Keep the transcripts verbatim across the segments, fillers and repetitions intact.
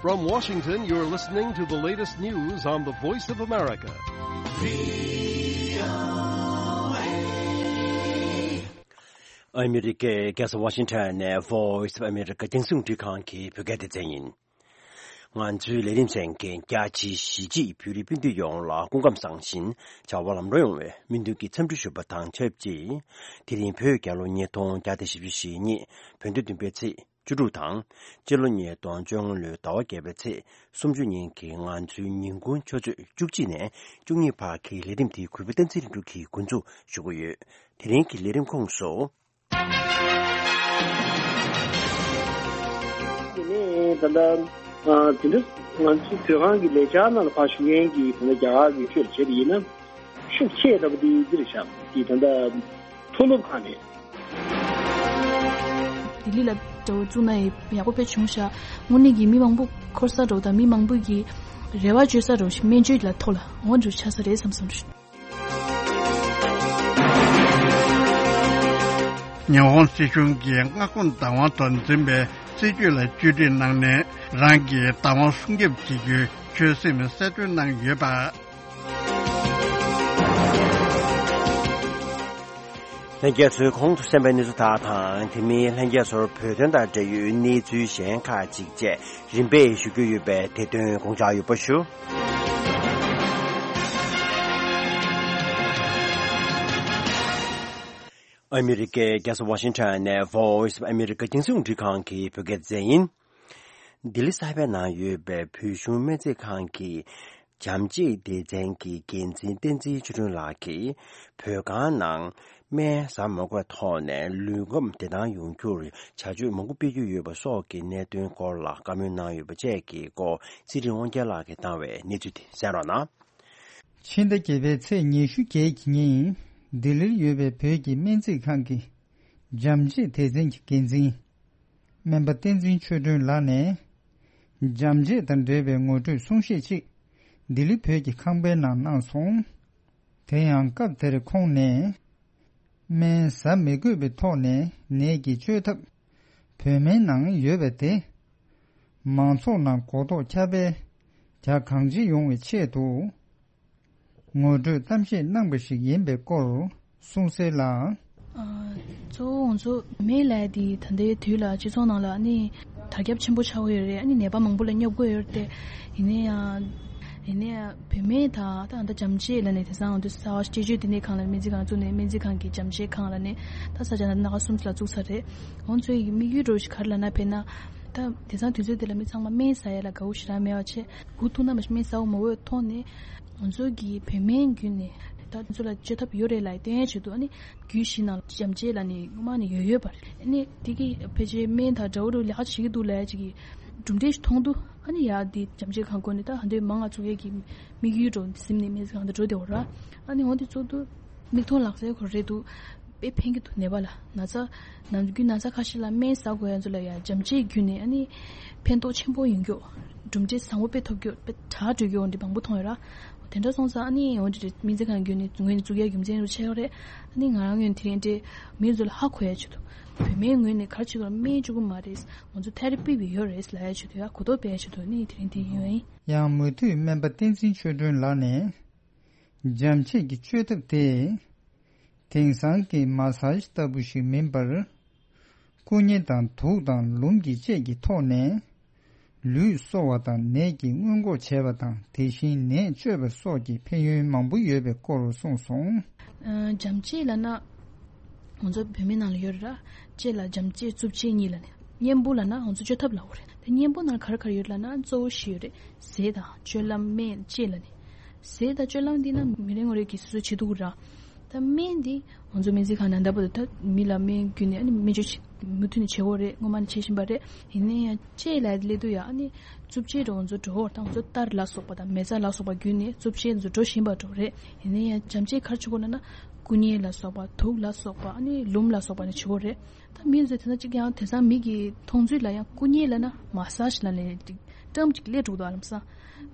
From Washington, you're listening to the latest news on the Voice of America. ཨ་མི་རི་ཀའི་རྒྱལ་ས་ཝ་ཤིང་ཊོན་ནས་Voice of America་རྒྱང་སྲིང་རླུང་འཕྲིན་ཁང་གི་བོད་སྐད་སྡེ་ཚན་ཡིན། ང་ཚོའི་ལས་རིམ་གསན་མཁན་རྒྱ་ཆེའི་གཞིས་བྱེས་བོད་རིགས་སྤུན་ཟླ་ཡོངས་ལ་སྐུ་ཁམས་བཟང་ཞིང་བྱ་བ་ལམ་འགྲོ་ཡོང་བའི་སྨོན་འདུན་གྱི་འཚམས་འདྲི་ཞུ་བ་དང་ཆབས་ཅིག་དེ་རིང་བོད་རྒྱལ་ལོ་ཉིས་སྟོང་བརྒྱ་དང་བཞི་བཅུ་ཞེ་གཉིས་བོད་ཟླ་བདུན་པའི་ཚེས་བཅུ་དྲུག་དང་། སྤྱི་ལོ་ཉིས་སྟོང་བཅོ་ལྔ་ལོའི་ཟླ་བ་བརྒྱད་པའི་ཚེས་སུམ་ཅུ་ཉིན་གྱི་ང་ཚོའི་ཉིན་གུང་ཆུ་ཚོད་བཅུ་གཅིག་ནས་བཅུ་གཉིས་བར་གྱི་ལས་རིམ་དེ་གུས་པ་བསྟན་འཛིན་ལྷུན་གྲུབ་ཀྱིས་འགོ་འཛུགས་ཞུ་གི་ཡོད། དེ་རིང་གི་ལས་རིམ་ཁོངས་སུ། དེ་ནས་ད་ལྟ་ཨ་དེ་འདྲ་ང་ཚོའི་བོད་ཁང་གི་ལས་འཆར་ནང་ལ་ཕར་ཞུགས་མཁན་གྱི་ད་ལྟ་རྒྱ་གར་གྱི་ཆོས་ལ་བྱས་པ་ཡིན་ན་ཤུགས་ཆེ་ལྟ་བུ་དེ་འདིར་བཞག་དེ་ད་ལྟ་མཐོ་སློབ་ཁང་ནས། ལྡི་ལི་ལ་འགྲོ་བཙུགས་ན་ཡག་པོ་དཔེ་བྱུང་ཤག་དངོས་གནས་ཀྱི་མི་མང་པོ་འཁོར་ས་འགྲོ་དང་མི་མང་པོ་གི་རེ་བ་བཅོལ་ས་འགྲོ་ཞིག་སྨན་བཅོས་ལ་ཐོག་ལ་འོང་འགྲོ་ཆགས་ས་རེད་བསམ་སོང་། ཉི་ཧོང་སྲིད་གཞུང་གིས་མངའ་ཁོངས་བདག་དབང་དུ་འཛིན་པའི་སྲིད་ཇུས་ལ་བཅོས་སྒྲིག་གནང་ནས་རང་གི་བདག་དབང་སྲུང་སྐྱོབ་བྱེད་རྒྱུའི་ཆོད་སེམས་གསལ་སྟོན་གནང་ཡོད་པ། ལྷན་རྒྱས་ཚོས་གོང་དུ་གསན་པའི་གནས་ཚུལ་དག་དང་དེ་མིན་ལྷན་རྒྱས་ཚོར་བོད་དོན་དང་འབྲེལ་ཡོད་གནས་ཚུལ་གཞན་ཁག་ཅིག་བཅས་རིམ་པས་ཞུ་རྒྱུ་ཡོད་པས་དེ་དོན་དགོངས་འཇགས་ཡོད་པ་ཞུ། ཨ་མི་རི་ཀའི་རྒྱལ་ས་ཝ་ཤིང་ཊོན་ནས་Voice of America་རྒྱང་སྲིང་རླུང་འཕྲིན་ཁང་གི་བོད་སྐད་སྡེ་ཚན་ཡིན། ལྡི་ལི་གསར་པའི་ནང་ཡོད་པའི་བོད་གཞུང་སྨན་རྩིས་ཁང་གི་བྱམས་བརྩེའི་སྡེ་ཚན་གྱི་འགན་འཛིན་བསྟན་འཛིན་ཆོས་སྒྲོན་ལགས་ཀྱིས་བོད་ཁང་ནང་སྨན་ཟ་མ་དགོས་པའི་ཐོག་ནས་ལུས་ཁམས་བདེ་ཐང་ཡོང་རྒྱུར་བྱ་སྤྱོད་མང་པོ་སྤེལ་རྒྱུ་ཡོད་པ་སོགས་ཀྱི་གནད་དོན་སྐོར་ལ་བཀའ་མོལ་གནང་ཡོད་པ་བཅས་ཀྱི་སྐོར་ཚེ་རིང་དབང་རྒྱལ་ལགས་ཀྱིས་བཏང་བའི་གནས་ཚུལ་དེ་གསན་རོགས་གནང་། ཕྱི་ཟླ་བརྒྱད་པའི་ཚེས་ཉི་ཤུ་བརྒྱད་ཀྱི་ཉིན་ལྡི་ལིར་ཡོད་པའི་བོད་ཀྱི་སྨན་རྩིས་ཁང་གི་བྱམས་བརྩེའི་སྡེ་ཚན་གྱི་འགན་འཛིན་སྨན་པ་བསྟན་འཛིན་ཆོས་སྒྲོན་ལགས་ནས་བྱམས་བརྩེ་དང་འབྲེལ་བའི་ངོ་སྤྲོད་གསུང་བཤད་ཅིག་ལྡི་ལི་བོད་ཀྱི་ཁང་པའི་ནང་གནང་སོང་། དེ་ཡང་སྐབས་དེར་ཁོང་ནས། སྨན་ཟ་མི་དགོས་པའི་ཐོག་ནས་ནད་ཀྱི་བཅོས་ཐབས་བོད་སྨན་ནང་ཡོད་པ་དེ། མང་ཚོགས་ནང་གོ་རྟོགས་ཁྱབ་སྤེལ་རྒྱ་གང་ཆེ་ཡོང་བའི་ཆེད་དུ། ངོ་སྤྲོད་གཏམ་བཤད་གནང་པ་ཞིག་ཡིན་པའི་སྐོར་གསུངས་གསལ་ལ། ཨ། གཙོ་བོ་ང་ཚོ་སྨན་ལབ་ཡ་དེ་ད་ལྟའི་དུས་ལ་སྤྱི་ཚོགས་ནང་ལ་ནི་དར་ཁྱབ་ཆེན་པོ་ཆགས་ཀྱི་ཡོད་རེད། ཨ་ནི་ནད་པ་མང་པོ་ལ་སྙོབ་ཀྱི་ཡོད་རེད་དེ། ཡིན་ན་ཡང་། ཡིན་ན་ཡང་བོད་སྨན་དང་ད་ལྟ་བྱམས་བརྩེ་ལབ་ནས་དེང་སང་ང་ཚོ་གསར་པ་སྤྱི་སྤྱོད་བསྟི་གནས་ཁང་ལ་སྨན་རྩིས་ཁང་བཙུགས་ནས་སྨན་རྩིས་ཁང་གི་བྱམས་བརྩེ་ཁང་ལབ་ནས་ད་ས་ཆ་ནང་སྣ་ཁ་གསུམ་ལ་བཙུགས་ཚར་རེད། ཁོང་ཚོའི་དམིགས་ཡུལ་འདྲ་བོ་ཞིག་ག་རེ་ལབ་ན་དཔེར་ན། ད་དེང་སང་དུས་ཚོད་འདི་ལ་མི་ཚང་མ་སྨན་ཟ་ཡ་ལ་དགའ་བོ་ཞེ་དྲག་མེད་པ་བྱས། འུ་ཐུག་ན་མ་གཞི་སྨན་ཟ་འོ་མ་འོས་མཐོང་ནས། ང་ཚོ་གི་བོད་སྨན་བརྒྱུད་ནས་ད་ང་ཚོ་ལ་བཅོས་ཐབས་ཡོད་རེད་ལབ་སྟོན་ཡ་བྱེད་དུས། ཨ་ནི་རྒྱུད་བཞི་ནང་ལ་བྱམས་བརྩེ་ལབ་ནས་སྔོན་མ་ནས་ཡོད་ཡོད་པ་རེད། ཨ་ནི་དེ་གི་ཕལ་ཆེར་སྨན་དང་འདྲ་བོ་འདྲ་བོ་ལས་ཀ་བྱེད་ཀྱི་འདུག་ལབ་ཡ་ཅིག་གི་གྲུབ་འབྲས་ཤིག་མཐོང་དུས། ཨ་ནི་ཡ་འདི་བྱམས་བརྩེ་ཁང་སྒོ་ནས་ད་ཧ་འདོད་མང་ང་ཚུགས་ཡས་ཀྱི་དམིགས་ཡུལ་འགྲོ་ཟིན་ནས་སྨན་རྩིས་ཁང་དུ་འགྲོ་བདེ་བ་ར། ཨ་ནི་འོ་འདི་ཚོ་དུ་མིག་མཐོང་ལག་ཟིན་ཁོ་རེད་འདུག་དཔེ་ཕན་གྱི་འདུག་ནད་པ་ལ་ན་ཚ། ནམ་རྒྱུན་ན་ཚ་ཁ་ཤས་ལ་སྨན་ཟ་དགོས་ཡ་ཚོ་ལ་ཡ་བྱམས་བརྩེ་བརྒྱུད་ནས་ཨ་ནི་ཕན་ཐོགས་ཆེན་པོ་ཡོང་རྒྱུ། གྲུབ་འབྲས་བཟང་པོ་དཔེ་ཐོབ་རྒྱུ། དཔེ་དྲག་འགྲོ་རྒྱུ་འོ་འདི་མང་པོ་མཐོང་ཡོད་ར། དེ་འདྲ་སོང་ཙང་ཨ་ནི་འོ་འདི་སྨན་རྩིས་ཁང་བརྒྱུད་ནས་ངོས་ནས་བཙུགས་ཡ་རྒྱུ་མཚན་རུ་ཆེ་བ་རེད། ཨ་ནི་ང་རང་ངོས་ནས་དེ་རིང་འདྲའི་མི་ཚོ་ལ་ཧ་གོ་ཡ་ཆེད་དུ། བོད་སྨན་ངོས་ནས་ག་རེ་བྱེད་དགོས་ལ་སྨན་བཅུག་གི་མ་རེད། ང་ཚོ་ཐེ་ར་པི་བི་ཡོད་རེད་ལབ་ཡ་ཆེད་དུ་ཡ་གོ་རྟོགས་སྤེལ་ཡ་ཆེད་དུ་ཨ་ནི་དེ་རིང་འདི་ཡིན་པ་ཡིན། ཡང་མུ་མཐུད་སྨན་པ་བསྟན་འཛིན་ཆོས་སྒྲོན་ལགས་ནས། འཇམ་བྱེད་ཀྱི་བཅོས་ཐབས་དེ། དེང་སང་གི་མ་སཱ་ཇི་ལྟ་བུ་ཞིག་མིན་པར། སྐུ་མཉེ་དང་དུག་དང་ལུམ་གྱི་བཅས་ཀྱི་ཐོག་ནས། ལུས་གསོ་བ་དང་ནད་ཀྱི་སྔོན་འགོག་བྱས་པ་དང་དེ་བཞིན་ནད་བཅོས་པ་སོགས་ཀྱི་ཕན་ཡོན་མང་པོ་ཡོད་པའི་སྐོར་གསུངས་སོང་། ཨ། འཇམ་བྱེད་ལབ་ན། ང་ཚོ་བོད་མི་ནང་ལ་ཡོད་རེད་ར། བྱེད་ལ་འཇམ་བྱེད་རྩུབ་བྱེད་གཉིས་ལབ་ནས། གཉེན་པོ་ལབ་ན་ང་ཚོ་བཅོས་ཐབས་ལབ་དགོས་རེད། དེ་གཉེན་པོ་ནང་ག་རེ་ག་རེ་ཡོད་ལབ་ན་གཙོ་བོ་བཞི་ཡོད་རེད། ཟས་དང་སྤྱོད་ལམ་སྨན་དཔྱད་ལབ་ནས། ཟས་དང་སྤྱོད་ལམ་འདི་ན་མི་རེ་ངོ་རེ་གིས་སོ་སོས་བྱེད་ཐུབ་ཀྱི་རེད། ད་སྨན་འདི་ང་ཚོ་སྨན་རྩིས་ཁང་ནང་ད་བར་དུ་ད་མི་ལ་སྨན་བརྒྱུད་ནས་ཨ་ནི་སྨན་བཅོས་བྱེད་མུ་མཐུད་ནས་བྱེད་དགོས་རེད། སྔོན་མ་ནས་བྱེད་བཞིན་པ་རེད། ཡིན་ན་ཡང་དཔྱད་ལབ་ཡ་དེ་སླེབས་དུས་ཡ་ཨ་ནི་རྩུབ་བྱེད་འགྲོ་ང་ཚོ་འགྲོ་ད་ང་ཚོ་གཏར་ལ་སོགས་པ་དང་མེ་བཙའ་ལ་སོགས་པ་བརྒྱུད་ནས་རྩུབ་བྱེད་ང་ཚོ་འགྲོ་བཞིན་པ་འགྲོ་རེད། ཡིན་ན་ཡང་འཇམ་བྱེད་ག་རེ་བྱེད་དགོས་ལབ་ན་སྐུ་མཉེ་ལ་སོགས་པ་དུག་ལ་སོགས་པ་ཨ་ནི་ལུམ་ལ་སོགས་པ་ནས་བྱེད་དགོས་རེད། ད་མི་ཚོས་དེ་ཚོ་གཅིག་ཀྱང་དེང་སང་མི་གི་མཐོང་ཚུལ་ལ་ཡང་སྐུ་མཉེ་ལབ་ན་མ་སཱ་ཇི་ལབ་ནས་ཏྲམ་གཅིག་སླེབས་འགྲོ་གི་འདུག་ཨ་ལམ་སང་།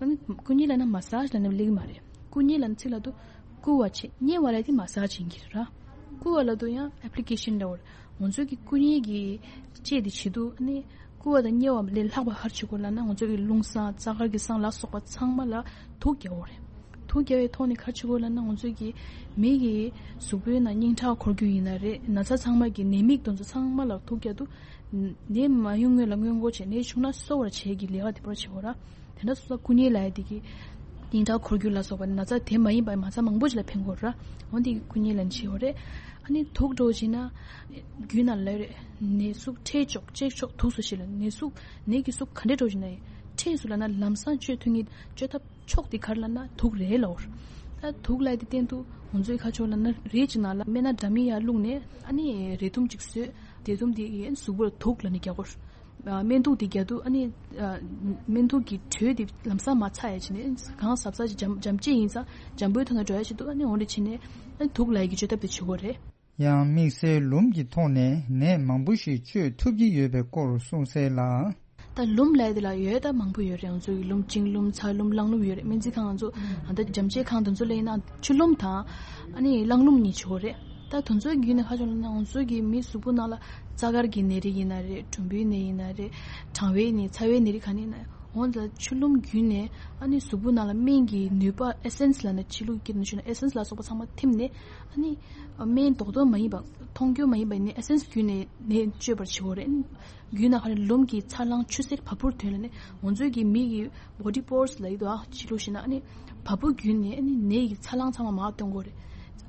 ཨ་ནི་སྐུ་མཉེ་ལབ་ན་མ་སཱ་ཇི་ལབ་ནས་སླེབས་ཀྱི་མ་རེད། སྐུ་མཉེ་ལབ་ན་ཚིག་ལ་དུ་བསྐུ་བ་བྱེད། མཉེ་བ་ལབ་དེ་མ་སཱ་ཇི་ཡིན་གྱི་རེད་ར། བསྐུ་བ་ལབ་དུ་ཡང་ཨེབ་ལི་ཀེ་ཤན་འདྲ་བོ་རེད། ང་ཚོ་གི་སྐུ་མཉེ་གི་དཔྱད་དེ་བྱེད་དུས་ཨ་ནི་ བསྐུ་བ་དང་མཉེ་བ་ལས་ལྷག་པ་ག་རེ་བྱེད་དགོས་ལབ་ན། ང་ཚོ་གི་རླུང་གསང་རྩ་དཀར་གྱི་གསང་ལ་སོགས་པ་ཚང་མ་ལ་དུགས་རྒྱག་དགོས་རེད། དུགས་རྒྱག་པའི་ཐོག་ནས་ག་རེ་བྱེད་དགོས་ལབ་ན། ང་ཚོ་གི་མི་གི་གཟུགས་པོའི་ནང་སྙིང་ཁྲག་འཁོར་རྒྱུ་ཡིན་ན་རེད། ན་ཚ་ཚང་མ་གི་ནད་དམིགས་དེ་ཚོ་ཚང་མ་ལ་དུགས་རྒྱག་དུས། ནད་མ་ཡོང་སྔོན་ལ་སྔོན་འགོག་བྱས། ནད་བྱུང་ན་གསོ་བར་བྱེད་ཀྱི་ལས་ཀ་དེ་པར་བྱེད་དགོས་ར། དེ་འདྲ་སོང་ཙང་བསྐུ་མཉེ་ལབ་ཡ་དེ་གི་སྙིང་ཁྲག་འཁོར་རྒྱུ་ལ་སོགས་པ་ན་ཚ་དེ་མ་ཡིན་པའི་ན་ཚ་མང་པོ་ཞིག་ལ་ཕན་གྱི་ཡོད་རེད། འོ་དེ་གི་བསྐུ་མཉེ་ལབ་ནས་བྱེད་ཀྱི་ཡོད་རེད། ཨ་ནི་དུགས་འདྲ་བོ་བྱས་ན་རྒྱུད་ནང་ལ་རེད། ནད་ཟུག་འཕྲད་ཆོག་བཅོས་ཆོག་དུགས་སུ་ཞིག་ལ། ནད་ཟུག་ནད་ཀྱི་ཟུག་ག་འདྲ་འདྲ་བོ་བྱས་ན་ཡང་འཕྲད་སོང་ལབ་ན་ལམ་སང་བཅོས་ཐུབ་མཁན་བཅོས་ཐབས་ཕྱོགས་དེ་ག་རེ་ལབ་ན་དུགས་རེད་ལབ་ཡོད་རེད། ད་དུགས་ལབ་ཡ་དེ་སྟེང་དུ་ང་ཚོའི་ཁ་ཕྱོགས་ལབ་ན་རིགས་ཅིག་ནང་ལ་སྨན་སྣ་འདྲ་མིན་ཡར་བླུགས་ནས། ཨ་ནི་རས་ཐུམ་ཅིག་བཟོས། རས་ཐུམ་དེ་གཟུགས་པོར་དུགས་ལབ་ནས་རྒྱག་གི་ཡོད་རེད། ཨ། སྨན་དུག་དེ་རྒྱག་དུས། ཨ་ནི། ཨ། སྨན་དུག་གི་དྲོད་དེ་ལམ་སང་མར་ཚ་ཡ་བྱས་ནས། གང་ཟབ་ཟབ་ཅིག་འཇམ་འཇམ་ཅིག་ཡིན་ཙང་འཇམ་པོའི་ཐོག་ནས་འགྲོ་ཡ་བྱེད་དུས། ཨ་ནི་འོ་འདྲ་བྱས་ནས། ཨ་ནི་དུགས་ལབ་ཡ་གི་བཅོས་ཐབས་དེ་བྱེད་ཀྱི་ཡོད་རེད། ཡང་དམིགས་བསལ་ལུམས་ཀྱི་ཐོག་ནས་ནད་མང་པོ་ཞིག་བཅོས་ཐུབ་ཀྱི་ཡོད་པའི་སྐོར་གསུངས་གསལ་ལ། ད་ལུམས་ལབ་ཡ་དེ་ལ་ཡོད་ད། མང་པོ་ཡོད་རེད། ང་ཚོ་གི་ལུམས། བྱིང་ལུམས། ཚ་ལུམས། རླངས་ལུམས་ཡོད་རེད། སྨན་རྩིས་ཁང་། ང་ཚོ་ཨ་ད་འཇམ་བཅོས་ཁང་དེ་ཚོ་ལ་ཡིན་ན་ཆུ་ལུམས་དང་། ཨ་ནི་རླངས་ལུམས་གཉིས་བྱེད་ཀྱི་ཡོད་རེད། ད་དེ་ཚོའི་བརྒྱུད་ནས་ག་རེ་བྱུང་ལབ་ན། ང་ཚོ་གི་མི་གཟུགས་པོ་ནང་ལ་རྩ་དཀར་གྱི་ནད་རིགས་ཡིན་ན་རེད། གྲུམ་བུའི་ནད་ཡིན་ན་རེད། གྲང་བའི་ནད། ཚ་བའི་ནད་རིགས་ག་ནས་ཡིན་ན། འོ་ད་ཆུ་ལུམས་བརྒྱུད་ནས། ཨ་ནི་གཟུགས་པོ་ནང་ལ་སྨན་གྱི་ནུས་པ། ཨེ་སེན་སི་ལབ་ན་ཕྱི་ལུགས་སྐད་ནང་བཤད་ན་ཨེ་སེན་སི་ལ་སོགས་པ་ཚང་མ་ཐིམ་ནས། ཨ་ནི་སྨན་རྡོག་རྡོག་མ་ཡིན་པ། མཐོང་རྒྱུ་མ་ཡིན་པ་ནི་ཨེ་སེན་སི་བརྒྱུད་ནས་ནད་བཅོས་པར་བྱེད་ཀྱི་ཡོད་རེད། རྒྱུད་ནང་ཁ་ནས་ལུམས་ཀྱི་འཚར་ལོངས་ཆུ་སེར་བ་སྤུར་ཐོན་ལ་ནི། ང་ཚོའི་གི་མི་གི་བོ་ཌི་པོ་རོ་སི་ལབ་ཡ་དེ་ཕྱི་ལུགས་བཤད་ན། ཨ་ནི་བ་སྤུ་བརྒྱུད་ནས། ཨ་ནི་ནད་ཀྱི་འཚར་ལོངས་ཚང་མ་མར་ཐོན་གྱི་ཡོད་རེད།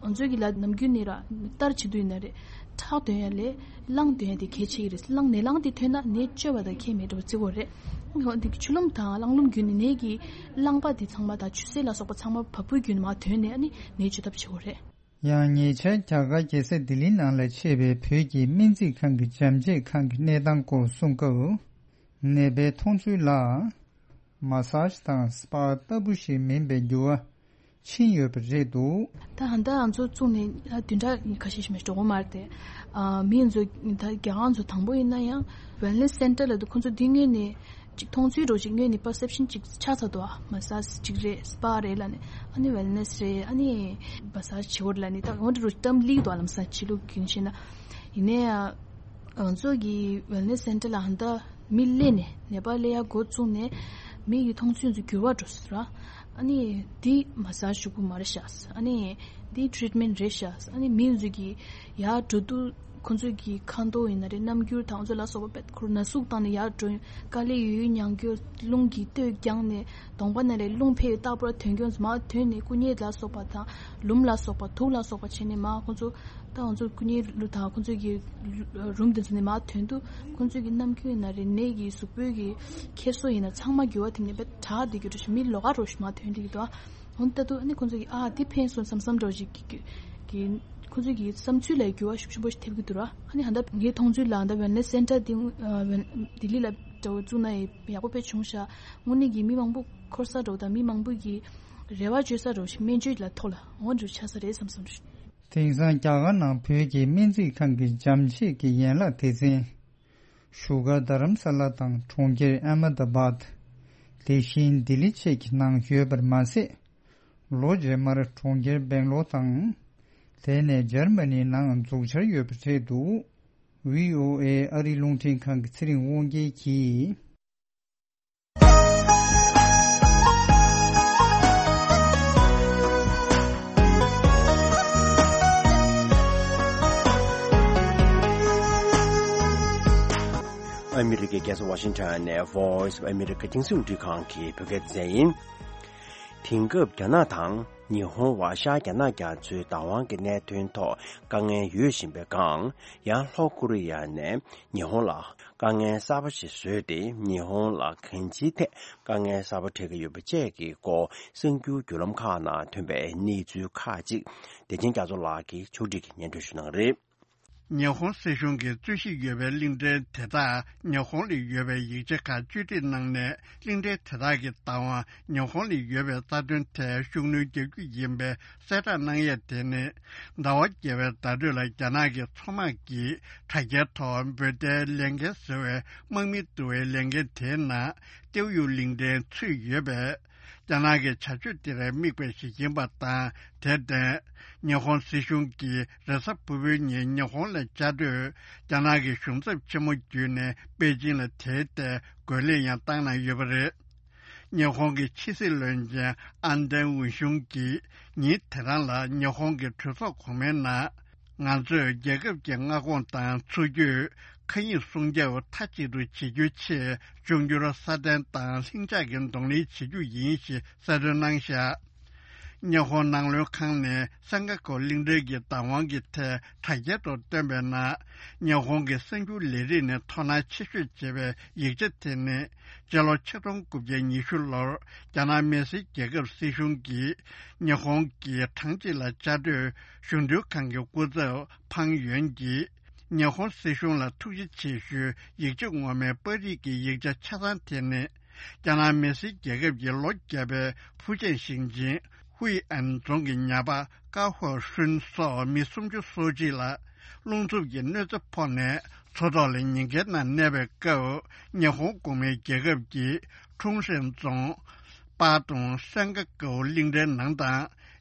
ང་ཚོའི་གི་ལ་ནམ་རྒྱུན་ནས་ར་གཏར་བྱེད་དུས་ཡིན་ན་རེད། ཁྲག་འདོན་ཡ་ལས་རླངས་འདོན་ཡ་དེ་གལ་ཆེ་གི་རེད། རླངས། ནད་རླངས་དེ་ཐོན་ན་ནད་བཅོས་པ་དང་ཁྱད་མེད་འགྲོ་བརྩི་གི་ཡོད་རེད། འོ་དེ་གི་ཆུ་ལུམས་དང་རླངས་ལུམས་བརྒྱུད་ནས་ནད་ཀྱི་རླངས་པ་དེ་ཚང་མ་དང་ཆུ་སེར་ལ་སོགས་པ་ཚང་མ་བ་སྤུ་བརྒྱུད་ནས་མར་ཐོན་ནས། ཨ་ནི་ནད་བཅོས་ཐབས་བྱེད་ཀྱི་ཡོད་རེད། ཡང་ཉེ་ཆར་རྒྱ་གར་རྒྱལ་ས་ལྡི་ལི་ནང་ལ་ཕྱེ་བའི་བོད་ཀྱི་སྨན་རྩིས་ཁང་གི་འཇམ་བཅོས་ཁང་གི་གནས་སྟངས་སྐོར་གསུང་སྐབས། ནད་པའི་མཐོང་ཚུལ་ལ། མ་སཱ་ཇི་དང་སི་པ་ལྟ་བུ་ཞིག་མིན་པའི་འགྱུར་བ་ཕྱིན་ཡོད་པ་རེད་འདུག། ད་ད་ལྟ་ང་ཚོ་བཙུགས་ནས་ད་བདུན་ཕྲག་ཁ་ཤས་ཤིག་མ་གཏོགས་འགྲོ་གི་མ་རེད་དེ། ཨ། མི་ཚོ་ད་རྒྱ་གར་ཚོ་དང་པོ་ཡིན་ན་ཡང་ཝེལ་ནེ་སི་སེན་ཊར་ལབ་དུས། ཁོང་ཚོ་འདི་སྔོན་ནས་ཅིག་མཐོང་ཚུལ་འདྲ་ཅིག་སྔོན་ནས་པར་སེབ་ཤན་ཅིག་ཆགས་ཚར་འདུག། ཨ། མ་སཱ་ཇི་ཅིག་རེད། སི་པ་རེད་ལབ་ནས། ཨ་ནི་ཝེལ་ནེ་སི་རེད། ཨ་ནི་མ་སཱ་ཇི་བྱེད་དགོས་རེད་ལབ་ནས། ད་འོ་འདྲ་འདྲ་ཅིག་གཏམ་སླེབས་འདུག། ཨ། ལམ་སང་ཕྱི་ལུགས་རྒྱུན་བཤད་ན། ཡིན་ནའི་ང་ཚོ་གི་ཝེལ་ནེ་སི་སེན་ཊར་ལ་ད་ལྟ་མི་སླེབས་ནས། ནད་པ་སླེབས་ཡ་འགོ་བཙུགས་ནས་མི་གི་མཐོང་ཚུལ་ཚོ་འགྱུར་བ་འགྲོ་སོང་ར། ཨ་ནི་འདི་མ་སཱ་ཇི་ཞུ་དགོས་མ་རེད་ཤག། ཨ་ནི་འདི་ཊི་རིཊ་མེན་ཊི་རེད་ཤག། ཨ་ནི་མི་ཚོ་གི་ཡར་འགྲོ་དུས། ཁོང་ཚོ་གི་ཁ་མདོག་ཡིན་ན་རེད། རྣམ་འགྱུར་དང་ཚོ་ལ་སོགས་པ་དཔེ་ཁོ་རང་ན་ཟུག་བཏང་ནས་ཡར་འགྲོ། དཀའ་ལས་ཡོད་ཡོད་མྱངས་རྒྱུ། རླུང་གིས་སྟོད་བརྒྱངས་ནས། གདོང་པ་ནང་ལ་རླུང་ཕེབས་རྟག་པར་ཐོན་རྒྱུ། མར་ཐོན་ནས་བསྐུ་མཉེ་ལ་སོགས་པ་དང་ལུམས་ལ་སོགས་པ། དུགས་ལ་སོགས་པ་བྱས་ནས་མར་ཁོང་ཚོ། ད་ང་ཚོ་བསྐུ་མཉེ་ལུ་དང་ཁོང་ཚོ་གི་རུམ་དེ་ཚོ་ནས་མར་ཐོན་དུས། ཁོང་ཚོ་གི་རྣམ་འགྱུར་ཡིན་ན་རེད། ནད་ཀྱི་གཟུགས་པོའི་གི་འཁྱེར་སོ་ཡིན་ན་ཚང་མ་འགྱུར་བ་ཐེབས་ནས་དཔེ་དྲག་བསྡད་རྒྱུ་འདྲ་ཞིག། མི་ལོགས་ཀ་རོ་ཞིག་མར་ཐོན་བསྡད་ཀྱི་འདུག། ཨ། འོ་ད་དུ་ཨ་ནི་ཁོང་ཚོ་གི། ཨ། འདི་ཕན་སོང་བསམ་བསམ་འདྲ་ཞིག་གི་གི་གི་ཁོང་ཚོ་གི་བསམ་ཚུལ་ལ་འགྱུར་བ་ཤུགས་ཆེན་པོ་ཞིག་ཐེབས་ཀྱི་འདུག་ར། ཨ་ནི་ད་ལྟ་ངའི་མཐོང་ཚུལ་ལ། ད་ལྟ་ཝེལ་ནེ་སི་སེན་ཊར་འདི། ཨ། ཝེལ། ལྡི་ལི་ལ་འདྲ་བོ་བཙུགས་ན་ཡག་པོ་དཔེ་བྱུང་ཤག། དངོས་གནས་ཀྱི་མི་མང་པོ་འཁོར་ས་འདྲ་བོ་དང་། མི་མང་པོ་གི་རེ་བ་བཅོལ་ས་འདྲ་བོ་ཞིག། སྨན་བཅོས་ལ་ཐོག་ལ་འོ་འདྲ་བོ་ཆགས་ས་རེད་བསམ་བསམ་རེད། དེང་སང་རྒྱ་གར་ནང་བོད་ཀྱི་སྨན་རྩིས་ཁང་གི་འཇམ་བཅོས་ཀྱི་ཡན་ལག་སྡེ་ཚན། བཞུགས་སྒར་རྡ་རམ་ས་ལ་དང་གྲོང་ཁྱེར་ཨ་མེ་ད་བཱད། དེ་བཞིན་ལྡི་ལི་བཅས་ཀྱི་ནང་ཡོད་པར་མ་ཟད། ལོ་རྗེས་མར་གྲོང་ཁྱེར་སྦེང་ལོར་དང་། དེ་ནས་འཇར་མ་ནིའི་ནང་འཛུགས་འཆར་ཡོད་པ་རེད་འདུག། བྷི་ཨོ་ཨེ་ཨ་རིའི་རླུང་འཕྲིན་ཁང་གི་ཚེ་རིང་དབང་རྒྱལ་གྱིས། ཨ་མི་རི་ཀའི་རྒྱལ་ས་ཝ་ཤིང་ཊོན་ནས་Voice of America རྒྱང་སྲིང་རླུང་འཕྲིན་ཁང་གི་བོད་སྐད་སྡེ་ཚན་ཡིན། དེང་སྐབས་རྒྱ་ནག་དང་ཉི་ཧོང་བར་ཤར་རྒྱ་ནག་རྒྱ་མཚོའི་བདག་དབང་གི་གནད་དོན་ཐོག་དཀའ་ངལ་ཡོད་བཞིན་པའི་སྒང་། ཡང་ལྷོ་ཀོ་རི་ཡ་ནས་ཉི་ཧོང་ལ་དཀའ་ངལ་གསར་པ་ཞིག་བཟོས་ཏེ། ཉི་ཧོང་ལ་གང་ཅིའི་ཐད་དཀའ་ངལ་གསར་པ་འཕྲད་ཀྱི་ཡོད་པ་བཅས་ཀྱི་སྐོར་གསར་འགྱུར་བརྒྱུད་ལམ་ཁག་ནང་ཐོན་པའི་གནས་ཚུལ་ཁག་ཅིག་བདེ་ཆེན་རྒྱ་མཚོ་ལགས་ཀྱིས་ཕྱོགས་སྒྲིག་གིས་སྙན་སྒྲོན་ཞུ་གནང་གི་རེད། ཉི་ཧོང་སྲིད་གཞུང་གིས་རྩོད་གཞི་ཡོད་པའི་གླིང་ཕྲན་དེ་དག་ཉི་ཧོང་ལ་ཡོད་པའི་ཡིག་ཆ་ཁག་བཅོས་སྒྲིག་གནང་ནས། གླིང་ཕྲན་དེ་དག་གི་བདག་དབང་ཉི་ཧོང་ལ་ཡོད་པའི་རྩ་དོན་ཐད་ཤུགས་སྣོན་རྒྱག་རྒྱུ་ཡིན་པའི་གསལ་བསྒྲགས་གནང་ཡས་དེ་ནི། ཟླ་བ་བརྒྱད་པའི་ཟླ་སྒྲོན་ལ་རྒྱ་ནག་གི་མཚོ་དམག་གིས་དྲ་རྒྱའི་ཐོག་འབོད་བརྡའི་ལས་འགན་ཟེར་བའི་དམག་མི་བསྡུ་བའི་ལས་འགན་དེའི་ནང་ཏེའུ་ཡུའུ་གླིང་ཕྲན་ཚུད་ཡོད་པས། རྒྱ་ནག་གི་བྱ་སྤྱོད་དེར་དམིགས་པ་ཞིག་ཡིན་པ་དང་། དེར་བརྟེན། ཉི་ཧོང་སྲིད་གཞུང་གིས་རེས་གཟའ་ཕུར་བུའི་ཉིན་ཉི་ཧོང་ལ་བཅའ་སྡོད་རྒྱ་ནག་གི་གཞུང་ཚབ་ཆེན་མོ་བརྒྱུད་ནས་པེ་ཅིང་ལ་དེའི་ཐད་རྒོལ་ལན་ཡང་བཏང་གནང་ཡོད་པ་རེད། ཉི་ཧོང་གི་ཕྱི་སྲིད་བློན་ཆེན་ཨན་ཏན་ཝུན་ཤུང་གིས་ཉིན་དེ་རང་ལ་ཉི་ཧོང་གི་གྲོས་ཚོགས་གོང་མའི་ནང་། ང་ཚོས་རྒྱལ་ཁབ་ཀྱི་མངའ་ཁོངས་དང་འཚོ་བཅུད། མཁའ་དབྱིངས་སྲུང་སྐྱོབ་མཐའ་གཅིག་ཏུ་བྱེད་རྒྱུའི་ཆེད། འབྱུང་འགྱུར་སྲ་བརྟན་དང་ལྷིང་འཇགས་ཀྱི་གདོང་ལེན་བྱེད་རྒྱུ་ཡིན་ཞེས་གསལ་སྟོན་གནང་བཞག། ཉི་ཧོང་ནང་བློན་ཁང་ནས་སན་ཀ་ཀོ་གླིང་ཕྲན་གྱི་བདག་དབང་གི་ཐད་དྲ་རྒྱའི་ཐོག་བཏོན་པའི་ནང་། ཉི་ཧོང་གི་གསར་འགྱུར་ལས་རིགས་ནས་དོ་སྣང་ཆེ་ཤོས་བྱེད་པའི་ཡིག་ཆ་དེ་ནི། སྤྱི་ལོ་ཆིག་སྟོང་དགུ་བརྒྱ་ཉི་ཤུ་ལོར་རྒྱ་ནག་མི་སེར་རྒྱལ་ཁབ་སྲིད་གཞུང་གིས་ཉི་ཧོང་གི་གྲངས་གཅིག་ལ་བཅའ་སྡོད་གཞུང་དོན་ཁང་གི་སྐུ་ཚབ་ཕང་ཡོན་གྱིས། ཉི་ཧོང་སྲིད་གཞུང་ལ་ཐུགས་རྗེ་ཆེ་ཞུའི་ཡིག་ཆ་ངོ་མའི་པར་རིས་ཀྱི་ཡིག་ཆ་ཆ་ཚང་དེ་ནི། རྒྱ་ནག་མི་སེར་རྒྱལ་ཁབ་ཀྱི་ལོ་བརྒྱ་པའི་ཧྥུ་ཅན་ཞིང་ཆེན་ཧུའེ་ཨན་རྫོང་གི་ཉ་པ་ཀ་ཧོ་ཧྲུན་སོགས་མི་སུམ་ཅུ་སོ་གཅིག་ལ་རླུང་འཚུབ་ཀྱི་གནོད་འཚེ་ཕོག་ནས་མཚོ་ཐོག་ལ་ཉེན་ཁའི་ནང་གནས་པའི་སྐབས། ཉི་ཧོང་གོང་མའི་རྒྱལ་ཁབ་ཀྱི་ཁྲུང་ཧྲན་རྫོང་། པ་ཏུང་སན་ཀ་ཀའོ་གླིང་ཕྲན་ནང་དང་།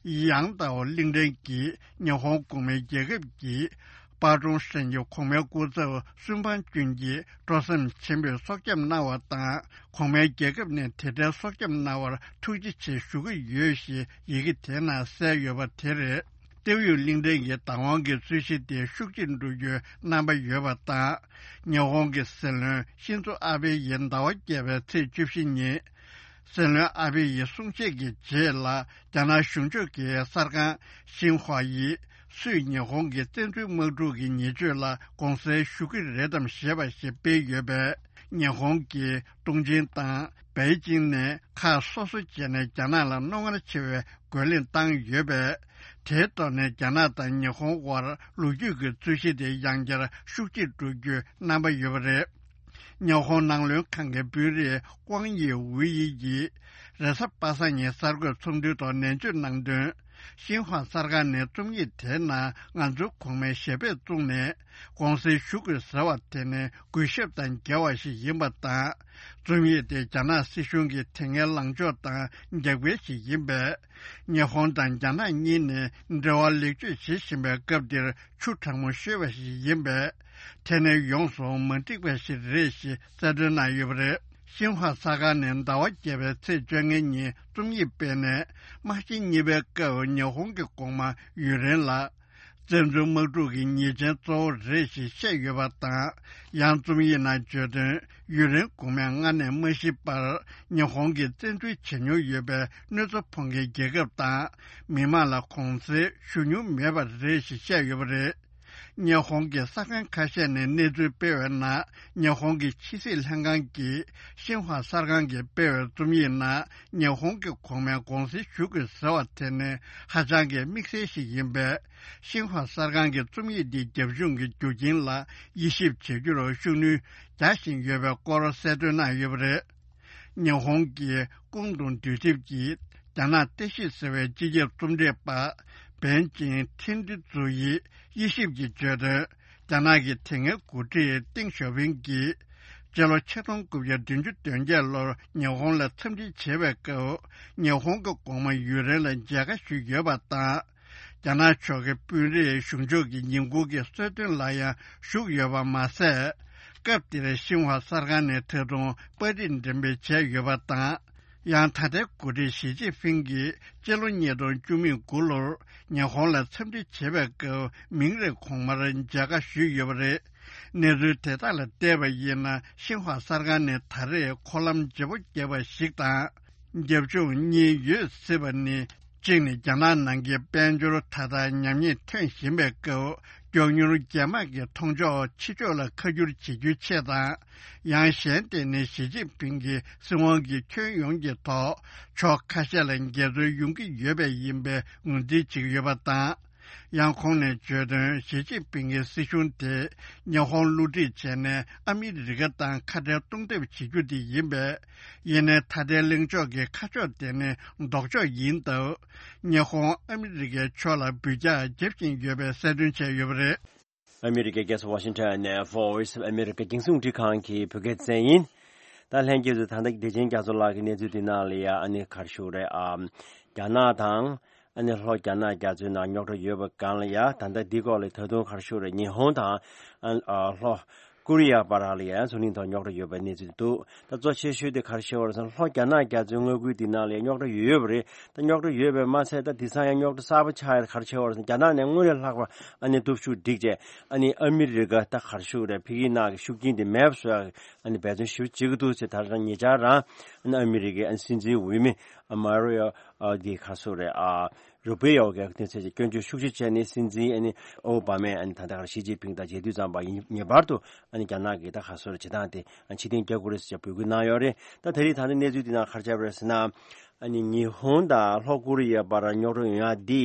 ཡང་ཏའོ་གླིང་ཕྲན་གྱི་ཉི་ཧོང་གོང་མའི་རྒྱལ་ཁབ་ཀྱི་པ་ཀྲུང་ཧྲན་གྱི་གོང་མའི་སྐུ་ཚབ་སུན་ཕང་ཅུན་གྱིས་སྤྲོ་སེམས་ཆེན་པོས་སྲོག་སྐྱོབ་གནང་བ་དང་། གོང་མའི་རྒྱལ་ཁབ་ནས་དེ་འདྲའི་སྲོག་སྐྱོབ་གནང་བར་ཐུགས་རྗེ་ཆེ་ཞུ་གི་ཡོད་ཞེས་ཡི་གེ་དེའི་ནང་གསལ་ཡོད་པ་དེ་རེད། ཏེའུ་ཡུས་གླིང་ཕྲན་གྱི་བདག་དབང་གི་རྩོད་གཞི་དེ་ཤུགས་ཆེར་འགྲོ་རྒྱུའི་རྣམ་པ་ཡོད་པ་དང་། ཉི་ཧོང་གི་སྲིད་བློན་ཤིན་ཛོ་ཨ་བྷེ་ཡིས་ཟླ་བ་བརྒྱད་པའི་ཚེས་བཅུ་བཞི་ཉིན། སྲིད་བློན་ཨ་བྷེ་ཡི་གསུང་བཤད་ཀྱི་རྗེས་ལ། རྒྱ་ནག་གཞུང་ཕྱོགས་ཀྱི་གསར་ཁང་ཤིན་ཧྭ་ཡིས། སུས་ཉི་ཧོང་གི་བཙན་འཛུལ་དམག་འཁྲུག་གི་ཉེས་སྤྱོད་ལ་དགོངས་སེལ་ཞུ་གི་རེད་དམ་ཞེས་པ་ཞིག་སྤེལ་ཡོད་པས། ཉི་ཧོང་གིས་ཏུང་ཅིན་དང་པེ་ཅིང་ནས་ཁག་སོ་སོ་བྱས་ནས་རྒྱ་ནག་ལ་རྣོ་ངར་ཆེ་བའི་རྒོལ་ལན་བཏང་ཡོད་པས། དེའི་ཐོག་ནས་རྒྱ་ནག་དང་ཉི་ཧོང་དབར་ལོ་རྒྱུས་ཀྱི་རྩོད་གཞི་དེ་ཡང་བསྐྱར་ཤུགས་ཆེར་འགྲོ་རྒྱུའི་རྣམ་པ་ཡོད་པ་རེད། ཉི་ཧོང་ནང་བློན་ཁང་གི་དཔོན་རིགས་ཀོང་ཡེ་ཝུའུ་ཡི་ཡིས་རེས་གཟའ་པ་སངས་ཉིན་གསར་འགོད་ཚོགས་འདུའི་ཐོག་ནན་བརྗོད་གནང་དོན། ཤིན་ཧྭ་གསར་ཁང་ནས་རྩོམ་ཡིག་དེའི་ནང་ང་ཚོའི་གོང་མའི་ཞལ་པར་བཙུགས་ནས་དགོངས་སེལ་ཞུ་དགོས་ཟེར་བ་དེ་ནི་གུས་ཞབས་དང་འགལ་བ་ཞིག་ཡིན་པ་དང་། རྩོམ་ཡིག་དེ་རྒྱ་ནག་སྲིད་གཞུང་གི་དེ་སྔའི་ལངས་ཕྱོགས་དང་འགལ་འགལ་ཞིག་ཡིན་པས། ཉི་ཧོང་དང་རྒྱ་ནག་གཉིས་ནས་འབྲེལ་བ་ལེགས་བཅོས་བྱེད་བཞིན་པའི་སྐབས་འདིར་ཆུ་གྲང་མོ་བཤོས་པ་ཞིག་ཡིན་པས། དེ་ནི་ཡོངས་སུ་མ་འགྲིག་པ་ཞིག་རེད་ཞེས་གསལ་སྟོན་གནང་ཡོད་པ་རེད། ཤིན་ཧྭ་གསར་ཁང་ནས་ཟླ་བ་བརྒྱད་པའི་ཚེས་བཅོ་ལྔ་ཉིན་རྩོམ་ཡིག་སྤེལ་ནས། དམག་ཆེན་གཉིས་པའི་སྐབས་ཉི་ཧོང་གི་གོང་མ་ཡུན་རིང་ལ། བཙན་འཛུལ་དམག་འཁྲུག་གི་ཉེས་ཅན་གཙོ་བོ་རེད་ཞེས་བཤད་ཡོད་པ་དང་། ཡང་རྩོམ་ཡིག་ནང་བརྗོད་དོན། ཡུན་རིང་གོང་མས་སྔར་ནས་མ་ཤི་བར་ཉི་ཧོང་གིས་བཙན་འཛུལ་བྱེད་མྱོང་ཡོད་པའི་གནོད་འཚེ་ཕོག་མཁན་རྒྱལ་ཁབ་དང་མི་མང་ལ་དགོངས་སེལ་ཞུ་མྱོང་མེད་པ་རེད་ཞེས་བཤད་ཡོད་པ་རེད། ཉི་ཧོང་གི་གསར་ཁང་ཁ་ཤས་ནས་གནས་ཚུལ་སྤེལ་བའི་ནང་། ཉི་ཧོང་གི་ཕྱི་སྲིད་ལྷན་ཁང་གིས་ཤིན་ཧྭ་གསར་ཁང་གིས་སྤེལ་བའི་རྩོམ་ཡིག་ནང་། ཉི་ཧོང་གི་གོང་མས་དགོངས་སེལ་ཞུ་དགོས་ཟེར་བ་དེ་ནི་ཧ་ཅང་གི་དམིགས་བསལ་ཞིག་ཡིན་པས། ཤིན་ཧྭ་གསར་ཁང་གི་རྩོམ་ཡིག་འདིའི་རྒྱབ་ལྗོངས་ཀྱི་རྒྱུ་རྐྱེན་ལ་དབྱེ་ཞིབ་བྱེད་རྒྱུར་ཤུགས་སྣོན་རྒྱག་བཞིན་ཡོད་པའི་སྐོར་གསལ་སྟོན་གནང་ཡོད་པ་རེད། ཉི་ཧོང་གི་ཀུང་ཏུང་འདུས་ཚིགས་ཀྱི་རྒྱ་ནག་བརྟག་ཞིབ་ཟེར་བའི་སྤྱི་ཁྱབ་རྩོམ་སྒྲིག་པ་བན་ཅིང་ཐིན་ཏི་ཙུ་ཡིས་དབྱེ་ཞིབ་ཀྱི་བརྗོད་དོན། རྒྱ་ནག་གི་དེ་སྔའི་འགོ་ཁྲིད་ཏེང་ཞའོ་ཕིང་གིས་སྤྱི་ལོ་ཆིག་སྟོང་དགུ་བརྒྱ་བདུན་ཅུ་དོན་བརྒྱད་ལོར་ཉི་ཧོང་ལ་འཚམས་འདྲི་བྱེད་པའི་སྐབས། ཉི་ཧོང་གི་གོང་མ་ཡུན་རིང་ལ་མཇལ་ཁ་ཞུས་ཡོད་པ་དང་། རྒྱ་ནག་ཕྱོགས་ཀྱི་དཔོན་རིགས་གཞུང་ཕྱོགས་ཀྱི་ཉིན་གུང་གི་གསོལ་སྟོན་ལ་ཡང་ཞུགས་ཡོད་པ་མ་ཟད། སྐབས་དེར་ཤིན་ཧྭ་གསར་ཁང་ནས་ད་དུང་པར་རིས་འགྲེམས་སྤེལ་བྱས་ཡོད་པ་དང་། ཡང་ད་ལྟའི་འགོ་ཁྲིད་ཞི་ཅིན་ཕིང་གིས་སྤྱི་ལོ་ཉིས་སྟོང་བཅུ་མེད་དགུ་ལོར་ཉི་ཧོང་ལ་འཚམས་འདྲི་བྱེད་པའི་སྐབས། མིང་རེར་གོང་མར་མཇལ་ཁ་ཞུས་ཡོད་པ་རེད། གནས་ཚུལ་དེ་དག་ལ་བལྟས་པ་ཡིན་ན། ཤིན་ཧྭ་གསར་ཁང་ནས་ད་རེས་འཁོར་ལམ་བརྗེ་པོ་བརྒྱབ་པ་ཞིག་དང་། རྒྱབ་ལྗོངས་གཉིས་ཡོད་སྲིད་པ་ནི། གཅིག་ནི་རྒྱ་ནག་ནང་གི་དཔལ་འབྱོར་ད་ལྟ་ཉམས་ཉེས་ཐོན་བཞིན་པའི་སྐབས། མགྱོགས་མྱུར་རྒྱལ་དམངས་ཀྱི་མཐོང་ཕྱོགས་ཕྱི་ཕྱོགས་ལ་ཁ་བསྒྱུར་བྱེད་རྒྱུའི་ཆེད་དང་། ཡང་གཞན་དེ་ནི་ཞི་ཅིན་ཕིང་གིས་སྲིད་དབང་གི་ཁྱོན་ཡོངས་ཀྱི་ཐོག་ཕྱོགས་ཁ་ཤས་ལ་འགལ་འཛོལ་ཡོང་གི་ཡོད་པས་ཡིན་པའི་ངོས་འཛིན་བྱེད་ཀྱི་ཡོད་པ་དང་། ཡང་ཁོང་ནས་བརྗོད་དོན། ཞི་ཅིན་ཕིང་གི་སྲིད་གཞུང་དེ་ཉི་ཧོང་བསླུ་བྲིད་བྱས་ནས་ཨ་མི་རི་ཀ་དང་ཁ་བྲལ་གཏོང་ཐབས་བྱེད་རྒྱུ་དེ་ཡིན་པས། ཡིན་ནའི་ད་ལྟའི་གླེང་ཕྱོགས་ཀྱི་ཁ་ཕྱོགས་དེ་ནི་ལྡོག་ཕྱོགས་ཡིན་སྟབས། ཉི་ཧོང་ཨ་མི་རི་ཀའི་ཕྱོགས་ལ་འབུད་རྒྱག་རྒྱབ་བཞིན་ཡོད་པའི་གསལ་སྟོན་བྱས་ཡོད་པ་རེད། ཨ་མི་རི་ཀའི་རྒྱལ་ས་ཝ་ཤིང་ཊོན་ནས་Voice of America རྒྱང་སྲིང་རླུང་འཕྲིན་ཁང་གི་བོད་སྐད་སྡེ་ཚན་ཡིན། ད་ལྷན་རྒྱས་ཚོ་ད་ལྟ་བདེ་ཆེན་རྒྱ་མཚོ་ལགས་ཀྱི་གནས་ཚུལ་འདི་ནང་ལ་ཡ་ཨ་ནི་ག་རེ་ཞུ་དགོས་རེད། ཨ་རྒྱ་ནག་དང་ཨ་ནི་ལྷོ་རྒྱ་ནག་རྒྱ་མཚོའི་ནང་རྙོག་དྲ་ཡོད་པའི་སྒང་ལ་ཡ་ད་ལྟ་འདི་སྐོར་ལ་ད་དུང་ག་རེ་ཞུ་དགོས་རེད། ཉི་ཧོང་དང་ཨ་ཨ་ལྷོ་ཀོ་རི་ཡ་བར་ལ་ཡ་འཛམ་གླིང་ཐོག་རྙོག་དྲ་ཡོད་པའི་གནས་ཚུལ་འདུག་ད་གཙོ་ཆེ་ཤོས་དེ་ག་རེ་ཞུ་དགོས་རེད་ཟེར་ན་ལྷོ་རྒྱ་ནག་རྒྱ་མཚོའི་མངའ་ཁུལ་འདི་ནང་ལ་ཡ་རྙོག་དྲ་ཡོད་ཡོད་པ་རེད། ད་རྙོག་དྲ་ཡོད་པས་མ་ཚད་ད་དེང་སང་ཡང་རྙོག་དྲ་གསར་པ་ཆགས་ཡ་ག་རེ་ཆགས་ཡོད་རེད་ཟེར་ན་རྒྱ་ནག་ནས་སྔོན་ལས་ལྷག་པ་ཨ་ནི་སྟོབས་ཤུགས་སྒྲིག་བྱས་ཨ་ནི་ཨ་མི་རི་ཀ་ད་ག་རེ་ཞུ་དགོས་རེད། ཕ་གིའི་ནང་གི་ཤུགས་རྐྱེན་དེ་མེད་པ་བཟོ་ཡ་གི་ཨ་ནི་འབད་བརྩོན་ཞེ་པོ་བྱེད་ཀྱི་འདུག་ཟེར། ད་རང་ཉེ་ཆར་རང་ཨ་ནི་ཨ་མི་རི་ཀའི་ཨ་ནི་སྲིད་འཛིན་འོས་མི་ཨ་མ་རི་ཨ་དེ་ག་རེ་ཞུ་དགོས་རེད། ཨ་རུ་པི་ཡོ་གི་སྐྱོན་བརྗོད་ཤུགས་ཆེ་བྱས་ནས་སྲིད་འཛིན་ཨ་ནི་ཨོ་བྷ་མས་ཨ་ནི་ད་ལྟ་ག་རེ་ཞི་ཅིན་ཕིང་དང་མཇལ་དུས་ཙམ་པ་ཡིན་ངེས་པར་དུ་ཨ་ནི་རྒྱ་ནག་གི་ད་ག་རེ་ཞུ་དགོས་རེད། བྱེད་སྟངས་དེ་ཨ་ནི་ཕྱིར་འཐེན་རྒྱག་དགོས་རེད་ཟེར་འབོད་སྐུལ་གནང་ཡོད་རེད། ད་ད་རེས་ད་ལྟ་གནས་ཚུལ་འདི་ནང་ག་རེ་ཆགས་པ་རེད་ཟེར་ན། ཨ་ནི་ཉི་ཧོང་དང་ལྷོ་ཀོ་རི་ཡའི་བར་རྙོག་དྲ་ཡོང་ཡག་འདི་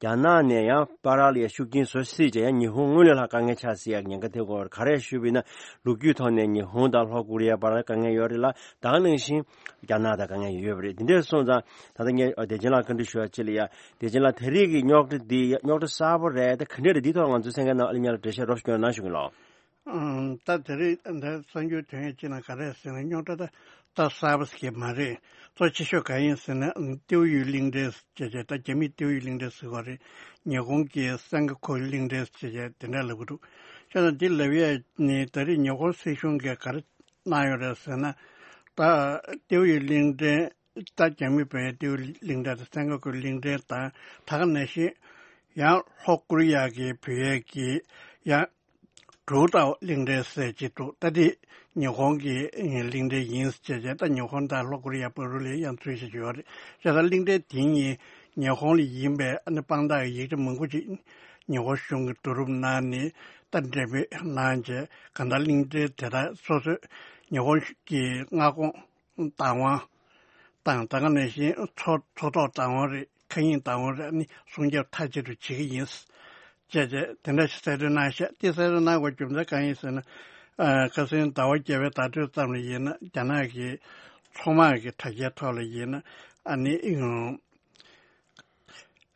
རྒྱ་ནག་ནས་ཡང་བར་ལ་ཡ་ཤུགས་རྐྱེན་བཟོ་སྲིད་ཅེས་ཡང་ཉི་ཧོང་སྔོན་ལས་ལྷག་དཀའ་ངལ་ཆགས་སྲིད་ཡག་ཉེན་ཁ་ཐེབས་ཀྱི་ཡོད་རེད། ག་རེ་ཞུས་པ་ཡིན་ན་ལོ་རྒྱུས་ཐོག་ནས་ཉི་ཧོང་དང་ལྷོ་ཀོ་རི་ཡའི་བར་ལ་དཀའ་ངལ་ཡོད་རེད་ལ་ད་ག་ནང་བཞིན་རྒྱ་ནག་དང་དཀའ་ངལ་ཡོད་པ་རེད། དེ་འདྲ་སོང་ཙང་ད་ལྟ་ངས་བདེ་ཆེན་ལགས་བཀའ་འདྲི་ཞུ་ཡག་ཅིག་ལ་ཡ་བདེ་ཆེན་ལགས་ད་རེས་ཀྱི་རྙོག་དྲ་འདི་རྙོག་དྲ་གསར་པ་རེད། ད་ག་འདྲ་རེད། འདི་ཐོག་ང་ཚོའི་གསན་མཁན་རྣམས་ཨ་ལེ་ཉག་ལ་འགྲེལ་བཤད་རོབ་ཞིག་སྐྱོན་གནང་ཞུ་གི་ལགས། ཨང་། ད་དེ་རིང་འདི་གསར་འགྱུར་དོན་ཡོད་ཅིག་ནང་ག་རེ་ཟེར་ན་རྙོག་དྲ་ད་ད་གསར་པ་ཞིག་མ་རེད། གཙོ་ཆེ་ཤོས་གང་ཡིན་ཟེར་ན་ཏེའུ་ཡུས་གླིང་ཕྲན་ཟེར་བྱས་ད་རྒྱ་མིས་ཏེའུ་ཡུས་གླིང་ཕྲན་ཟེར་གྱི་ཡོད་རེད། ཉི་ཧོང་གིས་སན་ཀ་ཁུ་གླིང་ཕྲན་ཟེར་བྱས་དེ་འདྲ་ལབ་ཀྱི་འདུག་བྱས་ཙང་འདི་ལབ་ཡས་ནི་ད་རེས་ཉི་ཧོང་སྲིད་གཞུང་གིས་ག་རེ་གནང་ཡོད་རེད་ཟེར་ན། ད་ཏེའུ་ཡུས་གླིང་ཕྲན་ད་རྒྱ་མི་བོད་ཡའི་ཏེའུ་གླིང་ཕྲན་དང་སན་ཀ་ཁུ་གླིང་ཕྲན་དང་ད་ག་ནང་བཞིན་ཡང་ལྷོ་ཀོ་རི་ཡ་གི་བོད་ཡ་གི་ཡང་ཌུའུ་ཏའོ་གླིང་ཕྲན་ཟེར་གྱི་འདུག་ད་འདི་ཉི་ཧོང་གི་གླིང་ཕྲན་ཡིན་ཟེར་བྱས་ད་ཉི་ཧོང་དང་ལྷོ་ཀོ་རི་ཡ་བར་ལ་ཡང་འཛུལ་བཞིན་ཡོད་རེད། བྱས་ཙང་གླིང་ཕྲན་དེ་གཉིས་ཉི་ཧོང་ལ་ཡིན་པའི་ཨ་ནི་དཔང་རྟགས་ཡིག་ཆ་མང་པོ་ཅིག་ཉི་ཧོང་གཞུང་གིས་བསྡུ་རུབ་གནང་ནས་ད་འགྲེམས་སྤེལ་གནང་བྱས་གང་ལྟར་གླིང་ཕྲན་དེ་དག་སོ་སོའི་ཉི་ཧོང་གི་མངའ་ཁོངས་བདག་དབང་དང་ད་ག་ནང་བཞིན་མཚོ་མཚོ་ཐོག་བདག་དབང་རེད། མཁའ་དབྱིངས་བདག་དབང་རེད། ཨ་ནི་སྲུང་སྐྱོབ་མཐའ་གཅིག་ཏུ་བྱེད་ཀྱི་ཡིན། ཅེས་བྱས་དེ་འདྲ་ཞིག་གསལ་སྟོན་གནང་ཤག་དེ་གསལ་སྟོན་གནང་དགོས་རྒྱུ་མཚན་གང་ཡིན་ཟེར་ན། ཨ་ཁ་སང་ཟླ་བ་བརྒྱད་པའི་ཟླ་སྒྲོན་ཙམ་ལ་ཡིན་ན་རྒྱ་ནག་གི་མཚོ་དམག་གི་དྲ་རྒྱའི་ཐོག་ལ་ཡིན་ན་ཨ་ནི་ཨུམ་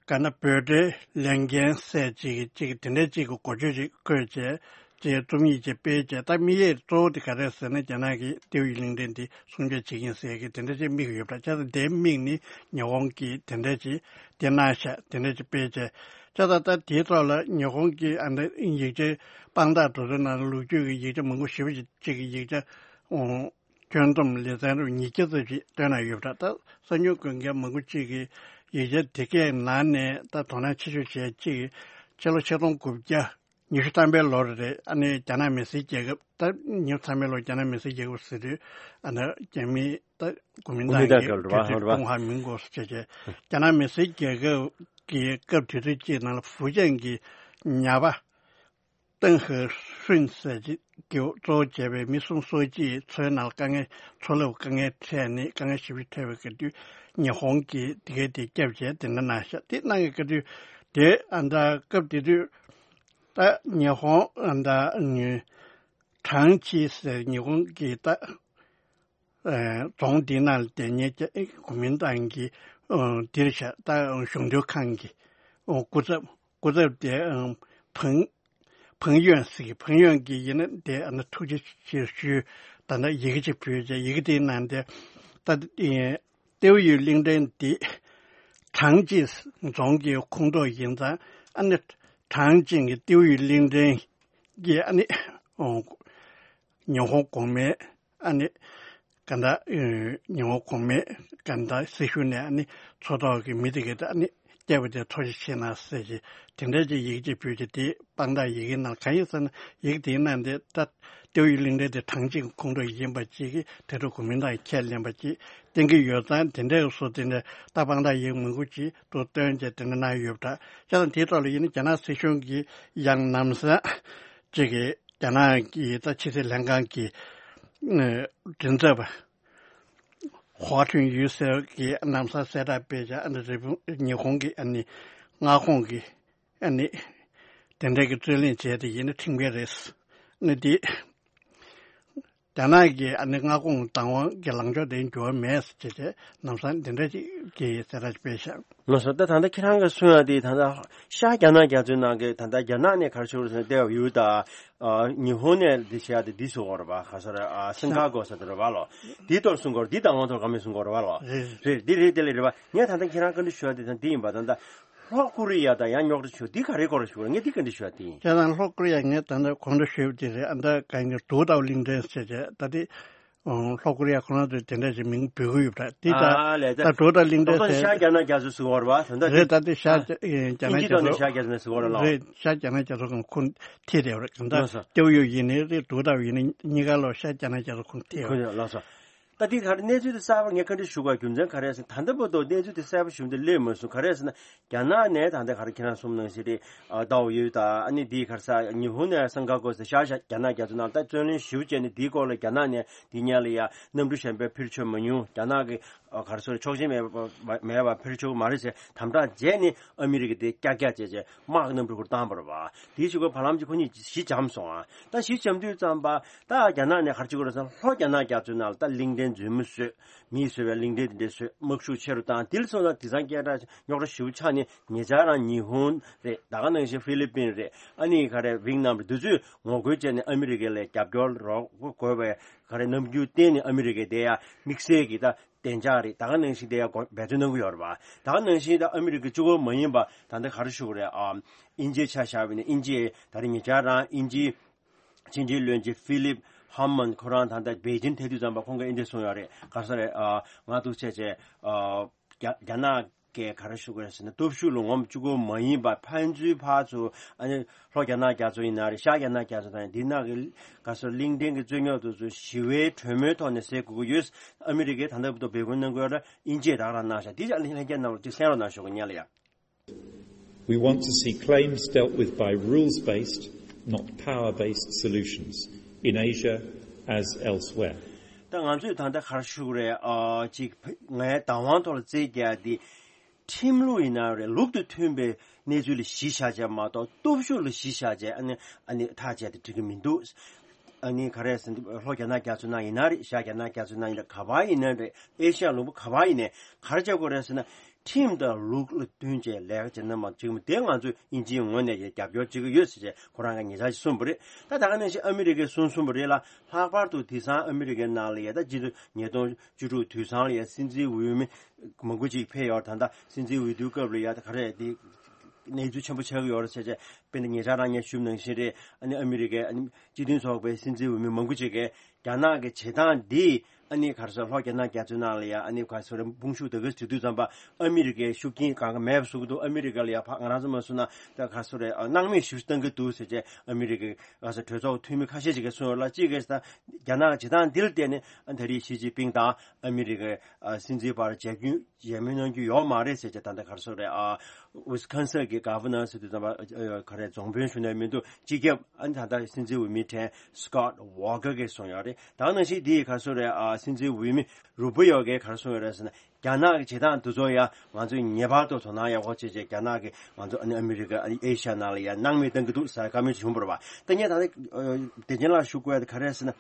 ག་ན་འབོད་སྒྲའི་ལས་འགན་ཟེར་ཅིག་གི་ཅིག་དེ་འདྲ་ཅིག་གི་འགོ་བརྗོད་ཅིག་བཀོད་བྱས་ཅེས་རྩོམ་ཡིག་ཅིག་སྤེལ་བྱས། ད་དམིགས་ཡུལ་གཙོ་བོ་དེ་ག་རེ་ཟེར་ན་རྒྱ་ནག་གི་ཏེའུ་ཡུས་གླིང་ཕྲན་འདི་སྲུང་སྐྱོབ་བྱེད་ཀྱི་ཡིན་ཟེར་གི་དེ་འདྲ་ཅིག་དམིགས་ཡོད་པ་འདྲ། བྱས་ཙང་དེའི་དམིགས་ནི་ཉི་ཧོང་གིས་དེ་འདྲ་ཅིག་དེ་གནང་ཤག་དེ་འདྲ་ཅིག་སྤེལ་བྱས། བྱས་ཙང་ད་དེའི་ཐོག་ལ་ཉི་ཧོང་གི་ཨ་ནི་ཡིག་ཆའི་དཔང་རྟགས་དེ་ཚོའི་ནང་ལ་ལོ་རྒྱུས་ཀྱི་ཡིག་ཆ་མང་པོ་ཞེ་པོ་ཅིག་ཅིག་གི་ཡིག་ཆ་ཨོ། ཁྱོན་བསྡོམས་ལེ་ཚན་རུ་ཉིས་བརྒྱ་ཙམ་ཞིག་བཏོན་གནང་ཡོད་པ་འདྲ། ད་གསར་འགྱུར་འགོད་མཁན་མང་པོ་གཅིག་གིས་ཡིག་ཆ་དེ་གའི་ནང་ནས་ད་དོ་སྣང་ཆེ་ཤོས་བྱས་གཅིག་ཕྱི་ལོ་ཆིག་སྟོང་དགུ་བརྒྱ་ཉི་ཤུ་ཐམ་པའི་ལོར་རེད། ཨ་ནི་རྒྱ་ནག་མི་སེར་རྒྱལ་ཁབ་ད་ཉི་ཤུ་ཐམ་པའི་ལོར་རྒྱ་ནག་མི་སེར་རྒྱལ་ཁབ་ཟེར་དུས་ཨ་ནི་རྒྱ་མི་ད་གོ་མིན་ཏང་གི་གོ་མིན་ཏང་གི་དུས་ཚོད་ཀྲུང་ཧྭ་མིན་གོ་ཟེར་བྱས་རྒྱ་ནག་མི་སེར་རྒྱལ་ཁབ་ཀྱི་སྐབས་དུས་ཚོད་གཅིག་ནང་ལ་ཧྥུ་ཅན་གྱི་ཉ་པ། ཏེང་ཧེ་ཧྲིན་ཟེར་གྱི་གཙོ་བོ་བྱས་པའི་མི་གསུམ་སོ་གཅིག་མཚོའི་ནང་དཀའ་ངལ་མཚོ་རླབས་དཀའ་ངལ་འཕྲད་ནས་དཀའ་ངལ་ཞེ་པོ་འཕྲད་པའི་སྐབས་དུས་ཉི་ཧོང་གིས་དེ་གའི་དེ་སྐྱབས་བྱས་དེ་འདྲ་གནང་ཤག་དེ་གནང་གི་སྐབས་དུས་དེ་ཨ་ད་སྐབས་དེ་དུས་ད་ཉི་ཧོང་ཨ་ད་ཀྲང་ཅི་ཟེར་ཉི་ཧོང་གི་ད་རྫོང་འདི་ནང་ལ་བསྡད་མཁན་གྱི་གོ་མིན་ཏང་གི་འདིར་བཞག་ད་གཞུང་དོན་ཁང་གི་སྐུ་ཚབ་སྐུ་ཚབ་དེ་ཕང་ཕང་ཡོན་ཟེར་གི་ཕང་ཡོན་གྱི་ཡིན་ན་དེ་ཨ་ན་ཐུགས་རྗེ་ཆེ་ཞུ། ད་ལྟ་ཡི་གེ་ཅིག་ཕུལ་བྱས་ཡི་གེ་དེའི་ནང་དེ་ད་ཏེའུ་ཡུས་གླིང་ཕྲན་འདི་ཀྲང་ཅིན་རྫོང་གི་ཁོངས་གཏོགས་ཡིན་ཙང་ཨ་ནི་ཀྲང་ཅིན་གྱི་ཏེའུ་ཡུས་གླིང་ཕྲན་གྱི་ཨ་ནི་ཉི་ཧོང་གོང་མའི་ཨ་ནི་ག་འདྲ་ཉི་ཧོང་གོང་མའི་ག་འདྲ་སྲི་ཞུ་ནས་ཨ་ནི་མཚོ་ཐོག་གི་མི་དེ་གའི་ཨ་ནི་སྐྱབས་དེ་ཐུགས་རྗེ་ཆེ་གནང་ཟེར་གྱི་དེ་འདྲ་ཅིག་ཡིག་ཅིག་ཕུལ་གྱི་དེ་དཔང་རྟགས་ཡི་གེ་ནང་གང་ཡིན་ཟེར་ན་ཡིག་དེའི་ནང་དེ་ད་ཏེའུ་ཡུས་གླིང་ཕྲན་དེ་ཀྲང་ཅིན་ཁོངས་གཏོགས་ཡིན་པ་ཅིག་གིས་དེ་འཕྲོ་གོ་མིན་ཏང་ཁས་ལེན་པ་ཅིག་བསྟན་གྱི་ཡོད་ཙང་དེ་འདྲའི་སོ་དེ་འདྲ་ད་དཔང་རྟགས་ཡིག་མང་པོ་ཅིག་ཏུ་བཏོན་བྱས་དེ་འདྲ་གནང་ཡོད་པ་འདྲ། བྱས་ཙང་དེའི་ཐོག་ལ་ཡིན་ན་རྒྱ་ནག་སྲིད་གཞུང་གིས་ཡང་ལམ་སང་ཅིག་གིས་རྒྱ་ནག་གི་ད་ཕྱི་སྲིད་ལྷན་ཁང་གི་མགྲིན་ཚབ་པ་ཧྭ་ཁྲུན་ཡུས་ཟེར་གྱིས་ལམ་སང་གསལ་བསྒྲགས་སྤེལ་བྱས་ཨ་ནི་རི་བོ་ཉི་ཧོང་གི་ཨ་ནི་མངའ་ཁོངས་ཀྱི་ཨ་ནི་དེ་འདྲ་གི་རྩོད་གླེང་བྱས་ཏེ་ཡིན་ན་ཁྲིམས་འགལ་རེད། ཨ་ནི་དེ་ རྒྱ་ནག་གི་ཨ་ནི་མངའ་ཁོངས་བདག་དབང་གི་ལངས་ཕྱོགས་དེ་འགྱུར་བ་མེད་ཟེར་བྱས་ནམ་སང་འདི་འདྲ་ཅིག་གི་གསལ་བསྒྲགས་ཅིག་སྤེལ་ཤག་ལགས་སོ། ད་ད་ལྟ་ཁྱེད་རང་གིས་གསུངས་ཡ་དེ་ད་ལྟ་ཤར་རྒྱ་ནག་རྒྱ་མཚོའི་ནང་གི་ད་ལྟ་རྒྱ་ནག་ནས་ག་རེ་ཞུ་དགོས་རེད་ཟེར་ན་ཏེའོ་ཡུས་དང་ཨ་ཉི་ཧོང་ནས་འདི་བྱེད་ཡ་དེ་འདི་བཟོ་དགོས་རེད་པ། ག་ས་རེད། ཨ་སིན་ཁ་གོ་ས་དེ་རེད་པ་ལོ། འདི་ཐོག་གསུང་དགོས་རེད། འདི་བདག་དབང་ཐོག་ག་མེད་གསུང་དགོས་རེད་པ་ལོ། རེད་རེད། རེད་འདི་རེད་དེ་ལས་རེད་པ། ངས་ད་ལྟ་ཁྱེད་རང་བཀའ་འདྲི་ཞུ་ཡ་དེ་ད་འདི་ཡིན་པ། ད་ལྟ་ལྷོ་ཀོ་རི་ཡ་དང་ཡང་རྙོག་དྲ་ཞུ་འདི་ག་རེ་སྐོར་ཞུ་རེད། ངས་འདི་བཀའ་འདྲི་ཞུ་ཡ་དེ་ཡིན། བྱས་ཙང་ལྷོ་ཀོ་རི་ཡ་ངས་ད་ལྟ་གོང་དུ་ཞུས་པ་དེ་རེད། ཨ་ད་ག་ཡིན་གྱི་དུས་རྟག་པ་གླིང་ཕྲན་ཟེར་བྱས་ད་དེ། ཨོ། ལྷོ་ཀོ་རི་ཡ་ཁོ་རང་ཚོས་དེ་འདྲ་ཞིག་མིང་འབོད་ཀྱི་ཡོད་པ་འདྲ། དེ་ད་ཨ་ལས་ད་ད་འགྲོ་ད་གླིང་ཕྲན་ཟེར། ཤར་རྒྱ་ནག་རྒྱ་མཚོ་ཟེར་བ་རེད་པ། དོན་དག་རེད། ད་དེ་ཤར་ཨ་རྒྱ་ཨེ་རྒྱ་ནག་ཨིན་ཇི་རྒྱ་ཐོག་ནས་མཚོ། ཤར་རྒྱ་མཚོ་ཟེར་བ་རེད་ལ། རེད། ཤར་རྒྱ་ནག་རྒྱ་མཚོ་ཁོངས་ཁོ་ཐེ་རེད་པ་རེད། གང་ལགས་སོ། ལྟེའུ་ཡུལ་ཡིན་ནའི་རེད། དུས་རྟག་པ་ཡིན་ནའི་གཉིས་ཀ་ལོ་ཤར་རྒྱ་ནག་རྒྱ་མཚོ་ཁོངས་ཐེ་ཁོ་རེད། ལགས་སོ། ད་དེ་ག་རེ་གནས་ཚུལ་དེ་གསར་པ་ངས་བཀའ་འདྲི་ཞུ་དགོས་རྒྱུ་མཚན་ག་རེ་ཟེར། ད་ལྟ་བར་དུ་གནས་ཚུལ་དེ་གསར་པ་ཞུ་མི་དེ་སླེབས་མ་སོང་། ག་རེ་ཟེར་ན་རྒྱ་ནག་ནས་ད་ལྟ་ག་རེ་ཁྱེད་རང་གསུངས་ནང་བཞིན་རེད། ཨ་ཏའོ་ཡུས་དང་ཨ་ནི་དེའི་ག་རེ་ཟེར་ཉི་ཧོང་ནས་སིན་ཁ་གོ་ཟེར་ཤར་ཤར་རྒྱ་ནག་རྒྱ་མཚོ་ནང་ད་བཙན་གནོན་ཞེ་པོ་བྱས་ནས་དེའི་སྐོར་ལ་རྒྱ་ནག་ནས་དེ་སྔོན་ལ་ཡ་གནམ་གྲུ་གཞན་པ་འཕུར་ཆོག་མ་མྱོང་། རྒྱ་ནག་གི་ཨ་ག་རེ་ཟེར་ཆོག་མཆན་མེད་པ་མེད་པ་འཕུར་ཆོག་མ་རེད་ཟེར་དམ་དྲག་བྱས་ནས་ཨ་མི་རི་ཀ་དེ་ཀྱག་ཀྱག་བྱས་བྱས་དམག་གི་གནམ་གྲུ་ཁུར་བཏང་བ་རེད་པ། དེའི་གཞུག་གུ་བར་ལམ་གྱི་ཁོ་གཉིས་གཞི་འཇམ་སོང་ཨ། ད་གཞི་འཇམ་དུས་ཙམ་པ་ད་རྒྱ་ནག་ནས་ག་རེ་བྱེད་དགོས་རེད་ཟེར་ན་ལྷོ་རྒྱ་ནག་རྒྱ་མཚོའི་ནང་ལ་ད་གླིང་ཕྲན་རྫུན་མ་བཟོས། མིས་བཟོས་པའི་གླིང་ཕྲན་དེ་འདྲ་བཟོས། དམག་ཤུགས་ཆེ་རུ་བཏང་། དེ་ལ་སོང་ཙང་དེང་སང་སྐད་གྲགས་རྙོག་དྲ་ཞེ་པོ་ཆགས་ནས་ཉེ་ཆར་རང་ཉི་ཧོང་རེད། ད་ག་ནང་བཞིན་ཧྥི་ལི་པིན་རེད། ཨ་ནི་ག་རེ་ཝིང་ནམ་རེད། འདི་ཚོས་ངོ་རྒོལ་བྱས་ནས་ཨ་མི་རི་ཀ་ལ་རྒྱབ་སྐྱོར་རོགས་དགོས་པའི་ག་རེ་རྣམ་འགྱུར་བསྟན་ནས་ཨ་མི་རི་ཀས་དེ་ཡང་དམིགས་བསལ་གྱི་ད་བདེ་འཇགས་རེད། ད་ག་ནང་བཞིན་དེ་ཡང་འབད་བརྩོན་གནང་གི་ཡོད་རེད་པ། ད་ག་ནང་བཞིན་ད་ཨ་མི་རི་ཀ་གཅིག་པོ་མ་ཡིན་པ་ད་ལྟ་ག་རེ་ཞུ་དགོས་རེད། ཨ་དབྱིན་ཇིའི་ཆ་བཞག་པ་ཡིན་ན་དབྱིན་ཇི་ད་རེས་ཉེ་ཆར་རང་དབྱིན་ཇིའི་ཕྱི་འབྲེལ་བློན་ཆེན་ཧྥི་ལིབ་ཧ་མན་ཁོ་རང་ད་ལྟ་པེ་ཅིན་ཐད་དུས་ཙམ་པ་ཁོང་གིས་འདི་གསུངས་ཡོད་རེད། ག་རེ་ཟེར་རེད། ཨ་ང་ཐུག་བྱས་བྱས་ཨ་རྒྱ་རྒྱ་ནག་གིས་ག་རེ་ཞུ་དགོས་རེད་ཟེར་ན་སྟོབས་ཤུགས་ལ་ངོམ་བཅུག་གི་མ་ཡིན་པ་ཕན་ཚུན་བར་དུ་ཨ་ནི་ལྷོ་རྒྱ་ནག་རྒྱ་མཚོ་ཡིན་ན་རེད། ཤར་རྒྱ་ནག་རྒྱ་མཚོ་དང་འདི་ནང་གི་ག་རེ་ཟེར་གླིང་ཕྲན་གྱི་རྩོད་རྙོག་དེ་ཚོ་ཞི་བའི་གྲོས་མོལ་ཐོག་ནས་སེལ་དགོས་ཀྱི་ཡོད། ཨ་མི་རི་ཀས་ད་ལྟ་བར་དུ་འབོད་སྐུལ་གནང་གི་ཡོད་རེད། དབྱིན་ཇིས་ད་ག་རང་གནང་ཤག་དེ་ལྷན་རྒྱས་རྣམས་ལ་ཅིག་གསན་རོགས་གནང་ཞུ་གི་ཡིན་ལ་ཡ། We want to see claims dealt with by rules-based, not power-based solutions, in Asia as elsewhere. ད་ང་ཚོས་ད་ལྟ་ག་རེ་ཞུ་དགོས་རེད། ཨ་ཅིག་ངའི་བདག་དབང་ཐོག་ལ་རྩིས་རྒྱག་ཡ་དེ་ཁྲིམས་ལུགས་ཡིན་ན་རེད། ལུགས་དང་མཐུན་པའི་གནས་ཚུལ་ལ་གཞི་བཞག་བྱས་མ་གཏོགས་སྟོབས་ཤུགས་ལ་གཞི་བཞག་བྱས་ཨ་ནི་ཨ་ནི་ཐག་བཅད་དེ་འགྲིག་གི་མི་འདུག་ཨ་ནི་ག་རེ་ཟེར་ན་ལྷོ་རྒྱ་ནག་རྒྱ་མཚོའི་ནང་ཡིན་ན་རེད། ཤར་རྒྱ་ནག་རྒྱ་མཚོའི་ནང་ཡིན་ན་ག་པར་ཡིན་ན་རེད། ཨེ་ཤ་ཡ་ལུང་པ་ག་པར་ཡིན་ནའི་ག་རེ་བྱེད་དགོས་རེད་ཟེར་ན། ཁྲིམས་དང་ལུགས་ལ་བསྟུན་བྱས་ལས་ཀ་བྱེད་ན་མ་འགྲིག་མོད། དེ་ང་ཚོས་དབྱིན་ཇིའི་ངོས་ནས་ཡང་རྒྱབ་སྐྱོར་བྱེད་ཀྱི་ཡོད་ཟེར་བྱས་ཁོ་རང་གིས་ཉེ་ཆར་ཞིག་གསུངས་པ་རེད། ད་ད་ག་ནང་བཞིན་ཨ་མི་རི་ཀས་གསུངས་གསུངས་པ་རེད་ལ། ལྷག་པར་དུ་དེང་སང་ཨ་མི་རི་ཀའི་ནང་ལ་ཡ་ད་སྤྱི་ལོ་ཉིས་སྟོང་བཅུ་དྲུག་དུས་སང་ལ་ཡ་སྲིད་འཛིན་འོས་མི་མང་པོ་ཅིག་ཕེབས་ཡོད་རེད། ད་ལྟ་སྲིད་འཛིན་འོས་བསྡུའི་སྐབས་ལ་ཡ་ད་ག་རེ་དེ་གནས་ཚུལ་ཆེན་པོ་ཆགས་ཀྱི་ཡོད་རེད་ཟེར་བྱས། དཔེར་ན་ཉེ་ཆར་རང་ངས་ཞུས་པ་ནང་བཞིན་རེད། ཨ་ནི་ཨ་མི་རི་ཀའི་ཨ་ནི་སྤྱི་མཐུན་ཚོགས་པའི་སྲིད་འཛིན་འོས་མི་མང་པོ་ཅིག་གིས་རྒྱ་ནག་གི་བྱེད་སྟངས་འདིས་ཨ་ནི་ག་རེ་ཟེར་ལྷོ་རྒྱ་ནག་རྒྱ་མཚོའི་ནང་ལ་ཡ་ཨ་ནི་ག་རེ་ཟེར་དཔུང་ཤུགས་དེ་ག་ཚོད་དུས་ཙམ་པ་ཨ་མི་རི་ཀའི་ཤུགས་རྐྱེན་གང་ག་མེད་པ་བཟོ་གི་འདུག་ཨ་མི་རི་ཀ་ལ་ཡ་ཕ་ང་རང་ཚོ་མ་བཟོ་ན་ད་ག་རེ་ཟེར་སྣང་མེད་ཞེ་པོ་ཞིག་བཏང་གི་འདུག་ཟེར་བྱས་ཨ་མི་རི་ཀའི་ག་རེ་ཟེར་གྲོས་ཚོགས་འཐུས་མི་ཁ་ཤས་ཤིག་གིས་གསུངས་ཡོད་ལ། གཅིག་གིས་ད་རྒྱ་ནག་གི་བྱེད་སྟངས་འདི་ལ་བརྟེན་ནས་ཨ་ད་རེས་ཞི་ཅིན་ཕིང་དང་ཨ་མི་རི་ཀའི་ཨ་སྲིད་འཛིན་བར་མཇལ་རྒྱུ་ཡས་མས་གནང་རྒྱུ་ཡོད་མ་རེད་ཟེར་བྱས། ད་ལྟ་ག་རེ་ཟེར་རེད། ཨ་ཝི་སི་ཀོན་སིན་གྱི་གྷ་ཝར་ནར་ཟེར་དུས་ཙམ་པ་ཨ་ག་རེ་རྫོང་དཔོན་ཞུ་ནས་མི་འདུག་སྤྱི་ཁྱབ་ཨ་ནི་ད་ལྟ་སྲིད་འཛིན་འོས་མི་དྲན་སི་ཀོཊ་ཝོ་ཀར་གྱིས་གསུངས་ཡོད་རེད། ད་ག་ནང་བཞིན་འདི་ག་རེ་ཟེར་རེད། ཨ་སྲིད་འཛིན་འོས་མི་རུ་པི་ཡོ་གིས་ག་རེ་གསུངས་ཡོད་རེད་ཟེར་ན། རྒྱ་ནག་གི་བྱེད་སྟངས་འདི་ཚོ་ཡང་ང་ཚོས་ངེས་པར་དུ་དོ་སྣང་ཡག་པོ་བྱེད་བྱས། རྒྱ་ནག་གིས་ང་ཚོ་ཨ་ནི་ཨ་མི་རི་ཀ་ཨ་ནི་ཨེ་ཤ་ཡ་ནང་ལ་ཡང་སྣང་མེད་བཏང་གི་འདུག་ཟེར་བཀའ་མོལ་བྱུང་བ་རེད་པ། ད་ངས་ད་ལྟ་ཨ་བདེ་ཆེན་ལགས་ཞུ་དགོས་ཡ་དེ་ག་རེ་རེད་ཟེར་ན།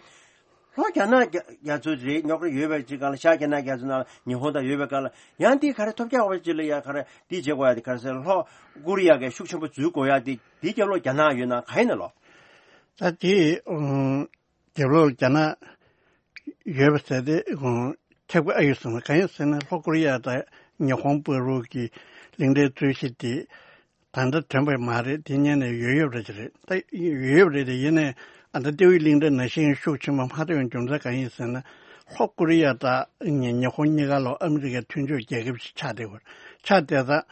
ལྷོ་རྒྱ་ནག་རྒྱ་རྒྱ་མཚོ་རེད། རྙོག་དྲ་ཡོད་པའི་ཅིག་སྒང་ལ་ཤར་རྒྱ་ནག་རྒྱ་མཚོ་ནང་ལ་ཉི་ཧོང་དང་ཡོད་པའི་སྒང་ལ་ཡང་འདི་ག་རེ་ཐོབ་རྒྱག་པ་ཅིག་ལ་ཡ་ག་རེ་འདི་བྱེད་དགོས་ཡ་དེ་ག་རེ་ཟེར། ལྷོ་ཀོ་རི་ཡ་གིས་ཤུགས་ཆེན་པོ་འཛུལ་དགོས་ཡ་དེ་འདི་རྒྱབ་ལོགས་རྒྱ་ནག་ཡོད་ན་ག་ཡིན་ན་ལོ། ད་དེ་ཨང་རྒྱབ་ལོགས་རྒྱ་ནག་ཡོད་པ་ཟེར་དེ་ཨང་ཁྱབ་ཀྱི་ཨ་ཡོད་ཟེར་ན། གང་ཡིན་ཟེར་ན་ལྷོ་ཀོ་རི་ཡ་དང་ཉི་ཧོང་བར་གྱི་གླིང་ཕྲན་རྩོད་གཞི་དེ་ད་ལྟ་ཐོན་པ་མ་རེད། དེ་སྔོན་ནས་ཡོད་ཡོད་རེད་ཅེས་རེད། ད་ཡོད་ཡོད་རེད་དེ། ཡིན་ནའི་ཨ་ད་ཏེའུ་གླིང་ཕྲན་ནང་བཞིན་ཤུགས་ཆེན་པོ་མ་ཐོན་རྒྱུ་མཚན་གང་ཡིན་ཟེར་ན། ལྷོ་ཀོ་རི་ཡ་དང་ཉི་ཉི་ཧོང་གཉིས་ཀ་ལོ་ཨ་མི་རི་ཀའི་མཐུན་ཕྱོགས་རྒྱལ་ཁབ་ཅིག་ཆགས་བསྡད་ཡོད་རེད། ཆགས་བསྡད་ཙང་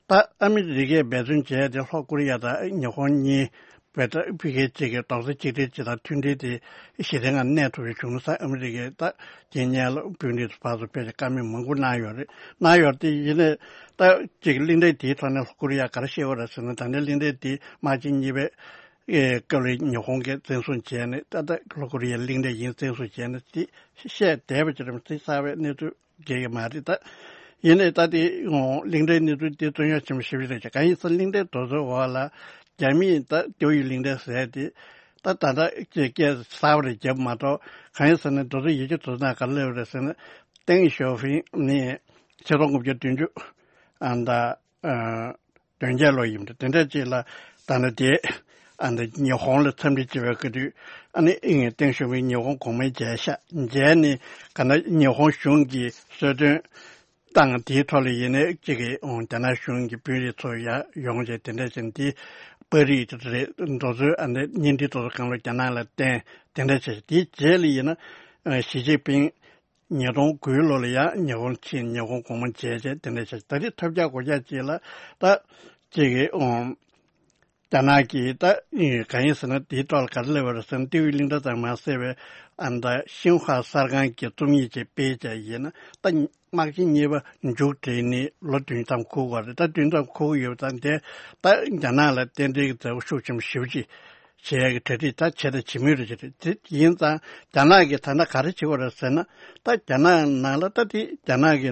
ད་ཨ་མི་རི་ཀས་འབད་བརྩོན་བྱས་ཏེ་ལྷོ་ཀོ་རི་ཡ་དང་ཉི་ཧོང་གཉིས་བོད་ཕ་གིའི་གཅིག་གི་རྡོག་རྩ་གཅིག་སྒྲིལ་གཅིག་དང་མཐུན་སྒྲིལ་དེ་ཞི་བདེའི་ངང་གནས་ཐུབ་པའི་བྱུང་ས་ཨ་མི་རི་ཀས་ད་རྗེས་སྔོན་ལ་དཔོན་རིགས་ཚོ་ཕར་ཚུར་ཕེབས་ཏེ་བཀའ་མོལ་མང་པོ་གནང་ཡོད་རེད། གནང་ཡོད་རེད་དེ། ཡིན་ནའི་ད་གཅིག་གླིང་ཕྲན་དེའི་ཐོག་ནས་ལྷོ་ཀོ་རི་ཡ་ག་རེ་བཤད་ཡོད་རེད་ཟེར་ན། ད་ལྟའི་གླིང་ཕྲན་དེ་དམག་ཆེན་གཉིས་པའི་ཨེ་སྐབས་ལ་ཉི་ཧོང་གིས་བཙན་བཟུང་བྱས་ནས་ད་ལྟ་ལྷོ་ཀོ་རི་ཡའི་གླིང་ཕྲན་ཡིན་བཙན་བཟུང་བྱས་ནས་དེ་བཤད་བསྡད་པ་ཅིག་རེད། དེ་གསར་པའི་གནས་ཚུལ་རྒྱག་གི་མ་རེད། ད་ཡིན་ནའི་ད་དེ་གླིང་ཕྲན་གནས་ཚུལ་དེ་རྩོད་རྙོག་ཆེན་པོ་ཞེ་པོ་ཅིག་རེད། གང་ཡིན་ཟེར་གླིང་ཕྲན་དེ་ཚོའི་འོག་ལ་རྒྱ་མིས་ད་ཏེའུ་གླིང་ཕྲན་ཟེར་དེ་ ད་ད་ལྟ་ཀྱི་སྐད་གསར་པ་རེ་བརྒྱབ་མ་གཏོགས། གང་ཡིན་ཟེར་ན། དེ་ཚོ་ཡི་གེ་དེ་ཚོ་ནང་ག་རེ་སླེབས་རེད་ཟེར་ན། ཏེང་ཞའོ་ཕིང་ནི་ཆིག་སྟོང་དགུ་བརྒྱ་བདུན་ཅུ་ཨ་ད་ཨ་བདུན་བརྒྱ་ལོ་ཡིན་འདྲ། དེ་འདྲ་ཅིག་ལ་ད་ནི་དེ་ཨ་ནི་ཉི་ཧོང་ལ་འཚམས་འདྲི་བྱེད་པའི་སྐབས་དུས། ཨ་ནི་ཨིན་ཏེང་ཞའོ་ཕིང་ཉི་ཧོང་གོང་མ་མཇལ་ཤག་མཇལ་ནས་ག་ན་ཉི་ཧོང་གཞུང་གིས་གསོལ་སྟོན་བཏང་། དེའི་ཐོག་ལ་ཡིན་ནའི་གཅིག་གིས་ཨོ་རྒྱ་ནག་གཞུང་གི་དཔོན་རིགས་ཚོ་ཡར་ཡོང་བྱས། དེ་འདྲ་བྱས་ནས་དེ་པར་རིས་རེད། འདི་ཚོ་ཨ་ནི་བརྙན་འཕྲིན་དེ་ཚོ་སྒང་ལ་རྒྱ་ནག་ལ་བསྟན། དེ་འདྲ་བྱས། དེའི་རྗེས་ལ་ཡིན་ན་ཨ་ཞི་ཅིན་ཕིང་ཉིས་སྟོང་དགུའི་ལོ་ལ་ཡང་ཉི་ཧོང་ཕྱིན། ཉི་ཧོང་གོང་མ་མཇལ་བྱས། དེ་འདྲ་བྱས། ད་རེས་ཐབས་ཆག་གོ་ཆག་ཅིག་ལ་ད་གཅིག་གིས་ཨོ་རྒྱ་ནག་གིས་ད་གང་ཡིན་ཟེར་ན། དེའི་ཐོག་ལ་ག་རེ་སླེབས་པ་རེད་ཟེར་ན། ཏེའུ་གླིང་ཕྲན་ཙམ་མ་ཟད་པའི་ཨ་ད་ཤིན་ཧྭ་གསར་ཁང་གི་རྩོམ་ཡིག་ཅིག་སྤེལ་བྱས་ཡིན་ན། ད་དམག་ཆེན་གཉིས་པ་མཇུག་སྒྲིལ་ནས་ལོ་བདུན་ཙམ་འཁོར་བ་རེད། ད་བདུན་ཙམ་འཁོར་གྱི་ཡོད་ཙང་། དེ་ད་རྒྱ་ནག་ལ་རྟེན་འབྲེལ་གྱི་མཛའ་བོ་ཤུགས་ཆེན་པོ་ཞེ་པོ་ཅིག་བྱེད་ཡག་གི་གྲ་སྒྲིག་ད་བྱས་དང་བྱེད་མུས་རེད། ཅེས་རེད། དེ་ཡིན་ཙང་རྒྱ་ནག་གིས་ད་ལྟ་ག་རེ་བྱེད་དགོས་རེད་ཟེར་ན། ད་རྒྱ་ནག་ནང་ལ་ད་དེ་རྒྱ་ནག་གི་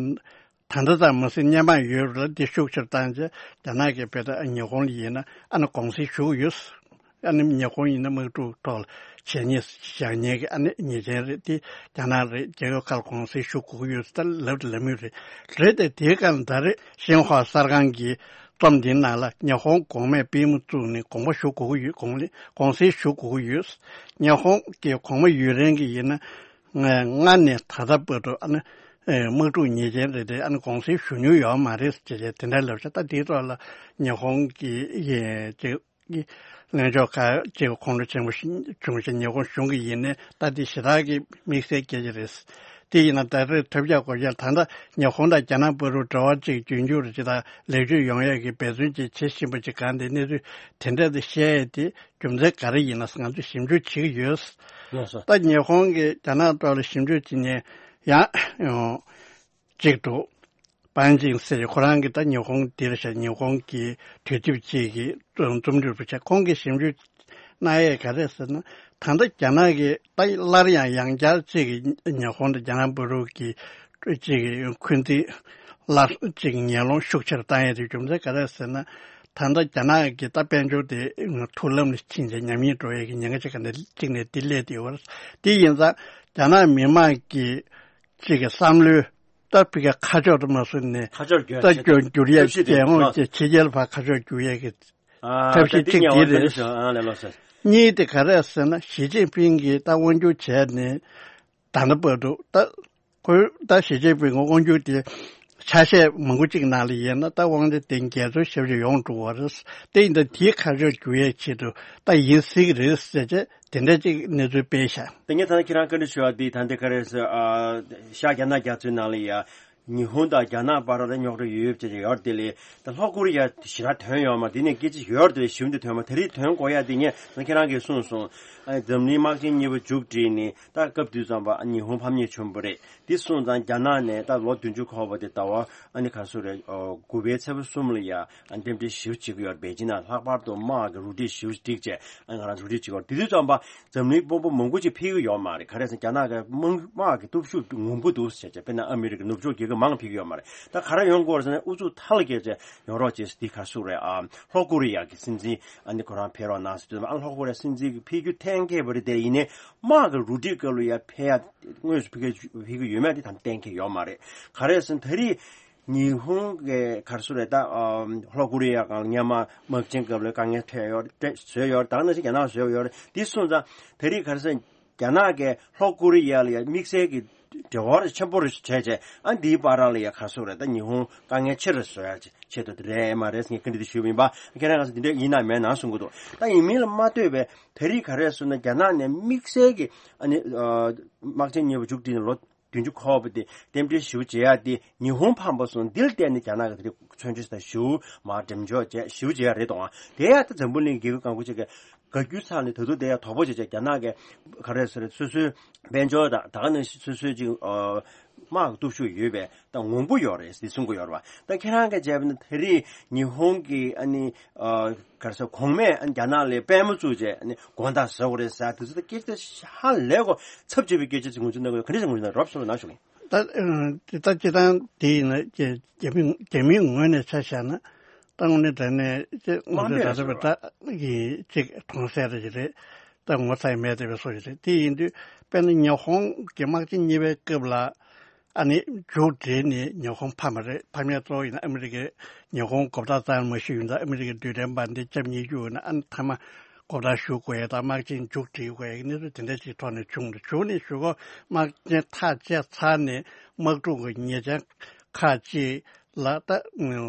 ད་ལྟ་ཙམ་མ་ཟད་སྔོན་མ་ཡོད་རེད་ལ། དེ་ཤུགས་ཆེར་བཏང་བྱས། རྒྱ་ནག་གིས་དཔེར་ན་ཉི་ཧོང་ལ་ཡིན་ན་ཨ་ནི་དགོངས་སེལ་ཞུ་གི་ཡོད། ཨ་ནི་ཉི་ཧོང་ཡིན་ན་དམག་འཁྲུག་ཐོག་ལ་བྱས་ཉེས་བཞག་ཉེས་ཀྱི་ཨ་ནི་ཉེས་ཅན་རེད། དེ་རྒྱ་ནག་རེད། རྒྱལ་ཁབ་ཁག་ལ་དགོངས་སེལ་ཞུ་དགོས་ཀྱི་ཡོད་ཟེར་ད་ལབ་དང་ལབ་མུས་རེད། རེད་དེ། དེའི་སྒང་ད་རེས་ཤིན་ཧྭ་གསར་ཁང་གི་རྩོམ་འདིའི་ནང་ལ་ཉི་ཧོང་གོང་མས་པུས་མོ་བཙུགས་ནས་དགོངས་པ་ཞུ་དགོས་ཀྱི་ཡོད། དགོངས་ལེ་དགོངས་སེལ་ཞུ་དགོས་ཀྱི་ཡོད། ཉི་ཧོང་གི་གོང་མ་ཡུན་རིང་གི་ཡིན་ན། ང་སྔར་ནས་ད་ལྟ་བར་དུ་ཨ་ནི་ཨེ་དམག་འཁྲུག་ཉེས་ཅན་རེད་དེ། ཨ་ནི་དགོངས་སེལ་ཞུ་མྱོང་ཡོད་མ་རེད་ཅེས་བྱས་དེ་འདྲ་ལབ་ཤག་ད་དེའི་ཐོག་ལ་ཉི་ཧོང་གི་ཨེ་ཅིག་གི་ལྷན་ཚོགས་ཁག་ཅིག་ཁོང་ཁྲོ་ཆེན་པོ་བྱུང་ཞིང་། ཉི་ཧོང་གཞུང་གིས་ཡིན་ནའི་ད་དེ་ཞེ་དྲག་གི་དམིགས་བསལ་སྐད་ཆ་རེད། དེ་ཡིན་ན་ད་རེས་ཐབས་ཆག་གོ་ཆག་ད་ལྟ་ཉི་ཧོང་དང་རྒྱ་ནག་བར་དུ་འབྲེལ་བ་ཅིག་རྒྱུན་འཁྱོངས་རེ་ཅིག་དང་ལེགས་བཅོས་ཡོང་ཡག་གི་འབད་བརྩོན་ཅིག་བྱེད་བཞིན་པ་ཅིག་གང་དེ་གནས་ཚུལ་དེ་འདྲ་དེ་བཤད་ཡས་དེ་རྒྱུ་མཚན་ག་རེ་ཡིན་ན་ང་ཚོས་ཞིབ་འཇུག་བྱེད་ཀྱི་ཡོད། ལགས་སོ། ད་ཉི་ཧོང་གིས་རྒྱ་ནག་ཐོག་ལ་ཞིབ་འཇུག་བྱེད་མཁན་ཡང་ཡང་གཅིག་འདུག་པན་ཅིང་ཟེར། ཁོ་རང་གིས་ད་ཉི་ཧོང་འདིར་བཞག་ཉི་ཧོང་གི་དུས་དེབ་ཅིག་གི་རྩོམ་སྒྲིག་པ་བྱས། ཁོང་གིས་ཞིབ་འཇུག་གནང་ཡས་ག་རེ་ཟེར་ན། ད་ལྟ་རྒྱ་ནག་གིས་ད་སླར་ཡང་ཡང་བསྐྱར་ཅིག་གིས་ཉི་ཧོང་དང་རྒྱ་ནག་བར་དུ་གི་ཅིག་གི་འཁོན་འཛིན་སླར་ཅིག་ངན་སློང་ཤུགས་ཆེར་བཏང་ཡས་དེ་རྒྱུ་མཚན་ག་རེ་ཟེར་ན། ད་ལྟ་རྒྱ་ནག་གི་ད་དཔལ་འབྱོར་དེ་ཐུར་ལམ་ལ་ཕྱིན་བྱས་ཉམས་ཉེས་འགྲོ་ཡས་ཀྱི་ཉེན་ཁ་ཅིག་ག་ནས་གཅིག་ནས་དེ་སླེབས་བསྡད་ཡོད་རེད། དེ་ཡིན་ཙང་རྒྱ་ནག་མི་མང་གི་ཅིག་གི་བསམ་བློའི་ད་ཕི་ག་ཁ་ཕྱོགས་དུ་མ་སོང་ནས། ཁ་ཕྱོགས་བསྒྱུར་ད་བསྒྱུར་བསྒྱུར་ཡས་ཐབས་ཤེས་དེ་རྒྱལ་དབང་ལགས་སོ། དེ་ཕྱི་རྒྱལ་བར་ཁ་ཕྱོགས་བསྒྱུར་ཡས་ཀྱི་ཨ་ཐབས་ཤེས་ད་འདི་གཅིག་ཉེ་བར་དེ་རེད། ཨ་ལས་ལགས་སོ། གཉིས་དེ་ག་རེ་ཟེར་ན། ཞི་ཅིན་ཕིང་གིས་ད་དབང་སྒྱུར་བྱས་ནས་ད་ལྟ་བར་དུ། ད་ཁོས་ད་ཞི་ཅིན་ཕིང་གི་དབང་སྒྱུར་དེ་ཆ་ཤས་མང་པོ་གཅིག་ནང་ལ་ཡིན་ན་ད་དབང་ཆ་དེ་འགལ་འཛོལ་ཞེ་པོ་ཅིག་ཡོང་འགྲོ་བ་རེད། དེ་ཡིན་ད་དེའི་ཁ་ཕྱོགས་བསྒྱུར་ཡས་ཆེད་དུ་ད་ཡིན་སྲིད་ཀྱི་རེད་ཟེར་བྱས། དེ་འདྲ་ཅིག་གནས་ཚུལ་སྤེལ་ཤག་དེ་ངས་ད་ནི་ཁྱེད་རང་བཀའ་འདྲི་ཞུ་བ་འདི་ད་འདི་ག་རེ་ཟེར། ཨ་ཤར་རྒྱ་ནག་རྒྱ་མཚོའི་ནང་ལ་ཡ་ཉི་ཧོང་དང་རྒྱ་ནག་བར་ལ་རྙོག་དྲ་ཡོད་ཡོད་ཅེས་ཡོད་དེ་ལས། ད་ལྷོ་ཀོ་རི་ཡ་ཞེ་དྲག་དོན་ཡོད་མ། དེ་ནས་སྐད་ཆ་ཡོད་དེ་ཞིབ་འདི་དོན་མ། ད་རེས་དོན་གོ་ཡ་དེ་ངས་ད་ཁྱེད་རང་གིས་གསུངས་སོང་། ཨ་འཛམ་གླིང་དམག་ཆེན་གཉིས་པ་མཇུག་བསྒྲིལ་ནས་ད་སྐབས་དུས་ཙམ་པ་ཉི་ཧོང་ཕམ་ཉེས་བྱུང་བ་རེད། དེ་སོང་ཙང་རྒྱ་ནག་ནས་ད་ལོ་བདུན་ཅུ་འཁོར་བ་དེ་ཟླ་བ་ཨ་ནི་ག་སུ་རེད། ཨོ་དགུ་པའི་ཚེས་པ་གསུམ་ལ་ཡ་ཨ་རྟེན་འབྲེལ་ཞིབ་བྱེད་ཀྱི་ཡོད་རེད། པེ་ཅིན་ནང་ལྷག་པར་དུ་དམག་གི་རུ་སྒྲིག་ཞིབ་བསྒྲིགས་བྱས། ཨ་ང་རང་རུ་སྒྲིག་བྱེད་ཀྱི་ཡོད་རེད། དེ་དུས་ཙམ་པ་འཛམ་གླིང་དཔོན་པོ་མང་པོ་ཅིག་ཕེབས་ཀྱི་ཡོད་མ་རེད། ག་རེ་ཟེར་ན་རྒྱ་ནག་གི་དམག་དམག་གི་སྟོབས་ཤུགས་ངོམ་གྱི་འདུག་ཟེར་བྱས། དཔེར་ན་ཨ་མི་རི་ཀ་ནུབ་ཕྱོགས་རྒྱལ་ཁབ་མང་ཕེབས་ཀྱི་ཡོད་མ་རེད། ད་ག་རེ་ཡོང་དགོས་རེད་ཟེར་ན། ཨུ་ཚུགས་མཐའ་ལ་བསྐྱལ་བྱས་ཡོང་རོགས་བྱེད་ཟེར། དེ་ག་སུ་རེད། ཨ་ལྷོ་ཀོ་རི་ཡ་གི་སྲིད་འཛིན་ཨ་ནི་ཁོ་རང་ཕེབས་རོགས་གནང་ཟེར་དུས་ཙམ་པ། ཨ་ལྷོ་ཀོ་རི་ཡ་སྲིད་འཛིན་གྱི་ཕེབས་རྒྱུ་གཏན་འཁེལ་བ་རེད། དེ་ཡིན་ནའི་དམག་གི་རུ་སྒྲིག་སྐབས་ལ་ཡ་ཕེབས་ཡ་དངོས་སུ་ཕེབས་ཀྱི་ཕེབས་ཀྱི་ཡོད་མེད་དེ་ད་གཏན་འཁེལ་ཡོད་མ་རེད། ག་རེ་ཟེར་ན་ད་རེས་ཉི་ཧོང་གི་ག་རེ་ཟེར་རེད། ད་ཨ་ལྷོ་ཀོ་རི་ཡ་སྒང་སྔོན་མ་དམག་ཆེན་སྐབས་ལ་དཀའ་ངལ་འཕྲད་ཡོད་རེད། བཟོས་ཡོད་རེད། ད་ག་ནང་བཞིན་རྒྱ་ནག་བཟོས་ཡོད་རེད། དེ་སོང་ཙང་ད་རེས་ག་རེ་ཟེར་ན། རྒྱ་ནག་གིས་ལྷོ་ཀོ་རི་ཡ་ལ་ཡ་དམིགས་བསལ་གྱི་འབྲེལ་བ་ཆེན་པོ་རེ་བྱས་བྱས། ཨ་འདིའི་བར་ལ་ཡ་ག་རེ་ཟེར་རེད། ད་ཉི་ཧོང་དཀའ་ངལ་ཆེ་རུ་བཟོ་ཡ་ཆེད་དུ་དེ་རེད་མ་རེད། ངས་བཀའ་འདྲི་དེ་ཞུས་པ་ཡིན་པ། ཁྱེད་རང་ག་ཚོད་འདི་འདྲ་ཡིན་ན་མེད་ན་གསུང་གི་འདུག་ད་ཡིན་མིན་ལ་མ་ལྟོས་པའི་ད་རེས་ག་རེ་ཟེར་ན། རྒྱ་ནག་ནས་དམིགས་བསལ་གྱི་ཨ་ནི་ཨ་དམག་ཆེན་གཉིས་པ་མཇུག་སྒྲིལ་ནས་ལོ་བདུན་ཅུ་འཁོར་བ་དེ་རྟེན་འབྲེལ་ཞིབ་བྱེད་ཡ་དེ་ཉི་ཧོང་ཕམ་པ་སོང་། འདི་ལ་བརྟེན་ནས་རྒྱ་ནག་གིས་དེ་རིང་མཚོན་ཆ་དང་ཞུ་མར་འགྲེམས་འཇོག་བྱས་ཞིབ་བྱེད་ཡ་རེད་དོ། དེ་ཡ་ད་འཛམ་བུ་གླིང་རྒྱལ་ཁབ་གང་ག་ཅིག་གིས་དགའ་རྒྱུ་ཚང་ནས་ད་དུང་དེ་ཡ་དོགས་པ་བྱེད་བྱས། རྒྱ་ནག་གིས་ག་རེ་ཟེར་རེད། སོ་སོའི་དཔལ་འབྱོར་དང་ད་ག་ནང་བཞིན་སོ་སོའི་ཅིག་ཨ་དམག་གི་སྟོབས་ཤུགས་ཡོད་པའི་ད་ངོམ་གྱི་ཡོད་རེད་ཟེར་གསུང་གི་ཡོད་རེད་པ། ད་ཁྱེད་རང་གིས་བྱས་པ་ན་ད་རེས་ཉི་ཧོང་གིས་ཨ་ནི་ཨ་ག་རེ་ཟེར། གོང་མས་ཨ་ནི་རྒྱ་ནག་ལ་པད་མོ་བཙུགས་བྱས་ཨ་ནི་དགོང་དག་ཟ་དགོས་རེད་ཟེར། དེ་ཚོ་ད་སྐད་ཆ་ཧ་ལས་གོ་ཚབས་ཆེ་བའི་སྐད་ཆ་ཅིག་ངོས་འཛིན་གནང་གི་ཡོད། ག་འདྲ་ཞིག་ངོས་འཛིན་གནང་། རོབ་ཙམ་ལ་གནང་ཞུ་གི་ཡིན། ད་ཨ་ད་སྤྱིར་བཏང་དེ་ཡིན་ན་རྒྱ་རྒྱ་མི་རྒྱ་མིའི་ངོས་ནས་ཆ་བཞག་ན། ད་དངོས་གནས་དྲང་གནས་ཅིག་ངོས་འཛིན་ད་ལྟ་བའི་ད་གི་ཅིག་མཐོང་གསལ་རེ་ཅིག་རེད། ད་ངོ་ཚ་ཡི་མེད་བསྡད་པའི་བཟོ་ཞིག་རེད། དེ་ཡིན་དུས་དཔེར་ན་ཉི་ཧོང་གི་དམག་ཆེན་གཉིས་པའི་སྐབས་ལ་ཨ་ནི་མཇུག་སྒྲིལ་ནས་ཉི་ཧོང་ཕམ་པ་རེད། ཕམ་ཡས་གཙོ་བོ་ཡིན་ན་ཨ་མི་རི་ཀས་ཉི་ཧོང་མགོ་བཏགས་གཙང་མ་ཞུས་ཡིན་ཙང་ཨ་མི་རི་ཀའི་རྡུལ་ཕྲན་འབར་མདེལ་ལྕམ་ཉེར་དགུ་ཡོད་ན་ཨ་ནི་མཐའ་མ་མགོ་བཏགས་གཞུ་དགོས་ཡས་དང་དམག་ཆེན་མཇུག་སྒྲིལ་དགོས་ཡས་ཀྱི་གནས་ཚུལ་དེ་འདྲ་ཞིག་ཐོག་ནས་བྱུང་རེད། བྱུང་ནས་གཞུག་གུ་དམག་ཆེན་ཐག་བཅད་ཚར་ནས་དམག་འཁྲུག་གི་ཉེས་ཅན་ཁག་ཅིག་ལ་ད་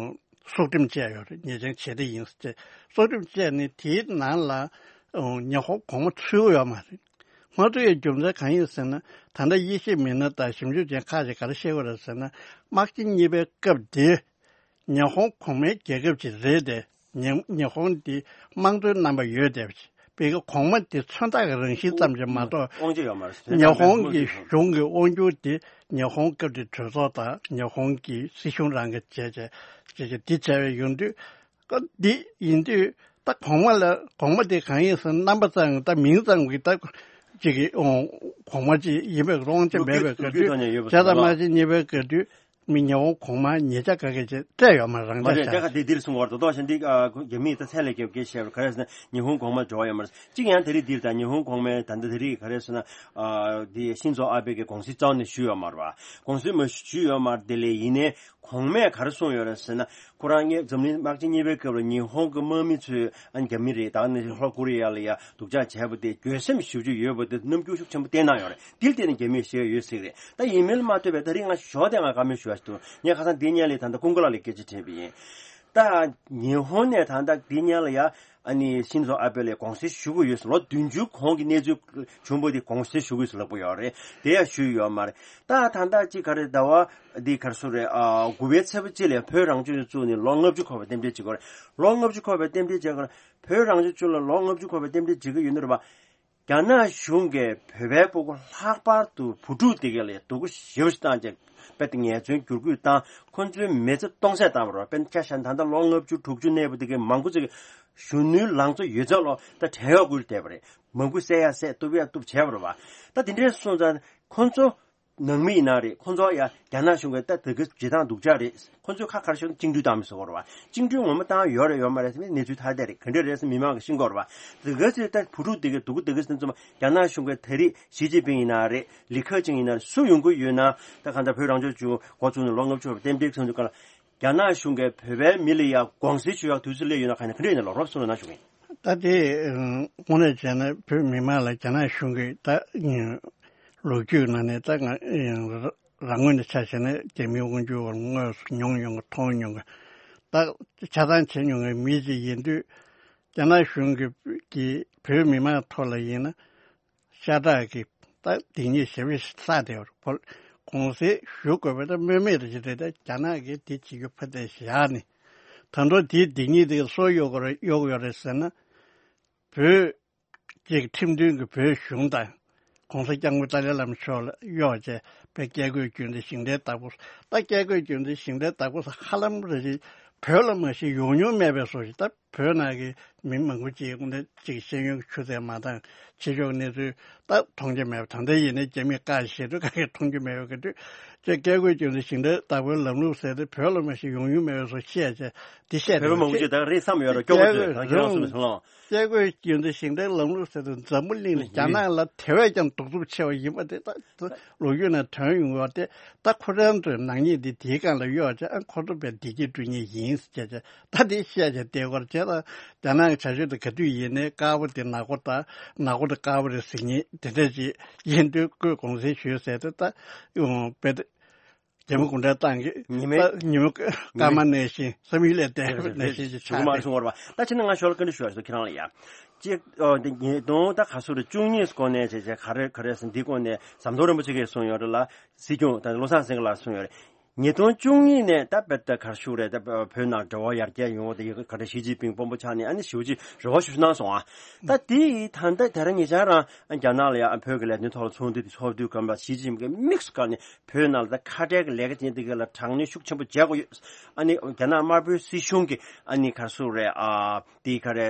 སྲོག་ཁྲིམས་བཅད་ཡོད་རེད། ཉེས་ཅན་བྱེད་གཏེ་ཡིན་ཟེར་ཏེ་སྲོག་ཁྲིམས་བཅད་ནས་དེའི་ནང་ལ་ཉི་ཧོང་གོང་མ་ཚུད་ཡོད་མ་རེད། མ་ཚུད་ཡའི་རྒྱུ་མཚན་གང་ཡིན་ཟེར་ན། ད་ལྟ་དབྱེ་ཞིབ་མི་སྣ་དང་ཞིབ་འཇུག་ཅན་ཁག་ཅིག་ག་རེ་བཤད་ཀྱི་ཡོད་རེད་ཟེར་ན། དམག་ཆེན་གཉིས་པའི་སྐབས་དེ་ཉི་ཧོང་གོང་མའི་རྒྱལ་ཁབ་ཅིག་རེད་དེ། ཉི་ཉི་ཧོང་འདི་དམངས་གཙོའི་རྣམ་པ་ཡོད་བསྡད་པ་ཅིག་བྱས་ཙང་གོང་མ་འདི་མཚོན་རྟགས་ཀྱི་རང་བཞིན་ཙམ་ཞིག་མ་གཏོགས། དབང་ཆ་ཡོད་མ་རེད། ཉི་ཧོང་གི་གཞུང་གི་དབང་སྒྱུར་དེ་ཉི་ཧོང་སྐབས་དེའི་གྲོས་ཚོགས་དང་ཉི་ཧོང་གི་སྲིད་གཞུང་རང་གིས་བྱས་བྱས་བྱས་བྱས་འདི་བྱས་པའི་ཡོང་དུས། ཨ་འདི་ཡིན་དུས་ད་གོང་མ་ལ་གོང་མ་དེ་གང་ཡིན་ཟེར་ན་རྣམ་པ་ཙམ་ད་མིང་ཙམ་གྱི་ད་ཅིག་གི་ཨོ་གོང་མ་ཅིག་ཡིན་པའི་དབང་ཆ་མེད་པའི་སྐབས་དུས་བྱས་ཙང་དམག་ཆེན་གཉིས་པའི་སྐབས་དུས་མི་ཉི་ཧོང་གོང་མ་ཉེ་ཆར་ག་གེ་ཅིག་སྤྲད་ཡོད་མ་རེད། རང་མ་རེད། ཆ་ད་ག་དེ་འདིར་གསུང་བར་དོ་དོ་ཞིག་འདི་རྒྱ་མིས་ད་ཚད་ལས་རྒྱབ་སྐད་བཤད་པ་ག་རེ་ཟེར་ན་ཉི་ཧོང་གོང་མ་འབྲེལ་བ་ཡོད་མ་རེད། གཅིག་ཡང་དེ་རིང་འདིར་ད་ཉི་ཧོང་གོང་མའི་ད་ལྟ་དེ་རིང་ག་རེ་ཟེར་ན་འདི་ཤིན་ཛོ་ཨ་བྷེ་གི་དགོངས་གཞི་རྩ་བ་ནས་ཞུས་ཡོད་མ་རེད་པ། དགོངས་གཞི་མ་ཞུས་ཡོད་མ་རེད། དེ་ལས་ཡིན་ནའི། གོང་མས་ག་རེ་གསུངས་ཡོད་རེད་ཟེར་ན། ཁོ་རང་ངས་འཛམ་གླིང་དམག་ཆེན་གཉིས་པའི་སྐབས་ལ་ཉི་ཧོང་གི་དམག་མི་ཚོས་ཨ་ནི་རྒྱ་མི་རེད། ད་ནི་ལྷོ་ཀོ་རི་ཡ་ལ་ཡ་སྡུག་ཅག་བྱས་པ་དེ་འགྱོད་སེམས་ཞེ་པོ་ཅིག་ཡོད་པ་དེ་རྣམ་འགྱུར་ཤུགས་ཆེན་པོ་བསྟན་གནང་ཡོད་རེད། དེ་ལ་བརྟེན་ནས་རྒྱ་མིས་བཤད་ཡོད་ཟེར་གི་རེད། ད་ཡིན་མིན་ལ་མ་ལྟོས་པའི་ད་རིང་ང་ཞོགས་དེ་ང་བཀའ་མོལ་ཞུ་བ་ཞིག་འདུག་ངས་ཁ་སང་འདི་སྔོན་ལ་ད་ལྟ་ཀུན་དགའ་ལགས་ལ་སྐད་ཆ་དྲིས་པ་ཡིན། ད་ཉི་ཧོང་ནས་ད་ལྟ་འདི་སྔོན་ལ་ཡ་ཨ་ནི་ཤིན་ཛོ་ཨ་བྷེ་ལ་དགོངས་སེལ་ཞུ་གི་ཡོད་ཟེར། ལོ་བདུན་ཅུ་གོང་གི་གནས་ཚུལ་བྱུང་བ་དེ་དགོངས་སེལ་ཞུ་གི་ཡོད་ཟེར་ལབ་ཀྱི་ཡོད་རེད། དེ་ཡང་ཞུས་ཡོད་མ་རེད། ད་ད་ལྟ་ཅིག་ག་རེ་ཟླ་བ་འདི་ག་རེ་ཟེར་རེད། ཨ་དགུ་པའི་ཚེས་པ་གཅིག་ལ་བོད་རང་སྐྱོང་ལྗོངས་བཙུགས་ནས་ལོ་ལྔ་བཅུ་འཁོར་བའི་རྟེན་འབྲེལ་བྱེད་ཀྱི་ཡོད་རེད། ལོ་ལྔ་བཅུ་འཁོར་བའི་རྟེན་འབྲེལ་བྱེད་ཀྱི་ཡོད་རེད། བོད་རང་སྐྱོང་ལྗོངས་ལ་ལོ་ལྔ་བཅུ་འཁོར་བའི་རྟེན་འབྲེལ་བྱེད་ཀྱི་ཡོད་ནི་རེད་པ། རྒྱ་ནག་གཞུང་གིས་བོད་པའི་སྤུ་གུ་ལྷག་པར་དུ་བུ་ཕྲུག་དེ་གའི་ལ་སྡུག་པོ་ཞེ་པོ་ཞིག་བཏང་རྗེས་དཔེ་དེ་ངལ་རྩོལ་བསྒྱུར་བཀོད་བཏང་། ཁོ་ཚོའི་མི་ཚེ་སྟོང་ཟད་བཏང་བ་རེད། དཔེར་ན་ཆ་བཞག་ན་ད་ལྟ་ལོ་ལྔ་བཅུ་དྲུག་ཅུ་གནས་པ་དེ་གའི་མང་པོ་ཅིག་གཞོན་ནུའི་ལང་ཚོ་ཡོད་ཚད་ལོ་ད་བྲན་གཡོག་བཀོལ་བསྡད་པ་རེད། མང་པོ་བསད་ཡ་བསད། གཏུབ་ཡ་གཏུབ་བྱས་པ་རེད་པ། ད་དེ་འདྲའི་སོང་ཙང་ཁོ་ཚོ་ནང་མི་ཡིན་ན་རེད། ཁོ་ཚོ་ཡ་རྒྱ་ནག་གཞུང་གིས་ད་དེ་ག་བྱེད་སྟངས་སྡུག་ཅག་རེད། ཁོ་ཚོས་ཁ་ཁར་ཤོར་བཅིངས་འགྲོལ་བཏང་མི་བཟོ་བ་རེད་པ། བཅིངས་འགྲོལ་ངོ་མ་བཏང་ཡོད་རེད་ཡོད་མ་རེད་ཟེར་ནས་གནས་ཚུལ་ཐ་དད་རེད། ག་འདྲ་རེད་ཟེར་མི་མང་གིས་ཤེས་དགོས་རེད་པ། དེ་ག་ཚོས་ད་བུ་ཕྲུག་དེ་གའི་སྡུག་པོ་དེ་ག་ཚོ་ཚང་མ་རྒྱ་ནག་གཞུང་གིས་ད་རེས་ཞི་ཅིན་ཕིང་ཡིན་ན་རེད། ལི་ཁེ་ཆང་ཡིན་ན་རེད། སུ་ཡོང་གི་ཡོད་ན། ད་གང་ལྟར་བོད་རང་སྐྱོང་ལྗོངས་འགོ་བཙུགས་ནས་ལོ་ལྔ་བཅུ་རྟེན་འབྲེལ་ཚོགས་འདུ་སྒང་ལ་རྒྱ་ནག་གཞུང་གིས་བོད་པའི་མི་ལ་ཡ་དགོངས་སེལ་ཞུ་ཡག་དུས་ཚོད་སླེབས་ཡོད་ན་གང་ཡིན་ན་ག་འདྲ་ཡིན་ན་ལོ་རོབ་གསུང་རོགས་གནང་ཞུ་གི་ཡིན། ད་དེ་དངོས་གནས་བྱས་ན་བོད་མི་མང་ལ་རྒྱ་ནག་གཞུང་གིས་ད་ལོ་རྒྱུས་ནང་ནས་ད་ང་རང་ངོས་ནས་ཆ་བཞག་ན་རྒྱ་མིའི་དབང་སྒྱུར་བར་དངོས་སུ་མྱོང་མྱོང་གི་མཐོང་མྱོང་གི་ད་ཆ་ཚང་བྱེད་མྱོང་གི་མི་ཅིག་ཡིན་དུས། རྒྱ་ནག་གཞུང་གིས་གིས་བོད་མི་མང་ཐོག་ལ་ཡིན་ན། ཤ་སྟག་གི་ད་སྡིག་ཉེས་ཞེ་པོ་ཞིག་བསགས་བསྡད་པ་རེད། དགོངས་སེལ་ཞུ་དགོས་པ་ད་སྨོས་མེད་རེད་ཅེས་རེད། ད་རྒྱ་ནག་གིས་དེ་བྱེད་རྒྱུ་ཕར་བལྟས་བཞག་ནས། ད་དུང་དེའི་སྡིག་ཉེས་དེ་ག་སུར་གཡོག་དགོས་རེད་གཡོག་ཡོད་རེད་ཟེར་ན། བོད་ཀྱི་ཁྲིམས་མཐུན་གྱི་བོད་གཞུང་དང་༸གོང་ས་༸སྐྱབས་མགོན་ཏཱ་ལའི་བླ་མ་མཆོག་ལ་གཡོག་བྱས་པའི་བཀས་བཀོད་རྒྱུད་འཛིན་ཞིང་བྲན་བདག་པོ། ད་བཀས་བཀོད་རྒྱུད་འཛིན་ཞིང་བྲན་བདག་པོ་ཧ་ལམ་རེ་རེ་བོད་ལ་མ་གཞི་ཡོང་མྱོང་མེད་པའི་བཟོ་ཞིག་ད་བོད་ནང་གི་མི་མང་པོ་ཅིག་དངོས་གནས་ཅིག་ཤེས་ཡོན་གྱི་ཆུ་ཚད་མ་འདང་། ཕྱི་ཕྱོགས་གནས་ཚུལ་ད་མཐོང་རྒྱུ་མེད་པ། ད་ལྟ་ཡིན་ནའི་རྒྱ་མིས་བཀག་བཞག་དུས་ག་གེ་མཐོང་རྒྱུ་མེད་པའི་སྐབས་དུས་ཅེས་བཀས་བཀོད་རྒྱུད་འཛིན་ཞིང་བྲན་བདག་པོའི་ལམ་ལུགས་ཟེར་ཏེ་བོད་ལ་མ་གཞི་ཡོང་མྱོང་མེད་པའི་བཟོ་བཤད་བྱས་འདི་བཤད་བོད་པ་མང་པོ་ཅིག་ད་རེས་བསམ་ཡོད་རེད། སྐྱོ་པོ་ཚོས་ད་ཁྱེད་རང་གསུངས་པའི་སོང་ལ། བཀས་བཀོད་རྒྱུད་འཛིན་ཞིང་བྲན་ལམ་ལུགས་ཟེར་དུས་འཛམ་བུ་གླིང་ལ་རྒྱ་ནག་ལ་དེ་བས་ཀྱང་གདུག་རྩུབ་ཆེ་བ་ཡིན་པ་དེ་ད་ལོ་རྒྱུས་ནང་ཐོན་ཡོང་བ་དེ། ད་ཁོ་རང་ཚོའི་ནག་ཉེས་འདི་དེའི་སྒང་ལ་གཡོག་བྱས། ཨ་ཁོ་ཚོ་དཔེ་བདེ་སྐྱིད་སྤྲོད་མཁན་ཡིན་ཟེར་བྱས། ད་དེ་བཤད་བྱས་བསྡད་ཀྱི་ཡོད་རེད། བྱས་ཙང་རྒྱ་ནག་གི་བྱ་སྤྱོད་དེ་ག་དུས་ཡིན་ནའི་དཀར་པོ་དེ་ནག་པོ་དང་ནག་པོ་དེ་དཀར་པོ་རེད་ཟེར་མཁན་དེ་འདྲ་ཅིག་ཡིན་དུས་ཁོས་དགོངས་སེལ་ཞུས་ཟེར་ཏེ་ད་ཡོང་དཔེ་དེ། རྒྱ་མི་གུང་ཁྲན་ཏང་གིས་ཉི་མའི་ད་ཉི་མ་སྐར་མ་ནང་བཞིན་བསམ་ཡུལ་ལས་འདས་པ་ནང་བཞིན་ཅིག་ཆགས་ཏེ། ད་ཕྱིན་ང་ཞོར་ལ་བཀའ་འདྲི་ཞུ་བ་ཞིག་ཁྱེད་རང་ལ་ཡ། གཅིག་ཨོ་འདི་ཉིས་སྟོང་ད་ག་ཚོད་རེད། བཅུ་གཉིས་སྐོར་ནས་བྱས་བྱས་ག་རེ་ག་རེ་ཟེར་འདི་སྐོར་ནས་ཟམ་གདོང་རིན་པོ་ཆེ་གིས་གསུངས་ཡོད་རེད་ལ། སྲིད་སྐྱོང་ད་བློ་བཟང་སེང་གེ་ལགས་གསུངས་ཡོད་རེད། ཉིས་སྟོང་བཅུ་གཉིས་ནས་ད་དཔེ་ད་ག་རེ་ཞུ་རེད། ད་བོད་ནང་འབྲེལ་བ་ཡར་རྒྱས་ཡོང་བ་དེ་ག་རེ་ཞི་ཅིན་ཕིང་དཔོན་པོ་ཆགས་ནས་ཨ་ནི་ཞེ་པོ་ཅིག་རེ་བ་ཞེ་པོ་ཅིག་གནང་སོང་ཨ། ད་དེ་ཡི་ད་ལྟ་དེ་རིང་ཉེ་ཆར་རང་རྒྱ་ནག་ལ་ཡང་བོད་ཀྱི་ལས་དོན་ཐོག་ལ་ཚོགས་འདུ་དེ་ཚོགས་དུས་སྐབས་ལ་ཞི་ཅིན་ཕིང་གིས་དམིགས་སུ་བཀར་ནས་བོད་ནང་ལ་ད་ཁ་བྲལ་གྱི་ལས་ཀ་དེ་འདི་ག་ལ་དྲག་གནོན་ཤུགས་ཆེན་པོ་བྱེད་དགོས་ཡོད། ཨ་ནི་རྒྱ་ནག་དམར་པོའི་སྲིད་གཞུང་གི་ཨ་ནི་ག་རེ་ཟེར་རེད། ཨ་དེ་ག་རེ་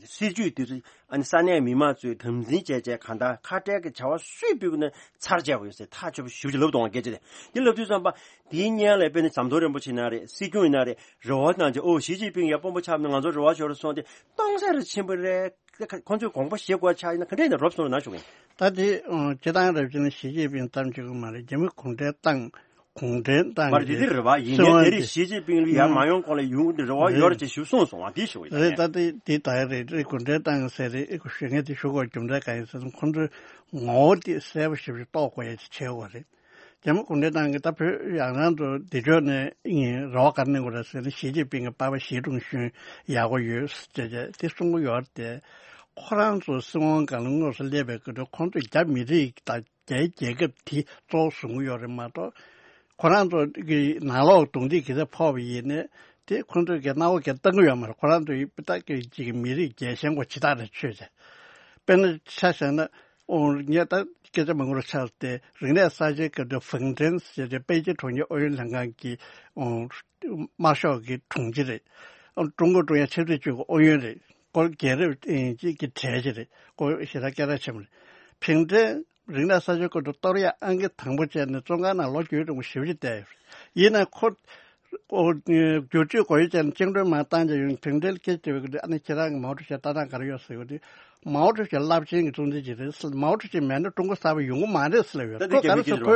སྲིད་ཇུས་དེ་ཚོ་ཨ་ནི་ས་གནས་མི་མང་ཚོས་དམ་འཛིན་བྱས་བྱས་གང་ལྟར་ཁ་བྲལ་གྱི་བྱ་བ་སུས་སྤེལ་གྱི་ན་ཚར་བཅད་པ་ཡོད་ཟེར་ཐག་ཆོད་པོ་ཞེ་པོ་ཅིག་ལབ་འདུག་སྐད་ཆ་དེ། དེ་ལབ་དུས་ཙམ་པ་དེའི་སྔོན་ལ་དཔེར་ན་ཟམ་གདོང་རིན་པོ་ཆེ་ཡིན་ན་རེད། སྲིད་སྐྱོང་ཡིན་ན་རེད། རེ་བ་གནང་བྱས་ཨོ་ཞི་ཅིན་ཕིང་ཡ་དཔོན་པོ་ཆགས་ན་ང་ཚོ་རེ་བ་ཞུ་རོགས་གསུངས་ཏེ་སྟོང་ཟད་རུ་ཕྱིན་པ་རེད། དེ་ཁ་ཁོང་ཚོས་དགོངས་པ་བཞེས་དགོས་ཆགས་ཡིན་ན་ག་འདྲ་ཡིན་ན་རོབ་སོང་རོགས་གནང་ཞུ་གི་ཡིན། ད་དེ་ཨང་སྤྱི་བཏང་རབ་བྱུང་ཞི་ཅིན་ཕིང་གཏམ་བྱེད་ཀྱི་མ་རེད། རྒྱ་མི་གུང་ཁྲན་ཏང་གུང་ཁྲན་ཏང་མ་རེད། དེ་གི་དེ་རེད་བ། ཡིན་ནའི་དེ་རིང་ཞི་ཅིན་ཕིང་ལ་ཡར་མ་ཡོང་གོང་ལ་ཡོང་གི་རེད་བ། ཡོད་རེད་ཅེས་ཞུ་སོང་སོང་བ་དེ་ཞུ་གི་ཡིན། རེད། ད་དེ་དེ་ད་རེད། རེད། གུང་ཁྲན་ཏང་ཟེར་རེད། ཞུ་ངས་དེ་ཞུ་དགོས་རྒྱུ་མཚན་གང་ཡིན་ཟེར་ན་ཁོང་ཚོའི་ངོ་བོ་དེ་གསལ་པོ་ཞེ་པོ་ཞིག་རྟོགས་དགོས་ཡ་ཅིག་བྱེད་དགོས་རེད། རྒྱ་མི་གུང་ཁྲན་ཏང་གིས་ད་བོད་ཡང་རང་དུ་འདི་ཕྱོགས་ནས་ཨིན་རེ་བ་ག་རེ་གནང་དགོས་རེད་ཟེར་ན་ཞི་ཅིན་ཕིང་གི་པ་ཕ་ཞི་ཀྲུང་ཞུན་ཡག་པོ་ཡོད་ཟེར་བྱས་དེ་གསུང་གི་ཡོད་རེད་དེ། ཁོ་རང་ཚོ་སྲིད་དབང་སྒང་ལ་དངོས་སུ་སླེབས་པའི་སྐབས་དུ་ཁོང་ཚོས་རྒྱ་མི་རིགས་དང་རྒྱའི་རྒྱལ་ཁབ་དེ་གཙོ་བོ་བཟུང་གི་ཡོད་རེད་མ་གཏོགས། ཁོ་རང་ཚོ་གི་ནང་ལོགས་རྡུང་རྡེག་གི་ས་ཕོག་པ་ཡིན་ནའི་དེ་ཁོང་ཚོས་གི་སྣང་བ་གི་བཏང་གི་ཡོད་མ་རེད། ཁོ་རང་ཚོ་ཡི་ད་གི་ཅིག་མི་རིགས་རྒྱལ་ཞེན་གོ་ཇི་ལྟར་རེ་ཆོད་བྱས། དཔེར་ན་ཆ་བཞག་ན། ཨོ་ངས་ད་སྐད་ཆ་མང་པོ་རུ་ཆགས་ཏེ་རིག་གནས་གསར་བརྗེའི་སྐབས་དུ་ཧྥུང་ཀྲེན་ཟེར་ཏེ་པེ་ཅིན་གྲོང་ཁྱེར་ཨུ་ཡོན་ལྷན་ཁང་གི་ཨོ་དམར་ཤོག་གི་དྲུང་ཆེ་རེད། ཨོ་ཀྲུང་གོ་ཀྲུང་དབྱང་ཆབ་སྲིད་ཅུས་ཀྱི་ཨུ་ཡོན་རེད། སྐོར་རྒྱལ་རབས་ཨེ་ཅིག་གི་གྲས་ཅིག་རེད། སྐོར་ཞེ་དྲག་སྐད་གྲགས་ཆེན་པོ་རེད། ཧྥུང་ཀྲེན་རིག་གནས་གསར་བརྗེའི་སྐོར་དུ་གཏོར་ཡ་ཨང་ཀི་དང་པོ་བྱས་ནས་བཙོན་ཁང་ནང་ལོ་རྒྱུས་རིང་པོ་ཞེ་པོ་ཅིག་བསྡད་ཡོད་རེད། ཡིན་ནའི་ཁོ། ཨོ་བསྒྱུར་བཅོས་སྒོ་དབྱེ་བྱས་ནས་བཅིངས་འགྲོལ་མར་བཏང་རྗེས་ཡོང་ཕིང་ཀྲེལ་སྐད་བྱེད་པའི་སྐབས་ཨ་ནི་ཁྱེད་རང་གི་མའོ་ཀྲུའུ་ཞིའི་ལྟ་སྟངས་ག་རེ་ཡོད་ཟེར་བ་དེ། མའོ་ཀྲུའུ་ཞི་རླབས་ཆེན་གྱི་གཙོ་འཛིན་ཅིག་རེད་ཟེར། མའོ་ཀྲུའུ་ཞི་མེད་ན་ཀྲུང་གོ་གསར་པ་ཡོང་གི་མ་རེད་ཟེར་ལབ་ཡོད། ད་དེ་ཁོ་ག་རེ་ཟེར་ཁོ་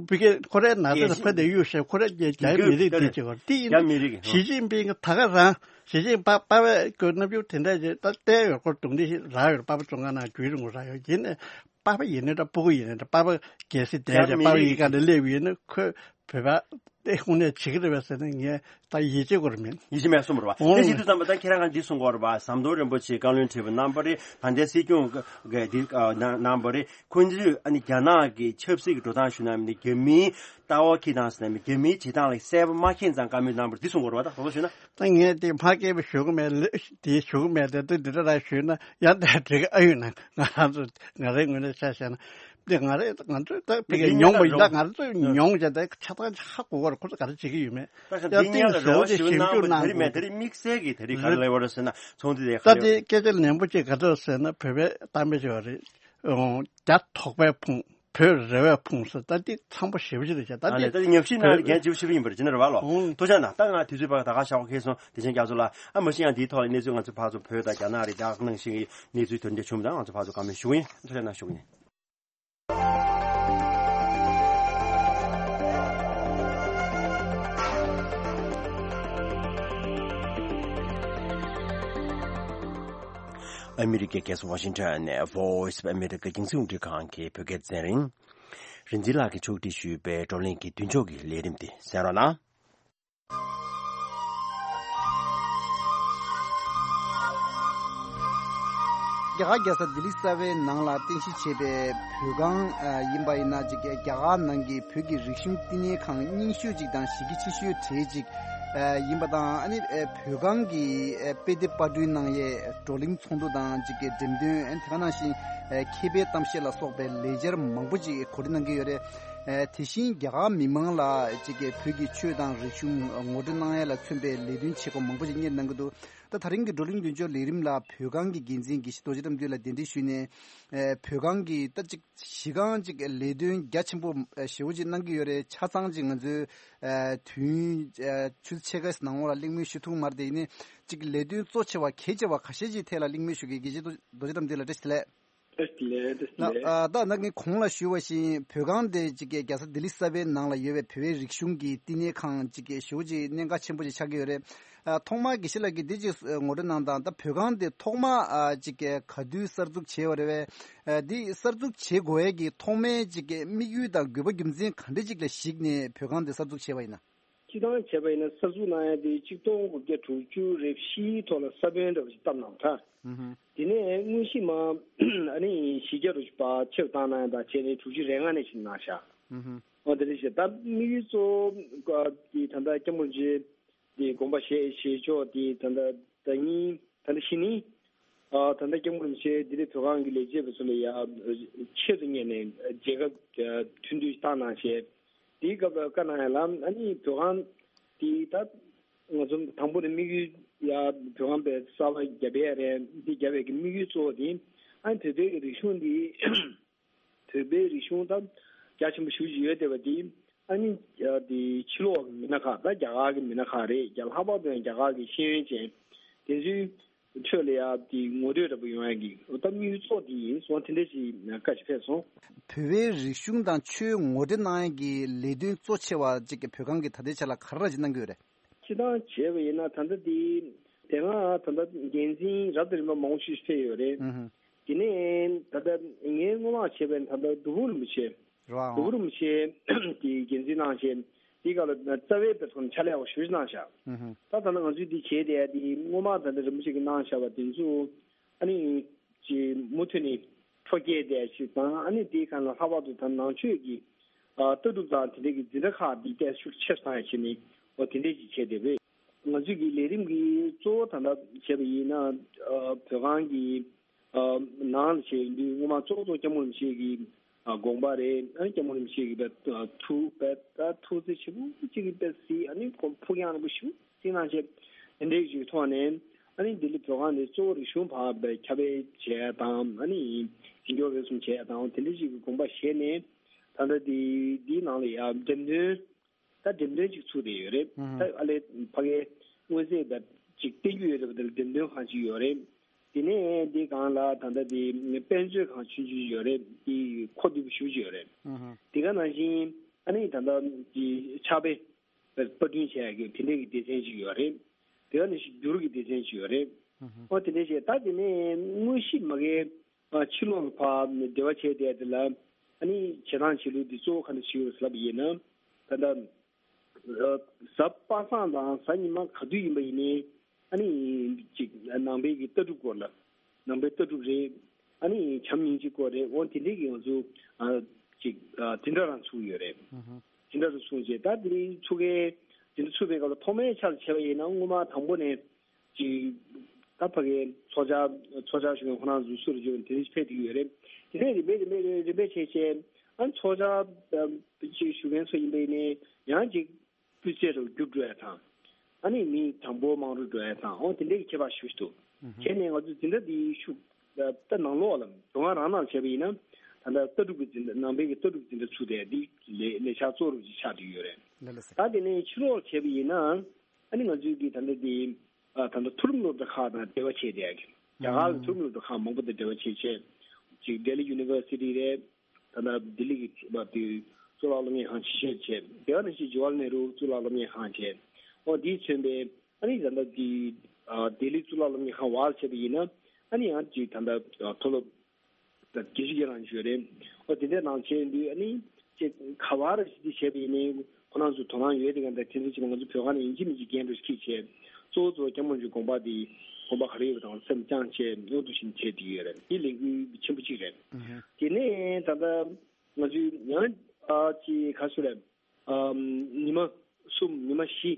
བི་ཀེ་ཁོ་རའི་ནང་དེ་ལ་ཕ་དེ་གཡུག་བཤད་ཁོ་རའི་རྒྱ་རྒྱ་མི་རིགས་དེ་བྱེད་པར་དེ་ཡིན་ན་ཞི་ཅིན་ཕིང་གི་ད་ག་རང་ཞི་ཅིན་ཕ་པ་བས་ཀྱི་རྣམ་འགྱུར་དེ་འདྲ་ཅིག་ད་བསྟན་ཡོད། ཁོ་རྡུང་རྡེག་ཞིག་རག་ཡོད། པ་ཕ་བཙོན་ཁང་ནང་རྒྱུན་རིང་པོ་རག་ཡོད། ཡིན་ནའི་པ་ཕ་ཡིན་ནའི་འདྲ་སྤུ་གུ་ཡིན་ནའི་འདྲ་པ་ཕ་གལ་སྲིད་བསྡད་རྒྱ་ཅིག་མི་པ་ཕ་རིགས་ཡི་ག་ནས་སླེབས་ཡོད་ན་ཁོས་བོད་པ་དེ་དངོས་གནས་བྱེད་ཀྱི་རེད་པས་ཟེར་ན་ངས་ད་ཡིད་ཆེས་ཁོ་ར་མེད། ཡིད་ཆེས་མེད་གསུངས་པ་རེད་པ། ཨོ། དེ་བྱེད་དུས་ཙམ་པ་ད་ཁྱེད་རང་ག་འདི་གསུང་གི་ཡོད་རེད་པ། ཟམ་གདོང་རིན་པོ་ཆེ་བཀའ་བློན་ཁྲི་པ་གནང་པ་རེད། ད་ལྟའི་སྲིད་སྐྱོང་གི་འདི་གནང་པ་རེད། ཁོང་ཚོས་ཨ་ནི་རྒྱ་ནག་གི་ཆབ་སྲིད་ཀྱི་འགྲོ་སྟངས་ཞུ་ན་མིན་ནི་རྒྱ་མིའི་ལྟ་བ་ཁྱེར་དང་ཟེར་ན་མིན་རྒྱ་མིའི་བྱེད་སྟངས་ལ་གསལ་པོ་མ་མཁྱེན་ཙང་བཀའ་མོལ་གནང་པ་རེད། འདི་གསུང་གི་ཡོད་རེད་པ། ད་དོགས་པ་ཞུས་ན། ད་ངས་དེ་ཕ་སྐད་པ་ཞུ་གི་མེད་ལེ། དེ་ཞུ་གི་མེད་དེ་དེ་འདི་འདྲ་ར་ཞུས་ན་ཡང་དེ་འགྲིག་གི་ཨ་ཡོད་ན་ང་རང་ཚོ་ང་རའི་ངོས་ནས་ཆ་བཞག་ན་དེ་ང་རེ་ང་ཚོས་ད་ཕ་གི་མྱོང་བ་ཡིན་ད་ང་ཚོས་མྱོང་བྱས་ད་ཆ་ཚང་ཧ་གོ་གི་རེད། ཁོ་ཚོ་ག་རེ་བྱེད་ཀྱི་ཡོད་མེད། ད་ཡང་འདི་ད་སྔོན་ལ་ཞེ་པོ་རེ་བ་ཅིག་ཞིབ་ཞིབ་འཇུག་གནང་གནང་དགོས་དེ་རེད། དམིགས་བསལ་གྱི་དེ་རིང་ག་རེ་ལབ་པ་རེད་ཟེར་ན་ཚོང་འདི་དེ་ག་ད་རེ་དེ་སྐད་ཆ་ནན་པོ་ཅིག་ག་ཚོད་ཟེར་ན་བོད་པའི་གཏམ་དཔེ་ཅིག་ཡོད་རེད། རྒྱ་དོགས་པས་ཕུང་། བོད་རེ་བས་ཕུང་ཟེར། ད་འདི་ཚང་པོ་ཞེ་པོ་ཅིག་རེད་བྱས། ད་ཨ་ལས་འདི་ད་ཉམས་ཞིབ་གནང་བོད་ཡ་རྒན་ལྕི་པོ་ཞེ་པོ་ཡིན་པ་རེད། ཅི་ནས་རེད་བ་ལོ། ཨོ། ཐུགས་རྗེ་གནང་། ད་ང་དུས་ཚོད་ཕར་ད་ག་ཤག་པ་ཁེལ་སོང་། བདེ་ཆེན་རྒྱ་མཚོ་ལགས། ཨ་མ་གཞི་ཡང་འདིའི་ཐོག་ལ་གནས་ཚུལ་ང་ཚོ་ཕར་ཚུར་བོད་དང་རྒྱ་ནག་རེད། ད་གནང་བཞིན་གྱི་གནས་ཚུལ་དོན་འདི་བྱུང་མི་དང་ང་ཚོ་ཕར་ཚུར་བཀའ་མོལ་ཞུ་གི་ཡིན། ཐུགས་རྗེ་གནང་ཞུ་གི་ཡིན། ཨ་མི་རི་ཀའི་རྒྱལ་ས་ཝ་ཤིང་ཊོན་ནས་Voice of America་རྒྱང་སྲིང་རླུང་འཕྲིན་ཁང་གི་བོད་སྐད་སྡེ་ཚན་རིང་། རིག་འཛིན་ལགས་ཀྱིས་ཕྱོགས་སྒྲིག་ཞུས་པའི་བགྲོ་གླེང་གི་མདུན་ལྕོག་གི་ལས་རིམ་དེ་གསན་རོགས་གནང་། རྒྱ་གར་རྒྱལ་ས་ལྡི་ལི་གསར་པའི་ནང་ལ་རྟེན་གཞི་བྱས་པའི་བོད་ཁང་ཨ་ཡིན་པ་ཡིན་ན་ཅིག་རྒྱ་གར་ནང་གི་བོད་ཀྱི་རིག་གཞུང་བསྟི་གནས་ཁང་རྙིང་ཤོས་ཅིག་དང་གཞི་རྒྱ་ཆེ་ཤོས་གྲས་ཅིག་ཨ་ཡིན་པ་དང་ཨ་ནི་ཨ་བོད་ཁང་གི་ཨ་དཔེ་དེབ་པར་སྐྲུན་གནང་ཡས་བགྲོ་གླེང་ཚོགས་འདུ་དང་ཅིག་གི་འགྲེམས་སྟོན་ཨ་ནི་དེ་ག་ནང་བཞིན་ཨ་མཁས་པའི་གཏམ་བཤད་ལ་སོགས་པའི་ལས་འཆར་མང་པོ་ཅིག་གོ་སྒྲིག་གནང་གི་ཡོད་རེད། ཨ་དེ་བཞིན་རྒྱ་གར་མི་མང་ལ་ཅིག་གི་བོད་ཀྱི་ཆོས་དང་རིག་གཞུང་ངོ་སྤྲོད་གནང་ཡས་ལ་མཚོན་པའི་ལས་དོན་བྱེད་སྒོ་མང་པོ་ཅིག་གཉེར་གནང་གི་འདུག་ད་ད་རིང་གི་བགྲོ་གླེང་མདུན་ལྕོག་ལས་རིམ་ལ་བོད་ཁང་གི་འགན་འཛིན་དགེ་བཤེས་རྡོ་རྗེ་དམ་འདུས་ལགས་གདན་འདྲེན་ཞུས་ནས། ཨེ་བོད་ཁང་གི་ད་ཅིག་གཞི་རྐང་ཅིག་ལས་དོན་རྒྱ་ཆེན་པོ་ཨེ་ཞེ་པོ་ཅིག་གནང་གི་ཡོད་རེད། ཆ་ཚང་ཅིག་ང་ཚོའི་ཨེ་དུས་ཡུན་ཨེ་ཆུ་ཚོད་ཕྱེད་ཀ་ནང་ལོགས་ལ་གླེང་མོལ་ཞུ་ཐུབ་མ་རེད་དེ། ཡིན་ནའི་ཅིག་ལས་དོན་གཙོ་ཆེ་བ་གལ་ཆེ་བ་ཁ་ཤས་ཅིག་ཐད་ལ་གླེང་མོལ་ཞུ་གི། དགེ་བཤེས་རྡོ་རྗེ་དམ་འདུས་ལགས་བཀྲ་ཤིས་བདེ་ལེགས། བཀྲ་ཤིས་བདེ་ལེགས། བཀྲ་ཤིས་བདེ་ལེགས། ལགས། ཨ་ད་ནང་གི་གོང་ལ་ཞུས་པ་བཞིན་བོད་ཁང་དེ་ཅིག་གི་རྒྱལ་ས་ལྡི་ལི་གསར་པའི་ནང་ལ་ཡོད་པའི་བོད་པའི་རིག་གཞུང་གི་བསྟི་གནས་ཁང་ཅིག་གི་ཞེ་པོ་ཅིག་གནད་འགག་ཆེན་པོ་ཅིག་ཆགས་ཀྱི་ཡོད་རེད། ཨ་ཐོག་མར་དགེ་བཤེས་ལགས་ཀྱིས་འདི་ཅིག་ངོ་སྤྲོད་གནང་དང་། ད་བོད་ཁང་དེ་ཐོག་མར་ཨ་ཅིག་ག་དུས་གསར་འཛུགས་བྱས་པ་རེད་པས། ཨ་འདི་གསར་འཛུགས་བྱེད་དགོས་ཡས་ཀྱི་ཐོག་མའི་ཅིག་གི་དམིགས་ཡུལ་དང་དགོས་པ་རྒྱུ་མཚན་ག་འདྲ་ཅིག་ལ་གཞིགས་ནས་བོད་ཁང་དེ་གསར་འཛུགས་བྱས་པ་ཡིན་ན། སྤྱིར་བཏང་བྱས་པ་ཡིན་ན་གསར་འཛུགས་གནང་ཡས་དེ་ཆིག་སྟོང་དགུ་བརྒྱ་དྲུག་ཅུ་རེ་བཞིའི་ཐོག་ལ་ས་བོན་འདྲ་བ་ཞིག་བཏབ་གནང་ད། ཨུ་ཧུ། དེ་ནས་དངོས་གཞི་མ་ཨ་ནི་བཞི་བརྒྱ་རུ་ཕར་ཕྱིར་བཏང་གནང་ཡས་དང་བྱས་ནས་དྲུག་ཅུ་རེ་ལྔ་ནས་ཕྱིར་གནང་བཞག་ཨུ་ཧུ། འོ་དེ་འདྲ་ཞིག་ད་དམིགས་ཡུལ་གཙོ་བོ་ག་དེ་ད་ལྟ་སྐྱབས་མགོན་རིན་པོ་ཆེ་དེ་དགོངས་པ་བཞེས་བཞེས་ཕྱོགས་དེ་ད་ལྟ་ཟླ་ཉིན་ད་ལྟ་གཞེས་ནིང་ཨ་ད་ལྟ་སྐྱབས་མགོན་རིན་པོ་ཆེ་ལྡི་ལི་བོད་ཁང་གི་ལས་བྱེད་པ་ཚོ་ལ་ཡ་ཆེད་དུ་གཉེར་ནས་མཇལ་ཁ་ཐུགས་འདུན་བཏང་གནང་བྱས། དེའི་སྐབས་ལ་བཀའ་གནང་ཡ་ལ་ཨ་ནི་བོད་ཁང་དེ་ད་ང་ཚོ་དང་པོ་ནས་དམིགས་ཡུལ་ཡ་བོད་ཁང་པའི་གསར་པ་བརྒྱབ་པ་རེད། འདི་བརྒྱབ་པའི་གི་དམིགས་ཡུལ་གཙོ་བོ་དེ་ཨ་ནི་བོད་པའི་གི་རིག་གཞུང་འདི་བོད་པའི་རིག་གཞུང་ད་རྒྱ་ཆེན་པོ་ཞེ་པོ་ཅིག་ཡོད་བསྡད་པ་འདི་ཨ་ནི་ཡ་དེ་ཕྱི་ལོགས་གི་མི་སྣ་ཁག་ད་རྒྱ་གར་གི་མི་སྣ་ཁག་རེད། རྒྱ་ལྷག་པར་དུ་ཡང་རྒྱ་གར་གི་ཤེས་ཡོན་ཅན་དེ་ཚོའི་ ཆོས་ལ་ཡ་དེ་ངོ་སྤྲོད་འདྲ་པོ་ཡོང་ཡ་གི་ད་དམིགས་ཡུལ་གཙོ་དེ་ཡིན་སོང་། དེ་འདྲ་ཞིག་བཀའ་ཞིག་ཕེབས་སོང་། བོད་པའི་རིག་གཞུང་དང་ཆོས་ངོ་སྤྲོད་གནང་ཡ་གི་ལས་དོན་གཙོ་ཆེ་བ་གཅིག་གི་བོད་ཁང་གི་ད་ལྟའི་ཆ་ལ་ག་རེ་ཅིག་གནང་གི་ཡོད་རེད། སྤྱིར་བཏང་བྱས་པ་ཡིན་ན་ད་ལྟ་འདི་དེ་སྔ་ད་ལྟ་འགན་འཛིན་རབ་དང་རིམ་པ་མང་པོ་ཞིག་ཕེབས་ཡོད་རེད། ཨུ་ཧུ། དེ་ནས་ད་ལྟ་ངས་སྔོན་མ་བྱས་པའི་ད་ལྟ་སྒྲུབ་ཕུག་རིན་པོ་ཆེ། རེད་བ། སྒྲུབ་ཕུག་རིན་པོ་ཆེ་དེ་འགན་འཛིན་གནང་བྱས་དེའི་སྐབས་ལ་རྩ་བའི་དཔེ་མཚོན་ཕྱག་ལས་ཡག་པོ་ཞེ་པོ་ཅིག་གནང་ཤག་ཨུ་ཧུ། ད་ད་ལྟ་ང་ཚོས་འདི་བྱས་བསྡད་དེ་སྔོན་མ་ད་ལྟ་རིན་པོ་ཆེ་གིས་གནང་བཞག་པ་དེ་ཚོ་ཨ་ནི་ཅིག་མུ་མཐུད་ནས་འཕྲོ་སྐྱེད་བསྡད་ཞིག་དང་ཨ་ནི་དེའི་སྒང་ལ་ལྷག་པར་དུ་ད་ནང་ཆོས་ཀྱི་ཨ་ལྟ་གྲུབ་དང་དེ་འདྲའི་གི་འཛིན་གྲྭ་ཁག་འདི་ཏོག་ཙམ་ཤུགས་ཆེ་རུ་བཏང་ཡ་བྱས་ནས་འོ་དེ་འདྲས་ཅིག་བྱས་བསྡད་པས། ང་ཚོས་ཀྱི་ལས་རིམ་གྱི་གཙོ་བོ་ད་ལྟ་བྱས་པ་ཡིན་ན་ཨ་བོད་ཁང་གི་ཨ་ནང་ལ་བྱས་ཡིན་དུས་སྔོན་མ་གཙོ་བོ་གཙོ་བོ་སྐྱབས་མགོན་རིན་པོ་ཆེ་གི་ཨ་དགོངས་པ་རེད། ཨ་ནི་སྐྱབས་མགོན་རིན་པོ་ཆེ་གི་བས་ཐུགས་བས་ད་ཐུགས་བརྩེ་ཆེན་པོ་གཅིག་གི་བས་སྲིད་ཨ་ནི་ཁོང་ཕུགས་རྒྱང་རིང་པོ་ཞིག་བརྩིས་གནང་བྱས་དེ་འདྲའི་ཞིག་ཐོག་ནས་ཨ་ནི་ལྡི་ལི་བོད་ཁང་འདི་གཙོ་བོ་རིག་གཞུང་བར་བའི་ཁྱབ་སྤེལ་བྱས་དང་ཨ་ནི་འཛིན་སྐྱོང་རེ་ཟུང་བྱས་དང་དེ་འདྲའི་ཞིག་གི་དགོངས་པ་བཞེས་ནས་ད་ལྟ་འདི་འདིའི་ནང་ལ་ཡ་འགྲེམས་སྟོན། ད་འགྲེམས་སྟོན་ཅིག་ཚུགས་བསྡད་ཡོད་རེད། ཨུ་ཧུ། ད་ཨ་ལས་ཕ་གའི་མངོན་གསལ་དང་ཅིག་བསྟན་རྒྱུ་ཡོད་རེད་པ། དེ་ལ་འགྲེམས་སྟོན་ཁང་ཅིག་ཡོད་རེད། དེ་ནས་འདི་སྒང་ལ་ད་ལྟ་དེ་དཔེ་མཛོད་ཁང་ཆུང་ཆུང་ཡོད་རེད། དེ་མཁོ་བསྡུས་པོ་ཞེ་པོ་ཅིག་ཡོད་རེད། ཨུ་ཧུ། དེ་ག་ནང་བཞིན་ཨ་ནི་ད་ལྟ་དེ་ཕྱག་དཔེ་པར་སྐྲུན་བྱས་ཡག་གི་དེ་འདྲའི་གི་སྡེ་ཚན་ཅིག་ཡོད་རེད། དེ་ག་ནང་བཞིན་འགྱུར་གྱི་སྡེ་ཚན་ཅིག་ཡོད་རེད། ཨུ་ཧུ། ཨོ་དེ་འདྲ་བྱས་ད་དེ་ནས་དངོས་གཞི་མ་གའི་ཕྱི་ལོགས་ལ་ཕར་འབྲེལ་བ་བྱས་བསྡད་དེ་ལ་ཨ་ནི་བྱེད་སྟངས་བྱེད་ལུགས་འདི་གཙོ་བོ་ག་འདྲ་ཞིག་ཡོད་ཟེར་ལབ་པ་ཡིན་ན་ད་ལྟ་གཟའ་པ་སངས་དང་གཟའ་ཉི་མ་ག་དུས་ཡིན་པ་ཡིན་ནའི་ཨ་ནི་ཅིག་ནང་པའི་གི་ལྟ་གྲུབ་སྐོར་ལ་ནང་པའི་ལྟ་གྲུབ་རེད། ཨ་ནི་བྱམས་སྙིང་རྗེ་སྐོར་རེད། འོ་དེ་འདྲའི་གི་ང་ཚོ་ཅིག་འཛིན་གྲྭ་རང་ཚུགས་ཡོད་རེད། འཛིན་གྲྭ་རུ་ཚུགས་རྗེས་ད་དེ་རིང་ཚུགས་མཁན་འཛིན་གྲྭ་ཚུགས་པའི་སྐབས་ལ་ཐོག་མའི་ཆར་བྱས་པ་ཡིན་ན་སྔོན་མ་དང་པོ་ནས། ཅིག་ད་ཕ་གིའི་ཚོགས་བཅར་ཚོགས་བཅར་ཞུ་མཁན་ཁོ་རང་ཚོ་སུ་རུ་བརྗོད་དེ་རིགས་ཕེབས་ཀྱི་ཡོད་རེད། དེ་ནས་རིམ་པས་རིམ་པས་རིམ་པས་བྱས་བྱས་ཨ་ཚོགས་བཅར་ཅིག་ཞུ་མཁན་ཚོ་ཡིན་པ་ཡིན་ནའི་ཡང་ཅིག་སྤུས་ཚད་རུ་རྒྱུག་འགྲོ་ཡ་དང་། ཨ་ནི་མི་གྲངས་འབོར་མང་རུ་འགྲོ་ཡ་དང་འོ་དེ་འདྲའི་ཁྱད་པར་ཞུ་ཞུ་འདུག་བྱས་ནས་ང་ཚོ་འཛིན་གྲྭ་འདིའི་ཤུགས་ད་ནང་ལོགས་ལ་བོད་ཁང་རང་ནང་བྱས་པ་ཡིན་ན་ད་ལྟ་ལྟ་གྲུབ་ཀྱི་འཛིན་གྲྭ་ནང་པའི་གི་ལྟ་གྲུབ་འཛིན་གྲྭ་ཚུགས་ཏེ་འདི་ལས་ལས་འཆར་གཙོ་རུ་ཅིག་ཆགས་བསྡད་ཡོད་རེད། ལགས་ལགས་སོ། ད་དེ་ནས་ཕྱི་ལོགས་བྱས་པ་ཡིན་ན། ཨ་ནི་ང་ཚོའི་གི་ད་ལྟ་དེ་ཨ་ད་ལྟ་མཐོ་རིམ་སློབ་གྲྭ་ཁག་དང་འབྲེལ་བ་བྱས་ཏེ་ཨ་གི་རྒྱ་གར་ལ་མཐོ་རིམ་སློབ་གྲྭ་ཁག་མང་པོ་དང་འབྲེལ་བ་བྱས་བྱས་ཅིག་ལྡི་ལི་ཡུ་ནི་ཝར་སི་ཊི་རེད། ད་ལྟ་ལྡི་ལི་གི་བ་དེ་གཙུག་ལག་སློབ་གཉེར་ཁང་ཆེ་ཤོས་བྱས་དེ་ག་ནང་བཞིན་ཇ་ཝར་ལ་ནེ་རུ་གཙུག་ལག་སློབ་གཉེར་ཁང་བྱས་ཨོ་དེས་མཚོན་པའི་ཨ་ནི་ད་ལྟ་དེ་ཨ་ལྡི་ལི་གཙུག་ལག་སློབ་གཉེར་ཁང་བར་བྱས་པ་ཡིན་ན་ཨ་ནི་ཡང་ཅིག་ད་ལྟ་མཐོ་སློབ། ད་རྒྱལ་སྤྱི་རང་བརྗོད་རེད། ཨོ་དེ་འདྲའི་ནང་བྱས་དུས་ཨ་ནི་ཅིག་ག་བར་ཞིག་བྱས་པ་ཡིན་ནའི་ཁོ་རང་ཚོ་དོ་སྣང་ཡོད་དེ་ག་འདྲ་དེ་འདྲ་བྱས་ན་ང་ཚོ་བོད་ཁང་ནས་ཡིན་གཅིག་མིན་གཅིག་འགན་འདྲ་ཞིག་འཁྱེར་བྱས་གཙོ་བོ་གཙོ་བོ་སྐྱབས་མགོན་གྱི་དགོངས་པ་དེ་དགོངས་པ་ག་རེ་ཡོད་པ་དང་སེམས་བཅངས་བྱས་མཉམ་དུ་བཞིན་བྱས་བསྡད་ཡོད་རེད། དེ་ལས་འགུལ་ཆེན་པོ་གཅིག་རེད། དེ་ནས་ད་ལྟ་ང་ཚོས་ཡང་ཨ་ཅིག་ག་ཚོད་རེད། ཨམ་ཉི་མ་གསུམ་ཉི་མ་བཞི།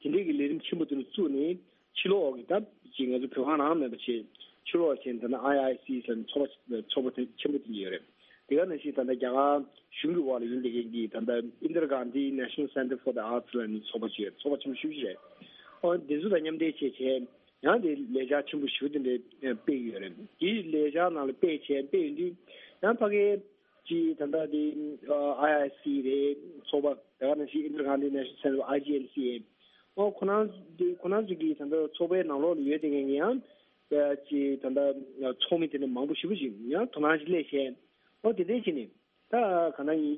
དེ་འདྲའི་གི་ལས་རིམ་ཆེན་པོ་དེ་ཚོ་བཙུགས་ནས་ཕྱི་ལོགས་ཀྱི་ད་ཅིག་ང་ཚོ་བོད་ཁང་རང་མེད་པ་བྱས་ཕྱི་ལོགས་བྱས་ད་ནི་ཨའི་ཨའི་སི་ཟེར་ནས་ཚོགས་པ་ཚོགས་པ་དེ་ཆེན་པོ་དེ་འདྲ་ཡོད་རེད། དེ་ག་ནང་བཞིན་ད་ལྟ་རྒྱ་གར་གཞུང་གི་འོག་ལ་ཡིན་བསྡད་མཁན་གྱི་ད་ལྟ་Indira Gandhi National Center for the Arts ལབ་ནས་ཚོགས་པ་ཅིག་ཡོད་རེད། ཚོགས་པ་ཆེན་པོ་ཞེ་པོ་ཅིག་རེད། ཨོ་དེ་ཚོ་དང་མཉམ་འབྲེལ་བྱས་བྱས་ཡང་དེ་ལས་འཆར་ཆེན་པོ་ཞེ་པོ་དེ་འདྲ་སྤེལ་གྱི་ཡོད་རེད། དེའི་ལས་འཆར་ནང་ལ་སྤེལ་བྱས་སྤེལ་ཡོང་དུས་ཡང་ཕ་གིའི་ཅིག་ད་ལྟ་དེ་ཨའི་ཨའི་སི་རེད། ཚོགས་པ་དེ་ག་ནང་བཞིན་Indira Gandhi National Center ཨའི་ཇི་ཨེན་སི་ཨེ། ཨོ་ཁོ་རང་དེ་ཁོ་རང་ཚོ་གི་ད་ལྟ་ཚོགས་པའི་ནང་ལོགས་ལ་ཡོད་དེ་ངས་ཡང་ཅིག་ད་ལྟ་ཚོགས་མི་དེ་འདྲ་མང་པོ་ཞེ་པོ་ཞིག་ཡང་དོ་སྣང་ཞིག་སླེབས་བྱས་ཨོ་དེ་འདྲ་བྱས་ནས་ད་ག་ན་ཡིན་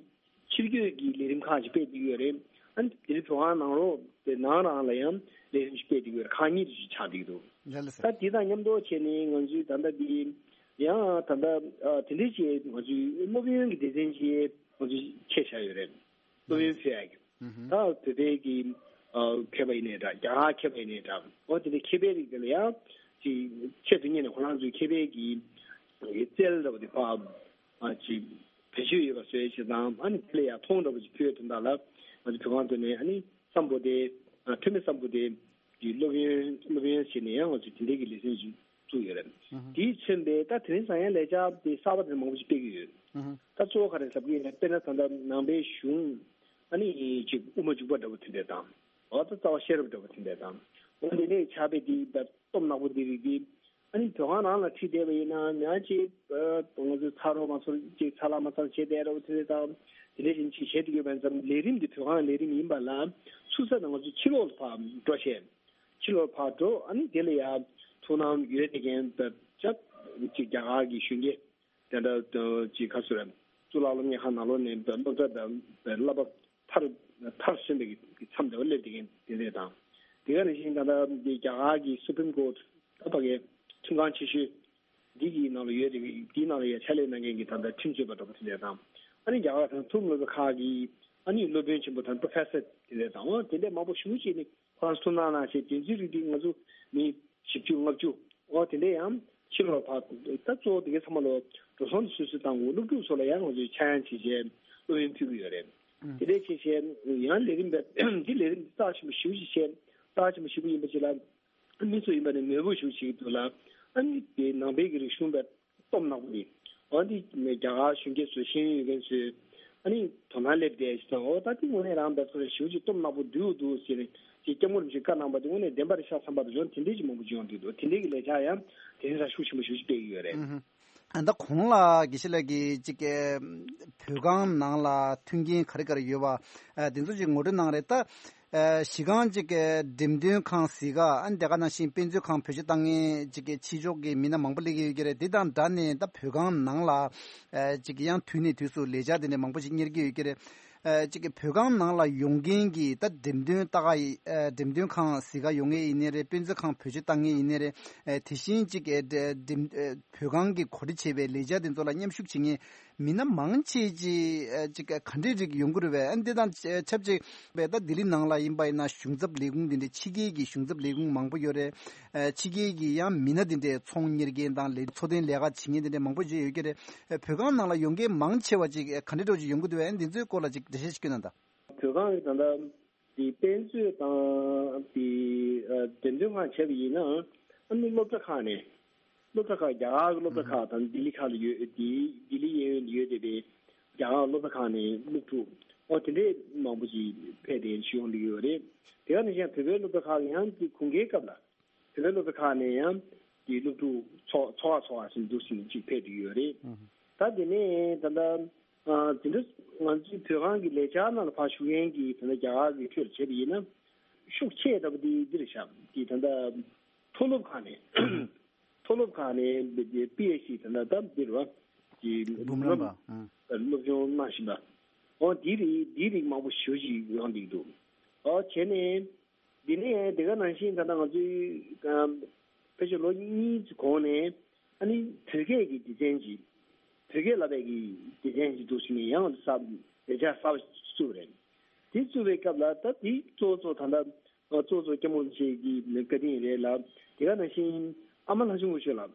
ཕྱིར་སྐྱོད་ཀྱི་ལས་རིམ་ཁག་ཅིག་སྤེལ་བསྡད་ཡོད་རེད། ཨ་ནི་དེ་རིང་བོད་ཁང་ནང་ལོགས་དེ་ནང་རང་ལ་ཡང་ལས་རིམ་ཞིག་སྤེལ་བསྡད་ཡོད་རེད། ཁག་གཉིས་ཅིག་ཆགས་བསྡད་འདུག་ལགས་ལགས་སོ། ད་དེ་དང་མཉམ་དུ་བྱས་ནས་ང་ཚོའི་ད་ལྟ་འདི་ཡང་ད་ལྟ་ཨ་དེ་འདྲའི་ཅིག་ང་ཚོའི་སློབ་ཡོན་གྱི་སྡེ་ཚན་ཅིག་ང་ཚོས་ཆད་བཞག་ཡོད་རེད། སློབ་ཡོན་ཕུལ་ཡག་གི་ད་བོད་པའི་གི་ཨ་མཁས་པ་ཡིན་ནའི་འདྲ་རྒྱ་གར་མཁས་པ་ཡིན་ནའི་འདྲ་འོ་དེ་འདྲའི་མཁས་པའི་རིགས་དེ་ལ་ཡང་ཅིག་ཆེད་དུ་གཉེར་ནས་ཁོ་རང་ཚོའི་མཁས་པའི་གི་རྩལ་འདྲ་བོ་དེ་ཕར་ཨ་ཅིག་བེད་སྤྱོད་ཡོད་པ་བཟོས་བྱས་དང་ཨ་ནི་དེ་ལ་ཡང་མཐོང་འདྲ་བོ་ཅིག་ཕུལ་དོན་དག་ལ་ང་ཚོ་བོད་ཁང་དུ་ནས་ཨ་ནི་བསམ་པོ་དེ་ཨ་འཐུས་མི་བསམ་པོ་དེ་གི་སློབ་ཡོན་སློབ་ཡོན་བྱས་ནས་ཡང་ང་ཚོ་དེ་འདྲའི་གི་ལེ་ཚན་ཞིག་བཙུགས་ཡོད་རེད། ཨུ་ཧུ། དེའི་མཚོན་པའི་ད་དེ་རིང་སང་ཡང་ལས་འཆར་དེ་གསར་པ་དེ་མང་པོ་ཞིག་སྤེལ་གྱི་ཡོད། ཨུ་ཧུ། ད་གཙོ་བོ་ག་རེ་ཟེར་གྱི་ཡོད་ན་དཔེར་ན་ད་ལྟ་ནང་པའི་གཞུང་ཨ་ནི་ཅིག་དབུ་མ་འཇུག་པ་འདྲ་བོ་དེ་འདྲ་དང་། འོ་ད་རྩ་བ་ཤེས་རབ་འདྲ་བོ་དེ་འདྲ་དང་། འོ་དེ་ནས་ཕྱག་དཔེ་དེ་ད་སྟོབས་ནག་པོ་འདི་རིགས་དེ། ཨ་ནི་བོད་ཁང་ནང་ལ་ཁྲིད་བསྡད་པ་ཡིན་ན་ཡང་ཅིག་ཨ་ང་ཚོས་ཚ་རོགས་མ་ཚོར་ཅིག་ཚ་ལ་མ་ཚར་བྱས་བསྡད་རོགས་དེ་འདྲ་དང་། དེ་འདྲ་བཞིན་ཅིག་བྱས་བསྡད་ཡོད་པ་ཡིན་ཙང་ལས་རིམ་འདི་བོད་ཁང་ལས་རིམ་ཡིན་པ་ལ་ཚུགས་ས་ན་ང་ཚོ་ཕྱི་ལོགས་ལ་ཕར་འགྲོ་བྱས། ཕྱི་ལོགས་ཕར་འགྲོ་ཨ་ནི་དེ་ལ་ཡ་ ཐུགས་སྣང་ཡོད་དེ་གན་ཅིག་རྒྱ་གར་གྱི་གཞོན་སྐྱེས་དེ་འདྲ་ཅིག་ག་ཚོད་རེད། གཙུག་ལག་སློབ་གཉེར་ཁང་ནང་ལོགས་ནས་སློབ་གྲྭ་དང་བསླབ་པ་མཐར་སོན་པའི་མཚམས་དེ་བ་སླེབས་དེ་གན་དེ་འདྲ་དང་། དེ་ག་ནང་བཞིན་ད་ལྟ་རྒྱ་གར་གྱི་Supreme Court ད་ཕ་གའི་ཁྲིམས་ཁང་ཆེ་ཤོས་འདི་གི་ནང་ལ་ཡོད་དེ་འདིའི་ནང་ལ་ཡ་ཕྱག་ལས་གནང་མཁན་གྱི་ད་ལྟ་ཁྲིམས་རྩོད་པ་འདྲ་པོ་དེ་འདྲ་དང་། ཨ་ནི་རྒྱ་གར་དང་ཐུམ་སློབ་གྲྭ་ཁག་གི་ཨ་ནི་སློབ་དཔོན་ཆེན་པོ་དང་Professor དེ་འདྲ་དང་དེ་འདྲ་མང་པོ་ཞེ་པོ་ཅིག་ནི་ཁོ་རང་ཚོ་ནང་ན་ཞེས་དེ་ཚོའི་རིགས་དེ་ང་ཚོ་མི་བཞི་བཅུ་ལྔ་བཅུ་འོ་དེ་འདྲ་ཡང་ཕྱི་ལོགས་ཕར་ད་གཙོ་བོ་དེ་གའི་ཚང་མ་ལོ་འགྲོ་སོང་སོ་སོ་དང་སློབ་ཕྲུག་ཚོ་ལ་ཡང་ང་ཚོས་ཆ་ཡང་བྱེད་བྱས་སློབ་ཡོན་ཕུལ་གྱི་ཡོད་རེད། དེ་འདྲ་བྱས་བྱས་ཡང་ལས་རིམ་པ་འདི་ལས་རིམ་འདི་རྩ་ཆེན་པོ་ཞེ་པོ་ཅིག་བྱས་རྩ་ཆེན་པོ་ཞེ་པོ་ཡིན་པ་ཅིག་ལ། མི་ཚོ་ཡིན་པ་ནི་མོས་པོ་ཞུ་ཞིག་འདུག་ལ། ཨ་ནི་དེ་ནང་པའི་གི་རིག་གཞུང་པའི་སྟོབས་ནག་པོ་ནི། འོ་འདི་རྒྱ་གར་གཞོན་སྐྱེས་ཚོ་ཤེས་ཡོན་ཡོད་མཁན་ཚོས་ཨ་ནི་དོ་སྣང་སླེབས་བསྡད་ཞིག་དང་འོ་ད་དེ་དངོས་གནས་རང་འབད་ཚོ་རེ་ཞུ་ཅིག་སྟོབས་ནག་པོ་འདུག་འདུག་ཟེར་ནས་ཅིག་སྐྱབས་མགོན་རིན་པོ་ཆེས་བཀའ་གནང་པ་དེ་དངོས་གནས་བདེན་པ་རེད་ཤག་བསམ་པ་དང་འོ་དེ་འདྲས་ཅིག་མང་པོ་ཅིག་ཡོང་འདུག་འདུག་དེ་འདྲས་ཀྱི་ལས་འཆར་ཡང་དེ་རིང་ས་ཤུགས་ཆེན་པོ་ཞུ་ཅིག་སྤེལ་གི་ཡོད་རེད། ཨ་ད་གོང་ལ་དགེ་བཤེས་ལགས་ཀྱིས་ཅིག་གི་བོད་ཁང་ནང་ལ་མཐུན་རྐྱེན་ག་རེ་ག་རེ་ཡོད་པ་ཨ་དེ་ཚོ་ཅིག་ངོ་སྤྲོད་གནང་རེད་ད། ཨ་གཞི་རྐང་ཅིག་གི་འགྲེམས་སྟོན་ཁང་གཟིགས་ག་ཨ་ནི་དེ་ག་ནང་བཞིན་དཔེ་མཛོད་ཁང་བེད་སྤྱོད་བཏང་མཁན་ཅིག་གི་ཕྱི་ཕྱོགས་ཀྱི་མི་སྣ་མང་པོ་སླེབས་ཀྱི་ཡོད་ཀྱི་རེད། དེ་དང་སྦྲགས་ནས་ད་བོད་ཁང་ནང་ལ་ཨ་ཅིག་གི་ཡང་དུས་ནས་དུས་སུ་ལས་འཆར་དེ་འདྲ་མང་པོ་ཅིག་གཉེར་གྱི་ཡོད་ཀྱི་རེད། ཨ་ཅིག་གི་བོད་ཁང་ནང་ལ་ཡོང་མཁན་གྱི་ད་འགྲེམས་སྟོན་ལྟ་ག་ཡི་ཨ་འགྲེམས་སྟོན་ཁང་གཟིགས་ག་ཡོང་མཁན་ཡིན་ནའི་རེད། དཔེ་མཛོད་ཁང་བེད་སྤྱོད་བཏང་མཁན་ཡིན་ནའི་རེད། ཨ་དེ་བཞིན་ཅིག་གི་འགྲེམས་བོད་ཁང་གིས་གོ་སྒྲིག་བྱས་པའི་ལས་འཆར་དེ་ཚོ་ལ་མཉམ་ཞུགས་བྱེད་མཁན་མི་སྣ་མང་ཆེ་ཅིག་ཨ་ཅིག་ག་འདྲའི་རིགས་ཡོང་གི་རེད་པས། ཨ་འདི་དང་ཆབས་ཅིག་པས་ད་ལྡི་ལི་ནང་ལ་ཡིན་པ་ཡིན་ན་གཞུང་ཚབ་ལས་ཁུངས་འདི་འདྲའི་ཕྱི་རྒྱལ་གྱི་གཞུང་ཚབ་ལས་ཁུངས་མང་པོ་ཡོད་རེད། ཨ་ཕྱི་རྒྱལ་གྱི་ཡང་མི་སྣ་འདི་འདྲའི་ཚོང་གཉེར་མཁན་དང་ལས་འཚོ་རྟེན་ལས་ཀ་བྱེད་མཁན་འདི་འདྲའི་མང་པོ་ཅིག་ཡོད་ཀྱི་རེད། ཨ་བོད་ཁང་ནང་ལ་ཡོང་མཁན་མང་ཆེ་བ་ཅིག་ག་འདྲའི་འདྲ་ཅིག་ཡོང་གི་འདུག་པས། ཨ་འདི་ཚོའི་སྐོར་ལ་ཅིག་འགྲེལ་བཤད་ཅིག་སྐྱོན་གནང་དང་། བོད་ཁང་གི་ད་ལྟ་དེ་དཔེ་མཛོད་དང་དེ་ཨ་འགྲེམས་སྟོན་ཁང་བྱས་པ་ཡིན་ན་ཨ་ནི་སློབ་གྲྭ་ཁག་ནས་སློབ་གྲྭ་ཁག་རྒྱ་གར་གྱི་སློབ་གྲྭ་ཁག་དང་ལྡི་ལི་ཁག་ལ་ཡོད་དེ་ལྡི་ལི་གཡས་གཡོན་ལ་ཡོད་བསྡད་པའི་རྒྱ་གར་སློབ་གྲྭ་ཁག་ནས་སློབ་ཕྲུག་ཨོ་དེ་འདྲས་མང་པོ་ཞིག་ཕེབས་ཏེ་ཞུ་ཡོང་གི་ཡོད་རེད། དེ་ག་ནང་བཞིན་བོད་པའི་སློབ་གྲྭ་ཁག་ལ་ཡང་དེ་དགུན་ཁའི་སྐབས་ལ་བོད་པའི་སློབ་གྲྭ་ཁག་ནས་ཡང་དེ་སློབ་ཕྲུག་ཚོགས་ཚོགས་ཁག་ཚོགས་ཁག་ཟེར་འདུག་ཟེར་ཅིག་ཕེབས་བསྡད་ཡོད་རེད། ད་དེ་ནས་ད་ལྟ་ཨ་དེ་འདྲ་ང་ཚོའི་བོད་ཁང་གི་ལས་འཆར་ནང་ལ་ཕར་ཞུགས་མཁན་གྱི་ད་ལྟ་རྒྱ་གར་གྱི་ཁྲོད་ལ་བྱས་པ་ཡིན་ན་ཤུགས་ཆེ་ལྟ་བུ་དེ་འདི་རེད་ཤག་དེ་ད་ལྟ་མཐོ་སློབ་ཁག་ནས་མཐོ་སློབ་ཁག་ནས་པི་ཨེཆ་ཌི་ད་ལྟ་ད་འདིར་བ་ཀྱི་འབུམ་རམས་པ་ཨང་སློབ་སྦྱོང་གནང་བཞིན་པ། འོ་དེའི་རིགས་དེའི་རིགས་མང་པོ་ཞེ་པོ་ཅིག་ཡོང་བསྡད་འདུག་འོ་བྱས་ནས་འདི་ནས་དེ་ག་ནང་བཞིན་ད་ལྟ་ང་ཚོའི་ཨམ་ཕལ་ཆེར་ལོ་གཉིས་ཀྱི་གོང་ནས་ཨ་ནི་བོད་སྐད་ཀྱི་སྡེ་ཚན་ཅིག་བོད་སྐད་བསླབ་པའི་གི་སྡེ་ཚན་ཅིག་འདུག་ཟེར་ནས་ཡང་གསར་ལས་འཆར་གསར་པ་བཙུགས་པ་རེད། དེ་བཙུགས་པའི་སྐབས་ལ་ད་དེ་གཙོ་བོ་གཙོ་བོ་ད་ལྟ་གཙོ་བོ་གཙོ་སྐྱབས་མགོན་རིན་པོ་ཆེ་གི་བཀའ་དྲིན་རེད་ལ། དེ་ག་ནང་བཞིན་ཨ་མ་ལྷ་ཆུང་སྐུ་ཞབས་ལགས།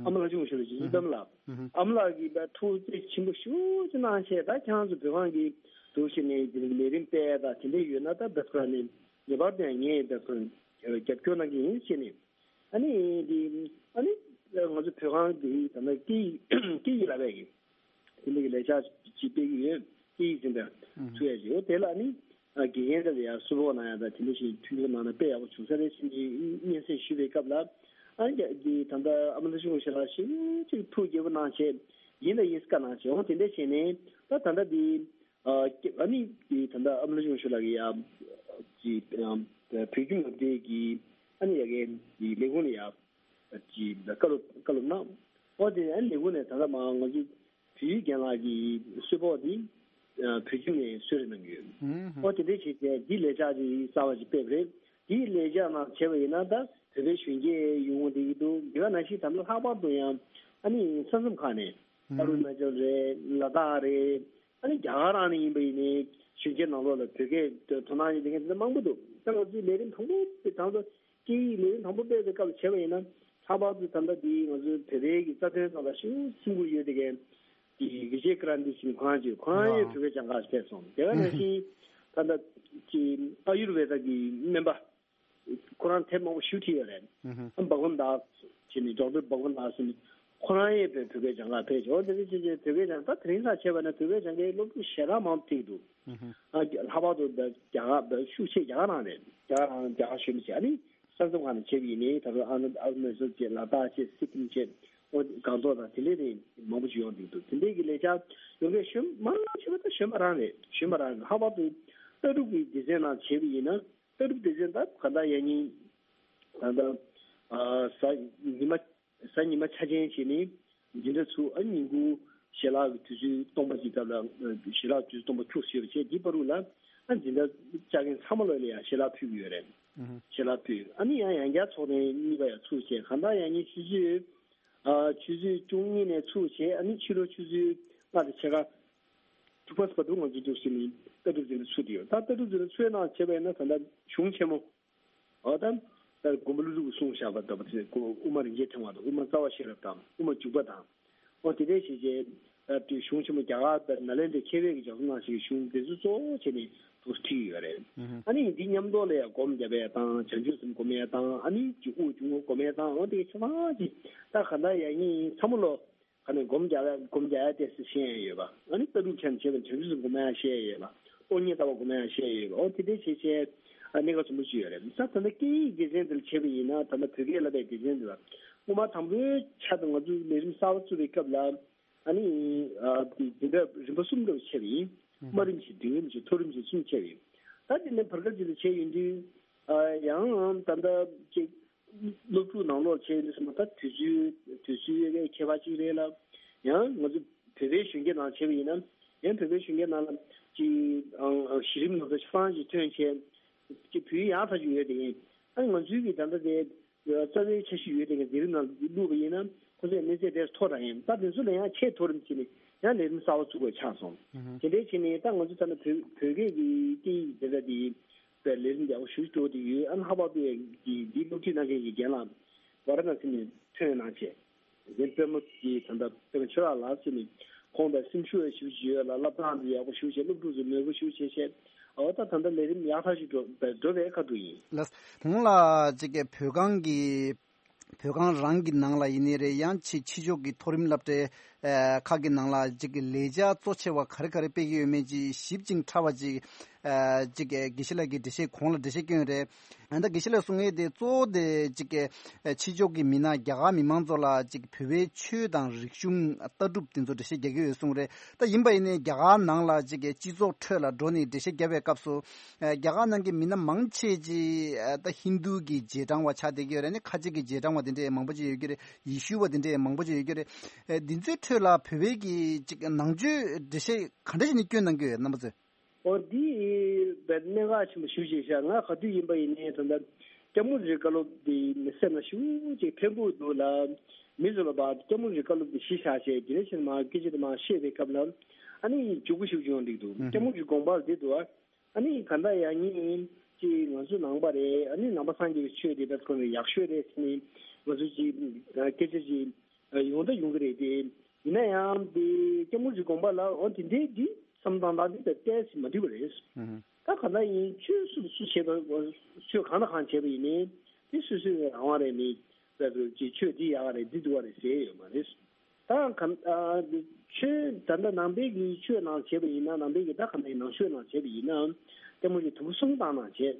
ཨ་མ་ལྷ་ཆུང་སྐུ་ཞབས་ལགས་ཀྱི་ཡི་དམ་ལགས། ཨ་མ་ལགས་ཀྱིས་ད་ཐུགས་རྗེ་ཆེན་པོ་ཤུགས་ཆེ་གནང་བྱས་ད་ཁྱེད་རང་ཚོ་བོད་ཁང་གི་འདུག་ཟེར་ནས་དེ་ནས་ལས་རིམ་སྤེལ་ཡ་ད་དེ་འདྲ་ཡོད་ན་ད་བདག་ཁོ་ནས་ངེས་པར་དུ་ངས་བདག་ཁོ་རྒྱབ་སྐྱོར་གནང་གི་ཡིན་ཟེར་ནས། ཨ་ནི་འདི་ཨ་ནི་ང་ཚོ་བོད་ཁང་འདི་ད་ལྟ་སྐད་ཡིག་སྐད་ཡིག་བསླབ་པའི་དེ་འདྲ་གི་ལས་འཆར་ཅིག་སྤེལ་གྱི་ཡོད། སྐད་ཡིག་འཛིན་གྲྭ་ཚུད་ཡ་ཅིག་ཡོད། དེ་ལ་ཨ་ནི་དགེ་རྒན་འདྲ་ལ་ཡང་གསོལ་ཕོགས་གནང་ཡ་དང་དེ་འདྲ་ཞིག་མཐུན་འགྱུར་གནང་ན་དཔེ་ཡག་པོ་བྱུང་ས་རེད་ཟེར་ནས་སྙན་སེང་ཞུས་པའི་སྐབས་ལ་ཨ་ནི་འདི་ད་ལྟ་ཨ་མ་ལྷ་ཆུང་སྐུ་ཞབས་ལགས་ཞེ་ཅིག་ཐུགས་དགྱེས་པོ་གནང་བྱས་ཡིན་ད་ཡིན་བཀའ་གནང་བྱས་འོང་དེ་འདྲ་བྱས་ནས་ད་ད་ལྟ་འདི། ཨ་ཨ་ནི་དེ་ད་ལྟ་ཨ་མ་ལྷ་ཆུང་སྐུ་ཞབས་ལགས་ཀྱིས་ཡ་ཅིག་བོད་ཁྱིམ་སློབ་གྲྭའི་གི་ཨ་ནི་ཡ་གི་ལས་ཁུངས་ལ་ཡ་ཅིག་བཀའ་སློབ་བཀའ་སློབ་གནང་། ཨོ་དེ་ཨ་ནི་ལས་ཁུངས་ནས་ད་ལྟ་མ་ང་ཚོ་བོད་ཡིག་རྒན་ལགས་ཀྱི་གསོལ་ཕོགས་དེ་བོད་ཁྱིམ་ནས་གསོལ་ར་གནང་གི་ཡོད། ཨོ་དེ་འདྲ་བྱས་ཏེ་འདི་ལས་འཆར་ཅིག་གསར་བ་ཅིག་སྤེལ་བ་རེད། འདི་ལས་འཆར་ནང་བྱས་པ་ཡིན་ན་ད་བོད་པའི་གཞོན་སྐྱེས་ཡོང་བསྡད་ཀྱི་འདུག་དེ་ག་ནང་བཞིན་ད་ལྟ་ལྷག་པར་དུ་ཡང་ཨ་ནི་ས་མཚམས་ཁག་ནས་ཨ་རུ་ན་ཅལ་རེད། ལ་དྭགས་རེད། ཨ་ནི་རྒྱ་གར་རང་ནས་ཡིན་པ་ཡིན་ནའི་གཞོན་སྐྱེས་ནང་ལོགས་ལ་བོད་སྐད་དོ་སྣང་ཡོད་དེ་མཁན་དེ་འདྲ་མང་པོ་འདུག་ད་ང་ཚོའི་ལས་རིམ་དང་པོ་དེ་དང་པོ་སྐད་ཡིག་ལས་རིམ་དང་པོ་སྤེལ་བའི་སྐབས་ལ་བྱས་པ་ཡིན་ན་ལྷག་པར་དུ་ད་ལྟ་འདི་ང་ཚོའི་བོད་པའི་གི་རྩ་དོན་ཐོག་ལ་ཤུགས་ཆེན་པོ་ཡོད་དེ་མཁན་གི་བི་ཇེ་ཀ་རན་ཏི་ཟེར་ཁོ་རང་ཅིག་ཁོ་རང་ཡང་བོད་སྐད་སྦྱང་གར་ཕེབས་སོང་། དེ་ག་ནང་བཞིན་ད་ལྟ་གི་ཨ་ཡུར་ཝེ་ད་གི་སྨན་པ། ཁོ་རང་དེབ་མང་པོ་ཞེ་པོ་བྲིས་ཡོད་རེད། ཨ་བྷག་ཝན་དཱས་ཟེར་ནས་ཌོག་ཊར་བྷག་ཝན་དཱས་ཟེར་ནས་ཁོ་རང་ཡང་བོད་བོད་སྐད་སྦྱང་གར་ཕེབས་བྱུང་། འོ་དེ་འདྲ་བྱས་བྱས་བོད་སྐད་སྦྱང་ད་དེ་རིང་ཁ་བྱས་པ་ན་བོད་སྐད་སྦྱང་མཁན་སློབ་ཕྲུག་ཞེ་དྲག་མང་པོ་ཐུག་འདུག་ཨ་ལྷག་པར་དུ་ད་རྒྱ་གར་ད་ཤུགས་ཆེ་རྒྱ་གར་རང་རེད། རྒྱ་གར་རང་རྒྱ་གར་གཞོན་པ་བྱས་ཨ་ནི་ས་མཚམས་ཁག་ནས་བྱས་པ་ཡིན་ནའི་ད་རུང་ཨ་ནི་ཨ་རུ་ན་ཅལ་བྱས་ལ་དྭགས་བྱས་སི་ཀིམ་བྱས་ཨོ་སྒང་ཏོག་དང་དེ་འདྲའི་རིགས་མང་པོ་ཞིག་ཡོང་འདུག་འདུག་དེ་འདྲའི་གི་ལས་འཆར་ཡོང་མཁན་གཞོན་མང་ཆེ་བ་ད་གཞོན་པ་རང་རེད། གཞོན་པ་རང་རེད། ལྷག་པར་དུ་ལྟ་གྲུབ་ཀྱི་སྡེ་ཚན་ནང་བྱས་པ་ཡིན་ན། ལྟ་གྲུབ་སྡེ་ཚན་ད་ག་ད་ཡ་ཉིན་ད་ད་ ཨ་གཟའ་ཉི་མ་གཟའ་ཉི་མ་འཆར་ཅན་བྱས་ནས་འཛིན་གྲྭ་ཚུགས། ཨ་ཉིན་གུང་ཞལ་ལག་གི་དུས་ཚོད་སྟོང་པ་གི་སྐབས་ལ་ཞལ་ལག་དུས་ཚོད་སྟོང་པ་འཁྱུག་ཞེས་པ་བྱས། འདི་བར་དུ་ལ་ཨ་འཛིན་གྲྭ་བཅར་མཁན་ཚང་མ་ལོ་ལ་ཡང་ཞལ་ལག་ཕུལ་གྱི་ཡོད་རེད། ཞལ་ལག་ཕུལ། ཨ་ནི་ཡང་ཡང་བསྐྱར་ཚོགས་ཐེངས་གཉིས་པ་ཡང་ཚུགས་བྱས། གང་ལྟར་ཡང་ཉིན་ཆུ་ཚོད་ཨ་ཆུ་ཚོད་བཅུ་གཉིས་ནས་ཚུགས་བྱས། ཨ་ནི་ཕྱི་དྲོ་ཆུ་ཚོད་ལྔ་དང་ཕྱེད་ཀ་དྲུག་པ་བར་དུ་ང་ཚོ་འདུག་ཟེར་ནས་ལྟ་གྲུབ་འཛིན་གྲྭ་ཚུགས་ཀྱི་ཡོད། ད་ལྟ་གྲུབ་འཛིན་གྲྭ་ཚུགས་གནང་བྱས་པ་ཡིན་ན་ད་ལྟ་གཞུང་ཆེན་མོ། འོ་ད་ད་མགོན་པོ་ཀླུ་སྒྲུབ་ཀྱིས་གསུངས་བཞག་པ་ལྟ་བུ་དེ་དབུ་མ་རིན་ཆེན་ཕྲེང་བ་དང་། དབུ་མ་རྩ་བ་ཤེས་རབ་དང་། དབུ་མ་འཇུག་པ་དང་། འོ་དེ་འདྲའི་བྱས་བྱས་ཨ་དེ་གཞུང་ཆེན་མོ་རྒྱ་གར་དང་ནཱ་ལེནྡྲའི་མཁས་པའི་གི་ལྗགས་རྩོམ་གནང་བྱས་གཞུང་དེ་ཚོ་གཙོ་བོ་བྱས་ནས་འདུག་ཁྲིད་ཀྱི་ཡོད་རེད། ཨ་ནི་འདི་མཉམ་དུ་ལ་ཡང་སྒོམ་རྒྱབ་པའི་དང་། བྱང་ཆུབ་སེམས་སྒོམ་ཡས་དང་། ཨ་ནི་ཅིག་དབུགས་ཆུང་ངུ་སྒོམ་ཡས་དང་། འོ་དེ་ཆ་ཚང་ཅིག་ད་ག་འདྲ་ཡང་ཡིན་ཚང་མ་ལོ། ཁ་ནས་སྒོམ་རྒྱག་ཡ་སྒོམ་རྒྱག་ཡ་དེ་ཚོ་ཤེས་ཡ་ཡོད་པ། ཨ་ནི་ལྟ་གྲུབ་ཆ་ནས་བྱས་པ་བྱང་ཆུབ་སེམས་སྒོམ་ཡ་ཤེས་ཡ་ཡོད་པ། སྟོང་ཉིད་ལྟ་བ་སྒོམ་ཡ་ཤེས་ཡ་ཡོད་པ། འོ་དེ་འདྲའི་བྱས་བྱས་ཨ་གནད་འགག་ཆེན་པོ་ཅིག་ཡོད་རེད། ད་ད་ལྟ་སྐད་ཡིག་སྡེ་ཚན་འདིར་བྱས་པ་ཡིན་ན། ད་ལྟ་བོད་སྐད་བསླབ་པའི་སྡེ་ཚན་འདི་ལ་སྔོན་མ་དང་པོའི་ཆར་དུ་ང་ཚོས་ལས་རིམ་གསར་པ་བཙུགས་པའི་སྐབས་ལ་ཨ་ནི་ཨ་དེ་འཛིན་གྲྭ་རིམ་པ་གསུམ་འདྲ་བོ་ཕྱེ་བ་ཡིན། དམའ་རིམ་བཞི། འབྲིང་རིམ་བཞི། མཐོ་རིམ་བཞི་གསུམ་ཕྱེ་བ་ཡིན། ད་དེ་ནས་བར་སྐབས་ཅིག་ལ་བྱས་ཡོང་དུས་ཨ་ཡང་ད་ལྟ་ཅིག་སློབ་ཕྲུག་ནང་ལོགས་བྱས་ཡོང་དུས་ཙམ་པ་ད་དུས་ཚོད་དུས་ཚོད་ཡོད་པའི་ཁྱད་པར་ཅིག་རེད་ལ། ཡང་ང་ཚོ་བོད་པའི་གཞོན་སྐྱེས་ནང་བྱས་པ་ཡིན་ན། ཡང་བོད་པའི་གཞོན་སྐྱེས་ནང་ལ་ཅིག་ཨང་གཞི་རིམ་ནང་ཚོ་ཆ་ཚང་ཅིག་ཐོན་བྱས་ཅིག་བོད་ཡིག་ཡག་ཐག་ཆོད་ཡོད་དེ་ཡིན། ཨ་ནི་ང་ཚོའི་གི་ད་ལྟ་དེ་རྩ་བའི་འཆར་གཞི་ཡོད་དེ་གི་ལས་རིམ་ནང་བླུགས་པ་ཡིན་ན་ཁོ་ཚོའི་གནས་ཚད་དེ་མཐོ་དྲགས་ཡིན། ད་དེ་ཚོ་ལ་ཡང་ཆེས་མཐོ་རིམ་བྱས་ནས་ཡང་ལས་རིམ་གསར་པ་བཙུགས་པ་ཆགས་སོང་། དེ་འདྲའི་བྱས་ནས་ད་ང་ཚོ་ད་ལྟ་བོད་བོད་སྐད་ཀྱི་སྐད་ཡིག་དེ་འདྲ་དེ་པའི་ལས་རིམ་ཡག་པོ་ཞེ་པོ་འགྲོ་བསྡད་ཡོད། ཨ་ནི་ལྷག་པར་དུ་ཡང་འདི་སློབ་ཁྲིད་གནང་མཁན་གྱི་རྒན་ལགས་ཝཱ་ར་ཎ་སི་ནས་ཐོན་གནང་བྱས། རྒན་པད་མ་གིས་ད་ལྟ་པད་མ་ཆོས་གྲགས་ལགས་ཟེར་ནས་ཁོང་པའི་སེམས་ཤུགས་ཡང་ཞེ་པོ་ཅིག་ཡོད་ལ། བསླབ་སྟངས་འདི་ཡག་པོ་ཞེ་པོ་བྱས། སློབ་ཕྲུག་ཚོ་མོས་པོ་ཞེ་པོ་བྱས་བྱས། འོ་ད་ད་ལྟ་ལས་རིམ་ཡག་ཐག་ཆོད་འགྲོ་འགྲོ་བའི་ཁ་ཐུག་ཡིན། ལགས། གོང་ལ་ཅིག་གི་བོད་ཁང་གི་བོད་ཁང་རང་གི་ནང་ལ་ཡིན་ནའི་རེད། ཡང་ཕྱི་ཕྱི་ཕྱོགས་ཀྱི་མཐོ་རིམ་སློབ་གྲྭའི་ཨ་ཁག་གི་ནང་ལ་ཅིག་གི་ལས་འཆར་གཙོ་ཆེ་བ་ག་རེ་ག་རེ་སྤེལ་གྱི་ཡོད་མེད་ཅིག་ཞིབ་ཅིང་ཕྲ་བ་ཅིག་ཨ་ཅིག་གི་དགེ་བཤེས་ལགས་ཀྱིས་འགྲེལ་བཤད་གོང་ལ་འགྲེལ་བཤད་བསྐྱོན་རེད། ཨ་ད་དགེ་བཤེས་ལགས་གསུང་ཡས་དེ་གཙོ་བོ་དེ་ཅིག་གི་ཨ་ཕྱི་ཕྱོགས་ཀྱི་མི་སྣ་རྒྱ་གར་མི་མང་ཚོ་ལ་ཅིག་བོད་པའི་ཆོས་དང་རིག་གཞུང་ལྟ་གྲུབ་དེ་ཚོ་འགྲེལ་བཤད་རྒྱག་གི་ཡོད་གསུངས་རེད། ད་ཡིན་པ་ཡིན་ནའི་རྒྱ་གར་ནང་ལ་ཅིག་གི་སྤྱི་ཚོགས་ཁྲོད་ལ་འགྲོ་ནས་འགྲེལ་བཤད་བརྒྱབ་པའི་སྐབས་སུ། ཨ་རྒྱ་གར་ནང་གི་མི་སྣ་མང་ཆེ་ཅིག་ཨ་ད་ཧིན་རྡུ་གི་རྗེས་འབྲང་བ་ཆགས་བསྡད་ཀྱི་ཡོད་རེད། ནི་ཁ་ཆེ་གི་རྗེས་འབྲང་བ་དེ་འདྲ་མང་པོ་ཅིག་ཡོད་ཀྱི་རེད། ཡེ་ཤུ་བ་དེ་འདྲ་མང་པོ་ཅིག་ཡོད་ཀྱི་རེད། ཨ་འདི་ཚོའི་ཁྲོད་ལ་བོད་པའི་གི་ཅིག་ནང་ཆོས་འགྲེལ་བཤད་ག་འདྲ་ཞིག་ནས་བསྐྱོན་གནང་གི་ཡོད་རྣམ་པ་ཚོས། ཨོ་འདི་བས་གནད་འགག་ཆེན་པོ་ཞེ་པོ་ཅིག་ཤག་ང་ག་དུས་ཡིན་པ་ཡིན་ནའི་ད་ལྟ་སྐྱབས་མགོན་རིའི་བཀའ་སློབ་འདི་མི་སེམས་ལ་ཞེ་པོ་ཅིག་ཕན་པོ་འདུག་ལ། མི་ཚོ་ལ་ཕར་སྐྱབས་མགོན་རིའི་བཀའ་སློབ་འདི་གཞི་བཞག་བྱས་དེ་ནས་ཕྱིར་མར་སྐད་ཆ་དེ་མར་བཤད་པའི་སྐབས་ལ་ཨ་ནི་མགྱོགས་པོ་ཞེ་པོ་ཅིག་ཡོང་འདུག་འདུག་ཨུ་སྐྱབས་མགོན་རིའི་དགོངས་པ་འདི་འདུག་ཨ་ནི་ག་འདྲ་ཡང་ཉིན་ཅིག་ང་ཚོ་ནང་པ་རེད། ཨ་ནི་ནང་པ་སངས་རྒྱས་པའི་ཆོས་དེ་ད་ཁོ་ནས་ཡག་ཤོས་རེད་ཟེར་ནས་ང་ཚོ་ཅིག་སྐད་ཆ་ཅིག་ཡོང་ད་ཡོང་གི་རེད་དེ། ཡིན་ན་ཡང་དེ་སྐྱབས་མགོན་རིའི་དགོངས་པ་ལ་འོ་དེ་འདྲའི་འདི་བསམ་སྟངས་དང་འདི་ལྟ་ཏོག་ཙམ་མ་འགྲིག་པ་རེད། ཨུ་ཧུ། ད་ག་འདྲ་ཡིན་ཆོས་སུ་སུ་བྱེད་པ་ཆོས་གང་དང་གང་བྱེད་པ་ཡིན་ནའི་དེ་སོ་སོའི་རང་དབང་རེད། མི་ལ་དུ་ཅིག་ཆོས་འདི་ཡག་རེད་འདི་སྡུག་པ་རེད་ཟེར་ཡོད་མ་རེད། ད་ག་ཨ་འདི་ཆོས་ད་ལྟ་ནང་པའི་གི་ཆོས་ནང་བྱེད་པ་ཡིན་ན་ནང་པའི་གི་ད་ག་འདྲ་ཡིན་ནང་ཆོས་ནང་བྱེད་པ་ཡིན་ན་སྐྱབས་མགོན་གྱིས་དུམ་བུ་གསུམ་བཏང་གནང་བྱས།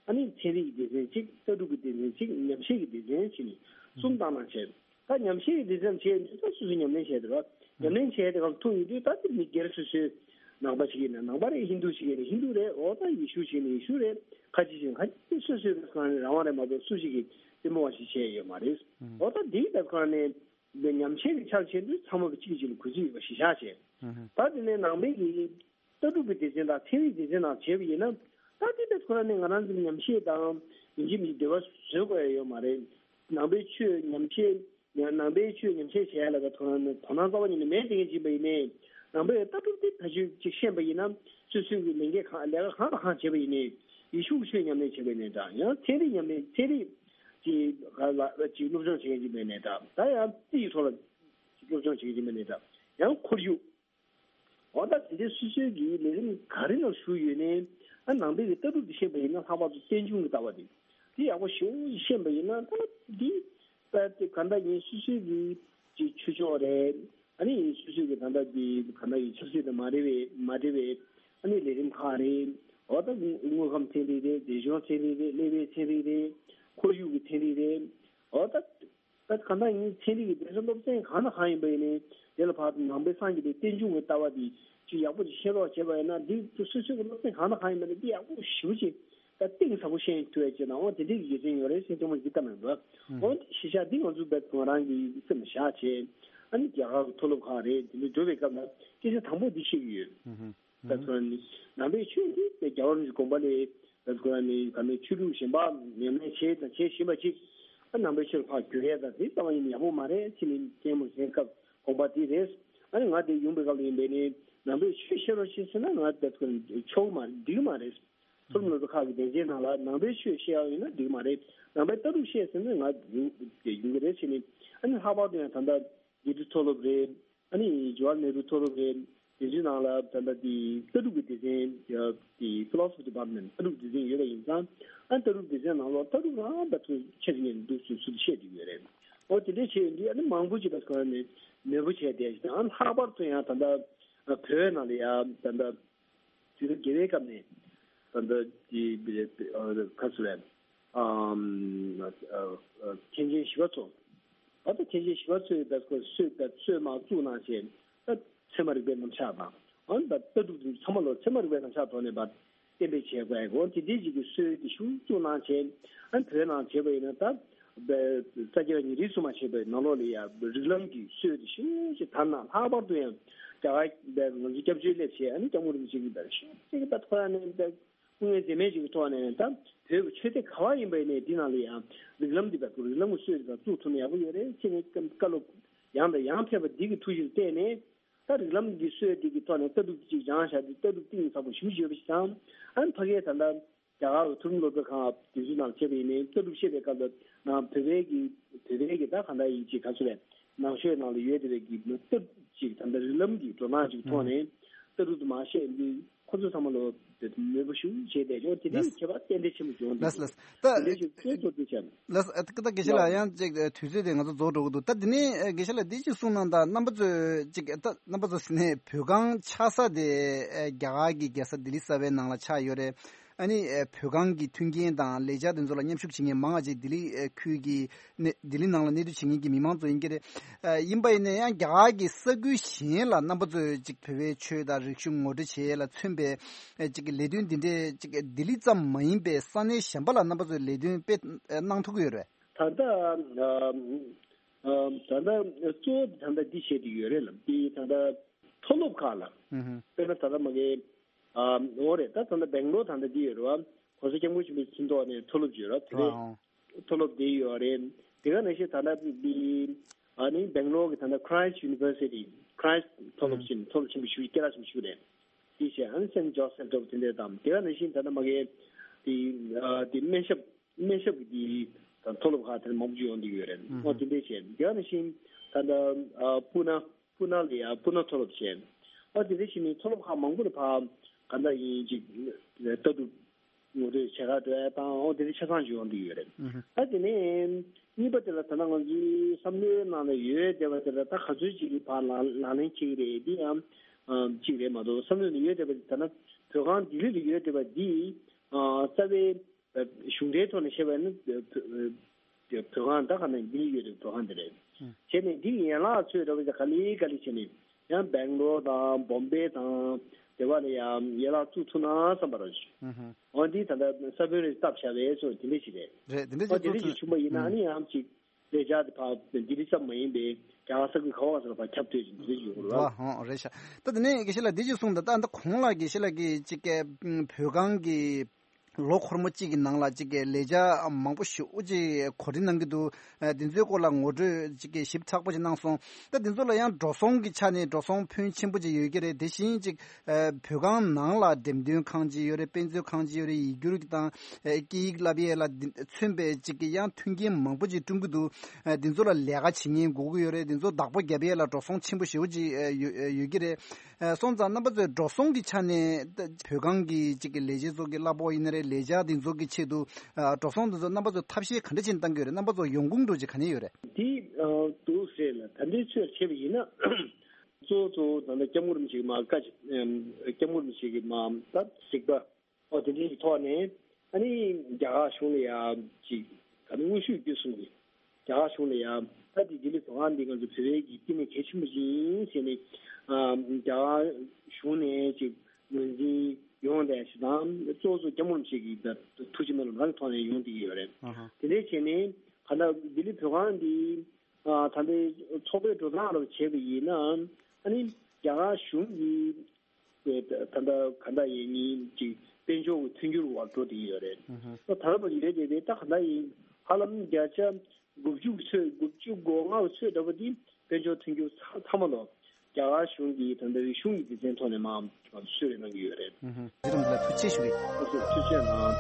ཨ་ནི་ཚན་རིག་གི་སྡེ་ཚན་གཅིག་ལྟ་གྲུབ་ཀྱི་སྡེ་ཚན་གཅིག་ཉམས་ཞིབ་ཀྱི་སྡེ་ཚན་བྱས་ནས་གསུམ་བཏང་གནང་བྱས། ད་ཉམས་ཞིབ་ཀྱི་སྡེ་ཚན་བྱས་ནས་ད་སོ་སོས་ཉམས་ལེན་བྱས་ཏེ་ར། ཉམས་ལེན་བྱས་ཏེ་གང་ཐུག་ཡོད་དུས་ད་དེ་མི་སྒེར་སོ་སོའི་ནང་པ་ཞིག་ཡིན་ན་ནང་པ་རེད། ཧིན་རྡུ་ཞིག་ཡིན་ན་ཧིན་རྡུ་རེད། འོ་ད་ཡེ་ཤུ་ཞིག་ཡིན་ན་ཡེ་ཤུ་རེད། ཁ་ཆེ་ཞིག་ཡིན་ན་ཁ་ཆེ། སོ་སོའི་རང་དབང་རེད་མ་གཏོགས་སུ་ཞིག་གིས་བཙན་པོ་བ་ཞིག་བྱས་ཡོད་མ་རེད། འོ་ད་དེའི་ད་ཁོ་རང་ནས་ཉམས་ཞིབ་ཀྱི་ཆ་ལ་བྱས་དུས་ཚང་མ་གཅིག་གིས་གཅིག་ལ་གུས་བརྩི་ཡོད་པ་གཞི་བཞག་བྱས། ད་དེ་ནས་ནང་པའི་གི་ལྟ་གྲུབ་ཀྱི་སྡེ་ཚན་དང་ཚན་རིག་སྡེ་ཚན་ནང་བྱས་པ་ཡིན་ན། ད་དེ་ལྟར་ཁོ་རང་ནས་ང་རང་ཚོའི་ཉམས་ཞིབ་དང་ཡིན་གཅིག་མིན་གཅིག་འབྲེལ་བ་བཟོ་དགོས་ཡ་ཡོད་མ་རེད། ནང་པའི་ཆོས་ཉམས་ཞིབ་ནང་པའི་ཆོས་ཉམས་ཞིབ་བྱེད་ཡ་ལ་ད་ཁོ་རང་ནས་དོ་སྣང་རྩ་བ་ཉིད་ནས་མེད་དེ་ངས་བྱས་པ་ཡིན་ནའི། ནང་པའི་ལྟ་གྲུབ་དེ་ཕལ་ཆེར་ཅིག་ཤེས་པ་ཡིན་ན་སོ་སོའི་གི་ལས་འགན་གང་ལས་ཀ་གང་དང་གང་བྱས་པ་ཡིན་ནའི། ཡེ་ཤུ་གི་ཆོས་ཉམས་ལེན་བྱས་པ་ཡིན་ནའི་འདྲ། ཡང་ཚན་རིག་ཉམས་ལེན་ཚན་རིག་ཅིག་ལ་ཅིག་སློབ་སྦྱོང་བྱེད་མཁན་ཅིག་མིན་ནའི་འདྲ། ད་ཡང་རྩིས་ཀྱི་ཐོག་ལ་སློབ་སྦྱོང་བྱེད་མཁན་ཅིག་མིན་ནའི་འདྲ། ཡང་ཁོར་ཡུག་འོ་ད་དེ་འདྲའི་སོ་སོའི་གི་ལས་རིམ་ག་རེ་ནང་ཞུགས་ཡོད་ནའི། ཨ་ནང་པའི་གི་ལྟ་གྲུབ་དེ་ཤེས་པ་ཡིན་ན་ལྷག་པར་དུ་རྟེན་འབྱུང་གི་ལྟ་བ་དེ་དེ་ཡག་པོ་ཞེ་པོ་ཤེས་པ་ཡིན་ན། ད་འདི་ད་དེ་ག་འདྲ་ཡིན་སོ་སོའི་གི་ཅིག་ཆོས་ཕྱོགས་རེད། ཨ་ནི་སོ་སོའི་གི་ད་ལྟ་གི་ག་འདྲ་ཡིན་ཆབ་སྲིད་དང་མ་འབྲེལ་བའི་མ་འབྲེལ་བའི་ཨ་ནི་ལས་རིམ་ཁག་རེད། འོ་ད་དངོས་ཁམས་ཚན་རིག་རེད། མཛེས་ལྗོངས་ཚན་རིག་རེད། གནས་བབ་ཚན་རིག་རེད། ཁོར་ཡུག་གི་ཚན་རིག་རེད། འོ་ད། ད་གང་ལྟར་ཡིན་ཚན་རིག་གི་སྡེ་ཚན་སློབ་ཚན་གང་དང་གང་ཡིན་པ་ཡིན་ནའི་དེ་ལ་ཕར་ནང་པའི་སངས་རྒྱས་པའི་རྟེན་འབྱུང་གི་ལྟ་བ་འདི་ཅིག་ཡག་པོ་ཅིག་ཤེས་རོགས་བྱས་པ་ཡིན་ན། འདི་ཚོ་སོ་སོའི་གི་སློབ་ཚན་གང་དང་གང་ཡིན་པ་ཡིན་ནའི་འདི་ཡག་པོ་ཞེ་པོ་ཅིག་ ད་གཏིང་ཟབ་པོ་ཤེས་ཐུབ་ཡ་ཅིག་དང་འོ་དེ་འདྲའི་དགེ་མཚན་ཡོད་རེད་ཟེར་སྐྱོ་མོ་ཞིག་བཏང་མེད་འགྲོ། འོ་དེ་གཞིས་ཆགས་འདི་ང་ཚོ་བས་ང་རང་གི་སེམས་ལ་བཞག་བྱས་ཨ་ནི་རྒྱ་གར་གྱི་མཐོ་སློབ་ཁག་རེད། དེ་འདྲ་འགྲོ་བའི་སྐབས་ལ་སྐད་ཆ་དང་པོ་འདི་བཤད་ཀྱི་ཡོད། ད་ཁོ་རང་ནི་ནང་པའི་ཆོས་འདི་དེ་རྒྱལ་བ་རིན་པོ་ཆེའི་དགོངས་པ་ལས་ད་ཁོ་རང་ནི་ག་ནས་ཆོས་ལུགས་གཞན་པ་ཉམས་ལེན་བྱས་དང་བྱེད་བཞིན་པ་ཅིག་ཨ་ནང་པའི་ཆོས་ལ་ཕར་བསྒྱུར་ཡས་དང་དེ་རྩ་བ་ཉིད་ནས་ཡག་པོ་མ་རེད་ཅེས་ནི་སྐྱེས་མོ་གཞན་སྐབས་དགོངས་པ་དེ་རེད། ཨ་ནི་ང་དེ་ཡོང་པའི་སྐབས་ལ་ཡིན་པས་ནི་ནང་པའི་ཆོས་བཤད་རོགས་ཞེས་ཟེར་ན་ང་ད་ཁོ་རང་ཆོག་མ་རེད། འགྲིག་མ་རེད། མཐོ་རིམ་སློབ་གྲྭ་ཁག་གི་སྡེ་ཚན་ནང་ལ་ནང་པའི་ཆོས་བཤད་ཡག་ཡིན་ན་འགྲིག་མ་རེད། ནང་པའི་ལྟ་གྲུབ་བཤད་ཟེར་ན་ང་ཡོང་ཡོང་གི་རེད་ཟེར་ནས། ཨ་ནི་ལྷག་པར་དུ་ཡང་ད་ལྟ་དགེ་ཕྲུག་མཐོ་སློབ་རེད། ཨ་ནི་ཇ་ཝར་ནེ་རུ་མཐོ་སློབ་རེད། དེ་ཚོའི་ནང་ལ་ད་ལྟ་དེ་ལྟ་གྲུབ་ཀྱི་སྡེ་ཚན་དེ་Philosophy Department ལྟ་གྲུབ་སྡེ་ཚན་ཡོད་པ་ཡིན་ཙང་ཨ་ནི་ལྟ་གྲུབ་སྡེ་ཚན་ནང་ལོགས་ལྟ་གྲུབ་རང་ད་ཚོ་ཆེད་དུ་ངས་འདུག་སུ་སུ་བཤད་ཀྱི་ཡོད་རེད། ཨོ་དེ་འདྲའི་བྱས་ཡོད་འདི་ཨ་ནི་མང་པོ་ཅིག་ད་ཁོ་ནས་ནོར་བུ་བྱས་བསྡད་ཞིག་དང་ཨ་ནི་ལྷག་པར་དུ་ཡང་ད་ལྟ་བོད་ནང་ལ་ཡང་ད་ལྟ། དུས་རབས་བརྒྱད་པའི་སྐབས་ནས་ད་ལྟ་དེ་ཁ་སུ་ལས་མཁན་ཆེན་ཞི་བ་འཚོ། ད་ལྟ་མཁན་ཆེན་ཞི་བ་འཚོས་ད་ཁོ་སྲོལ་ད་སྲོལ་མ་བཙུགས་གནང་བྱས་ད་ཚད་མ་རིག་པའི་རྣམ་གཞག་དང་ཨ་ནི་ད་ལྟ་གྲུབ་ཚང་མ་ལོ་ཚད་མ་རིག་པའི་རྣམ་གཞག་ཐོག་ནས་ཕར་གཏན་འབེབས་བྱས་དགོས་ཡ་གོ་དེ་འདྲའི་ཅིག་གི་སྲོལ་དེ་ཤུགས་བཙུགས་གནང་བྱས་ཨ་ནི་བོད་ནང་བྱས་པ་ཡིན་ན་ད། ས་སྐྱ་པ་ཉི་རིགས་སུ་མ་ཆད་པའི་ནང་ལོགས་ལ་ཡང་རིགས་ལམ་གྱི་སྲོལ་དེ་ཤིན་ཏུ་དར་ན་ལྷག་པར་དུ་ཡང་རྒྱ་གར་པའི་ང་ཚོ་སྐྱབས་བཅོལ་སླེབས་བྱས་ཨ་ནི་སྐྱབས་མགོན་རིན་པོ་ཆེ་གིས་པའི་ཤིན་ཏུ་གི་པ་ཐོག་ཡང་ནས་པའི་སྐུ་ངལ་འཛེམས་མེད་ཅིག་གི་ཐོག་ནས་ད་བོད་ཀྱི་ཆོས་སྡེ་ག་བ་ཡིན་པ་ཡིན་ནའི་འདི་ནང་ལ་ཡང་རིགས་ལམ་འདི་པའི་རིགས་ལམ་གྱི་སྲོལ་འདི་དང་བཙུགས་ཐུབ་ན་ཡག་པོ་ཡོད་རེད་ཅེས་ནས་བཀའ་སློབ་ཡང་དང་ཡང་ཕེབས་པ་འདི་གི་ཐུགས་གཞིར་བལྟས་ནས། ད་རིགས་ལམ་གྱི་སྲོལ་དེ་གི་ཐོག་ནས་ལྟ་གྲུབ་ཅིག་སྦྱངས་བཞག་དུས་ལྟ་གྲུབ་གཏིང་ཟབ་པོ་ཞེ་པོ་ཅིག་ཡོད་པ་ཞིག་དང་། ཨ་ནི་ཕ་གིའི་ད་ལྟ་རྒྱ་གར་གྱི་མཐོ་རིམ་སློབ་གྲྭ་ཁག་དེ་ཚོའི་ནང་བྱས་པ་ཡིན་ནའི་ལྟ་གྲུབ་བཤད་པའི་སྐབས་ལ་ནང་བོད་པའི་གི་བོད་པའི་གི་ད་ག་འདྲ་ཡིན་ཅིག་ག་ཚོད་རེད་ནང་ཆོས་ནང་ལ་ཡོད་བསྡད་པའི་གི་ལྟ་གྲུབ་ཅིག་ད་ལྟ་རིགས་ལམ་གྱི་འགྲོ་སྟངས་ཅིག་ཐོག་ནས་ལྟ་གྲུབ་དུ་མ་བཤད་འདི་ཁོ་ཚོ་ཚང་མ་ལོ་དེ་མོས་པོ་ཞུ་བྱས་བསྡད་ཅོག་དེ་ནས་ལགས། ཁྱད་པར་ཏན་ཏན་ཆེན་པོ་བྱུང་འདུག་ལགས་ལགས། ད་དེ་འདྲ་ཞིག་ཚོད་ཐུབ་དུ་བྱས། ལགས་ད་ད་དགེ་བཤེས་ལགས་ཡང་ཅིག་དུས་ཚོད་དེ་ང་ཚོ་རྫོགས་འགྲོ་གི་འདུག་ད་དེ་ནས་དགེ་བཤེས་ལགས་འདི་ཅིག་གསུངས་གནང་དང་རྣམ་པ་ཚོས་ཅིག་ད་རྣམ་པ་ཚོ་ཟེར་ནས་བོད་ཁང་ཆགས་ས་དེ་རྒྱ་གར་གྱི་རྒྱལ་ས་ལྡི་ལི་གསར་པའི་ནང་ལ་ཆགས་ཡོད་རེད། ཨ་ནི་བོད་ཁང་གི་མཐུན་རྐྱེན་དང་ལས་འཆར་དེ་ཚོ་ལ་མཉམ་ཞུགས་བྱེད་མཁན་མང་བ་ཅིག་ལྡི་ལི་ཁུལ་གྱི་ནས་ལྡི་ལི་ནང་ལ་གནས་སྡོད་བྱེད་མཁན་གྱི་མི་མང་ཚོ་ཡིན་གྱི་རེད། ཡིན་པ་ཡིན་ན་ཡང་རྒྱ་གར་གྱི་ས་ཁུལ་གཞན་ལ་རྣམ་པ་ཚོས་ཅིག་བོད་པའི་ཆོས་དང་རིག་གཞུང་ངོ་སྤྲོད་བྱེད་ཡས་ལ་མཚོན་པའི་ཅིག་ལས་དོན་འདི་འདྲའི་ཅིག་ལྡི་ལི་ཙམ་མ་ཡིན་པའི་ས་གནས་གཞན་པ་ལ་རྣམ་པ་ཚོས་ལས་དོན་སྤེལ་གནང་ཐུབ་ཀྱི་ཡོད་རེད། ད་ལྟ་ད་ལྟ་གཙོ་བོ་ད་ལྟ་འདི་བཤད་ཀྱི་ཡོད་རེད་ལ་འདི་ད་ལྟ་མཐོ་སློབ་ཁག་ལ་དཔེར་ན་ད་ལྟ་མ་གི་འོ་རེད་ད་ད་ལྟ་སྦེང་ལོར་ད་ལྟ་འདི་ཡོད་རེད་བ། གོང་ས་སྐྱབས་མགོན་ཆེན་པོའི་ཚིག་ཐོག་ནས་མཐོ་སློབ་ཅིག་ཡོད་རེད་བ། དེ་ནས་མཐོ་སློབ་དེ་ཡོད་རེད། དེ་ག་ནང་བཞིན་ད་ལྟ་འདི་ཨ་ནི་སྦེང་ལོར་གྱི་ད་ལྟ་Christ University Christ མཐོ་སློབ་ཆེན་མཐོ་སློབ་ཆེན་པོ་ཞིག་སྐད་གྲགས་ཆེན་པོ་ཞིག་རེད། དེ་བྱས་ཨ་ནི་Saint Joseph འདྲ་པོ་དེ་འདྲ་དང་དེ་ག་ནང་བཞིན་ད་ལྟ་མ་གི་དེ་དེ་སྨན་ཞབས་སྨན་ཞབས་ཀྱི་དེ་མཐོ་སློབ་ཁག་དེ་མང་པོ་ཅིག་ཡོང་གི་ཡོད་རེད། ཨོ་དེ་འདྲ་བྱས་དེ་ག་ནང་བཞིན་ད་ལྟ་ཨ་སྤུ་ན། སྤུ་ན་ལ་ཡང་སྤུ་ན་མཐོ་སློབ་བྱས། ཨ་དེ་འདྲ་བྱས་ནས་མཐོ་སློབ་ཁག་མང་པོ་ལ་ཕར་ག་འདྲ་ཡིན་ཅིག་ལྟ་གྲུབ་ངོ་སྤྲོད་བྱེད་ག་འགྲོ་ཡ་དང་ཨོ་དེ་འདྲ་ཆ་ཚང་ཅིག་ཡོང་གི་ཡོད་རེད། ཨ་དེ་ནས་གཉིས་པ་དེ་ལ་ད་ལྟ་ང་ཚོའི་བསམ་བློའི་ནང་ལ་ཡོད་བསྡད་པ་དེ་ལ་ད་ག་ཚོད་ཅིག་གིས་ཕར་ལག་ལག་ལེན་བྱེད་ཀྱི་རེད་འདི་ཡང་ཅིག་རེད་མ་གཏོགས་བསམ་བློའི་ནང་ཡོད་བསྡད་པ་དེ་ད་ལྟ་བོད་ཁང་ལྡི་ལི་ལ་ཡོད་བསྡད་པ་འདི་རྩ་བའི། གཞུང་འབྲེལ་ཐོག་ནས་བཤད་པ་ཡིན་ན་བོད་ཁང་ད་ག་ནས་འདི་ཡོད་རེད་བོད་ཁང་འདི་རེད། བྱས་ནས་འདི་ཡན་ལག་ཚོས་ར་བ་ག་ལེ་ག་ལེ་བྱས་ནས་ཡང་སྦེང་ལོར་དང་བོམ་བེ་དང་དེ་བ་ལ་ཡང་ཡན་ལག་བཙུགས་ཐུབ་ན་བསམ་པ་ར་ཞུ། འོ་འདི་ད་ལྟ་ས་བོན་རེ་བཏབ་བཞག་པའི་ཚོ་དེ་འདྲ་ཞིག་རེད། རེད་དེ་འདྲ་ཞིག་འོ་དེ་འདྲ་བཙུགས་ཞིག་ཐུབ། བྱུང་བ་ཡིན་ན་ཨ་ནི་ཡང་ཅིག་ལས་འཆར་དེ་ཕར་ལྡི་ལི་ཙམ་མ་ཡིན་པའི་རྒྱ་གར་ས་ཁུལ་ག་བ་ས་ལ་ཕར་ཁྱབ་ཐུབ་ཅིག་འདི་འདྲ་ཞིག་ཡོང་གི་རེད། ཨ་ཧོ་རེད་ཤག་ད་དེ་ནས་དགེ་བཤེས་ལགས་འདི་ཅིག་གསུངས་ད་ད་ད་གོང་ལ་དགེ་བཤེས་ལགས་ཀྱིས་ཅིག་བོད་ཁང་གི་ལོ་འཁོར་མོ་གཅིག་གི་ནང་ལ་གཅིག་གི་ལས་འཆར་མང་པོ་ཞེ་པོ་ཅིག་གོ་སྒྲིག་གནང་གི་འདུག་ཨ་དེ་ཚོའི་སྐོར་ལ་ངོ་སྤྲོད་གཅིག་གི་ཞིབ་ཚགས་པོ་ཅིག་གནང་སོང་། ད་དེ་ཚོ་ལ་ཡང་འགྲོ་སོང་གི་ཆ་ནས་འགྲོ་སོང་ཕོན་ཆེན་པོ་ཅིག་ཡོད་ཀྱི་རེད། དེ་བཞིན་གཅིག་ཨ་བོད་ཁང་ནང་ལ་འགྲེམས་སྟོན་ཁང་ཅིག་ཡོད་རེད། དཔེ་མཛོད་ཁང་ཅིག་ཡོད་རེད། ཡིག་སྒྱུར་གྱི་དང་ཨ་སྐད་ཡིག་བསླབ་ཡས་ལ་མཚོན་པའི་གཅིག་གི་ཡང་མཐུན་རྐྱེན་མང་པོ་ཅིག་བསྐྲུན་གྱི་འདུག་ཨ་དེ་ཚོ་ལ་ལས་ཀ་བྱེད་མཁན་དགོས་ཀྱི་ཡོད་རེད། དེ་ཚོ་བདག་པོ་རྒྱབ་ཡས་ལ་འགྲོ་སོང་ཆེན་པོ་ཞེ་པོ་ཅིག་ཨ་ཡོད་ཨ་ཡོད་ཀྱི་རེད། ཨ་སོང་ཙང་རྣམ་པ་ཚོས་འགྲོ་སོང་གི་ཆ་ནས་ད་བོད་ཁང་གི་གཅིག་གི་ལས་བྱེད་ཚོ་གི་གླ་ཕོགས་ཡིན་ན་རེད། ལས་འཆར་དེ་ཚོ་གི་ཆེད་དུ་ཨ་འགྲོ་སོང་དེ་ཚོ་རྣམ་པ་ཚོས་ཐབས་ཤེས་ག་འདྲ་བྱས་ནས་བཏང་གི་ཡོད་རེད། རྣམ་པ་ཚོ་ཡོང་ཁུངས་འདྲ་ཅིག་ག་ནས་ཡོད་རེད། དེ་ཨ་འདུག་ཟེར་ལ་ད་ལྟའི་ཚོད་བྱས་པ་ཡིན་ན་གཙོ་བོ་གཙོ་བོ་ད་ལྟ་སྐྱབས་མགོན་རིན་པོ་ཆེ་གི་མ་བཀའ་ཅིག་ཨམ་སྐྱབས་མགོན་རིན་པོ་ཆེ་གི་མ་ད་གཟིགས་པ། ཨོ་དེ་འདྲའི་ཐོག་ནས་ཨ་ནི་རྒྱ་གར་གཞུང་ལ་ཡང་ཅིག་ད་ནི་དངོས་ཤུགས་བརྒྱུད་གསུམ་གྱིས་རྒྱ་གར་གཞུང་ལ་ཡང་ད་དེ་ལྡི་ལི་བོད་ཁང་འདི་ང་ཚོ་བོད་པའི་གི་བསྟི་གནས་གལ་ཆེན་པོ་ཅིག་ཡིན་ཟེར་ནས་ཨ་རྒྱ་གར་གཞུང་ནས་ཅིག་ ངོས་འཛིན་ཡོང་བསྡད་ཞིག་དང་གཙོ་བོ་སྐྱབས་མགོན་རིན་པོ་ཆེ་གི་ཐུགས་རྗེ་མ་ལུས་རང་གི་ཐོག་ནས་ཡོང་བསྡད་ཀྱི་ཡོད་རེད། ཨ་ཧ། དེ་འདྲའི་བྱས་ནས་ག་ད་ལྡི་ལི་བོད་ཁང་འདི་ད་ལྟའི་ཚོགས་པའི་འགྲོ་སྟངས་ལ་བྱས་པ་ཡིན་ན་ཨ་ནི་རྒྱ་གར་གཞུང་གི་ད་ལྟ་ག་ད་ཡིན་ཉིན་ཅིག་དཔལ་འབྱོར་གྱི་མཐུན་འགྱུར་བར་འགྲོ་བསྡད་ཀྱི་ཡོད་རེད། ཨ་ཧ། ད་ལྟ་བར་ཡོད་རེད་དེ་ད་ག་ད་ཡིན་ཧ་ལམ་བརྒྱ་ཆ་དགུ་བཅུ་ཚོད་དགུ་བཅུ་གོ་ལྔ་ཚོད་འདྲ་པོ་འདི་དཔལ་འབྱོར་མཐུན་འགྱུར་ཚང་ཚང་མ་ལོ་རྒྱ་གར་གཞུང་གི་ད་ལྟ་རིག་གཞུང་གི་སྡེ་ཚན་ཐོག་ནས་མར་གསོལ་རས་གནང་གི་ཡོད་རེད། ཨུ་ཧུ། དེ་རིང་འདི་ལ་ཐུགས་རྗེ་ཆེ་ཞུ་གི། ཐུགས་རྗེ་གནང་།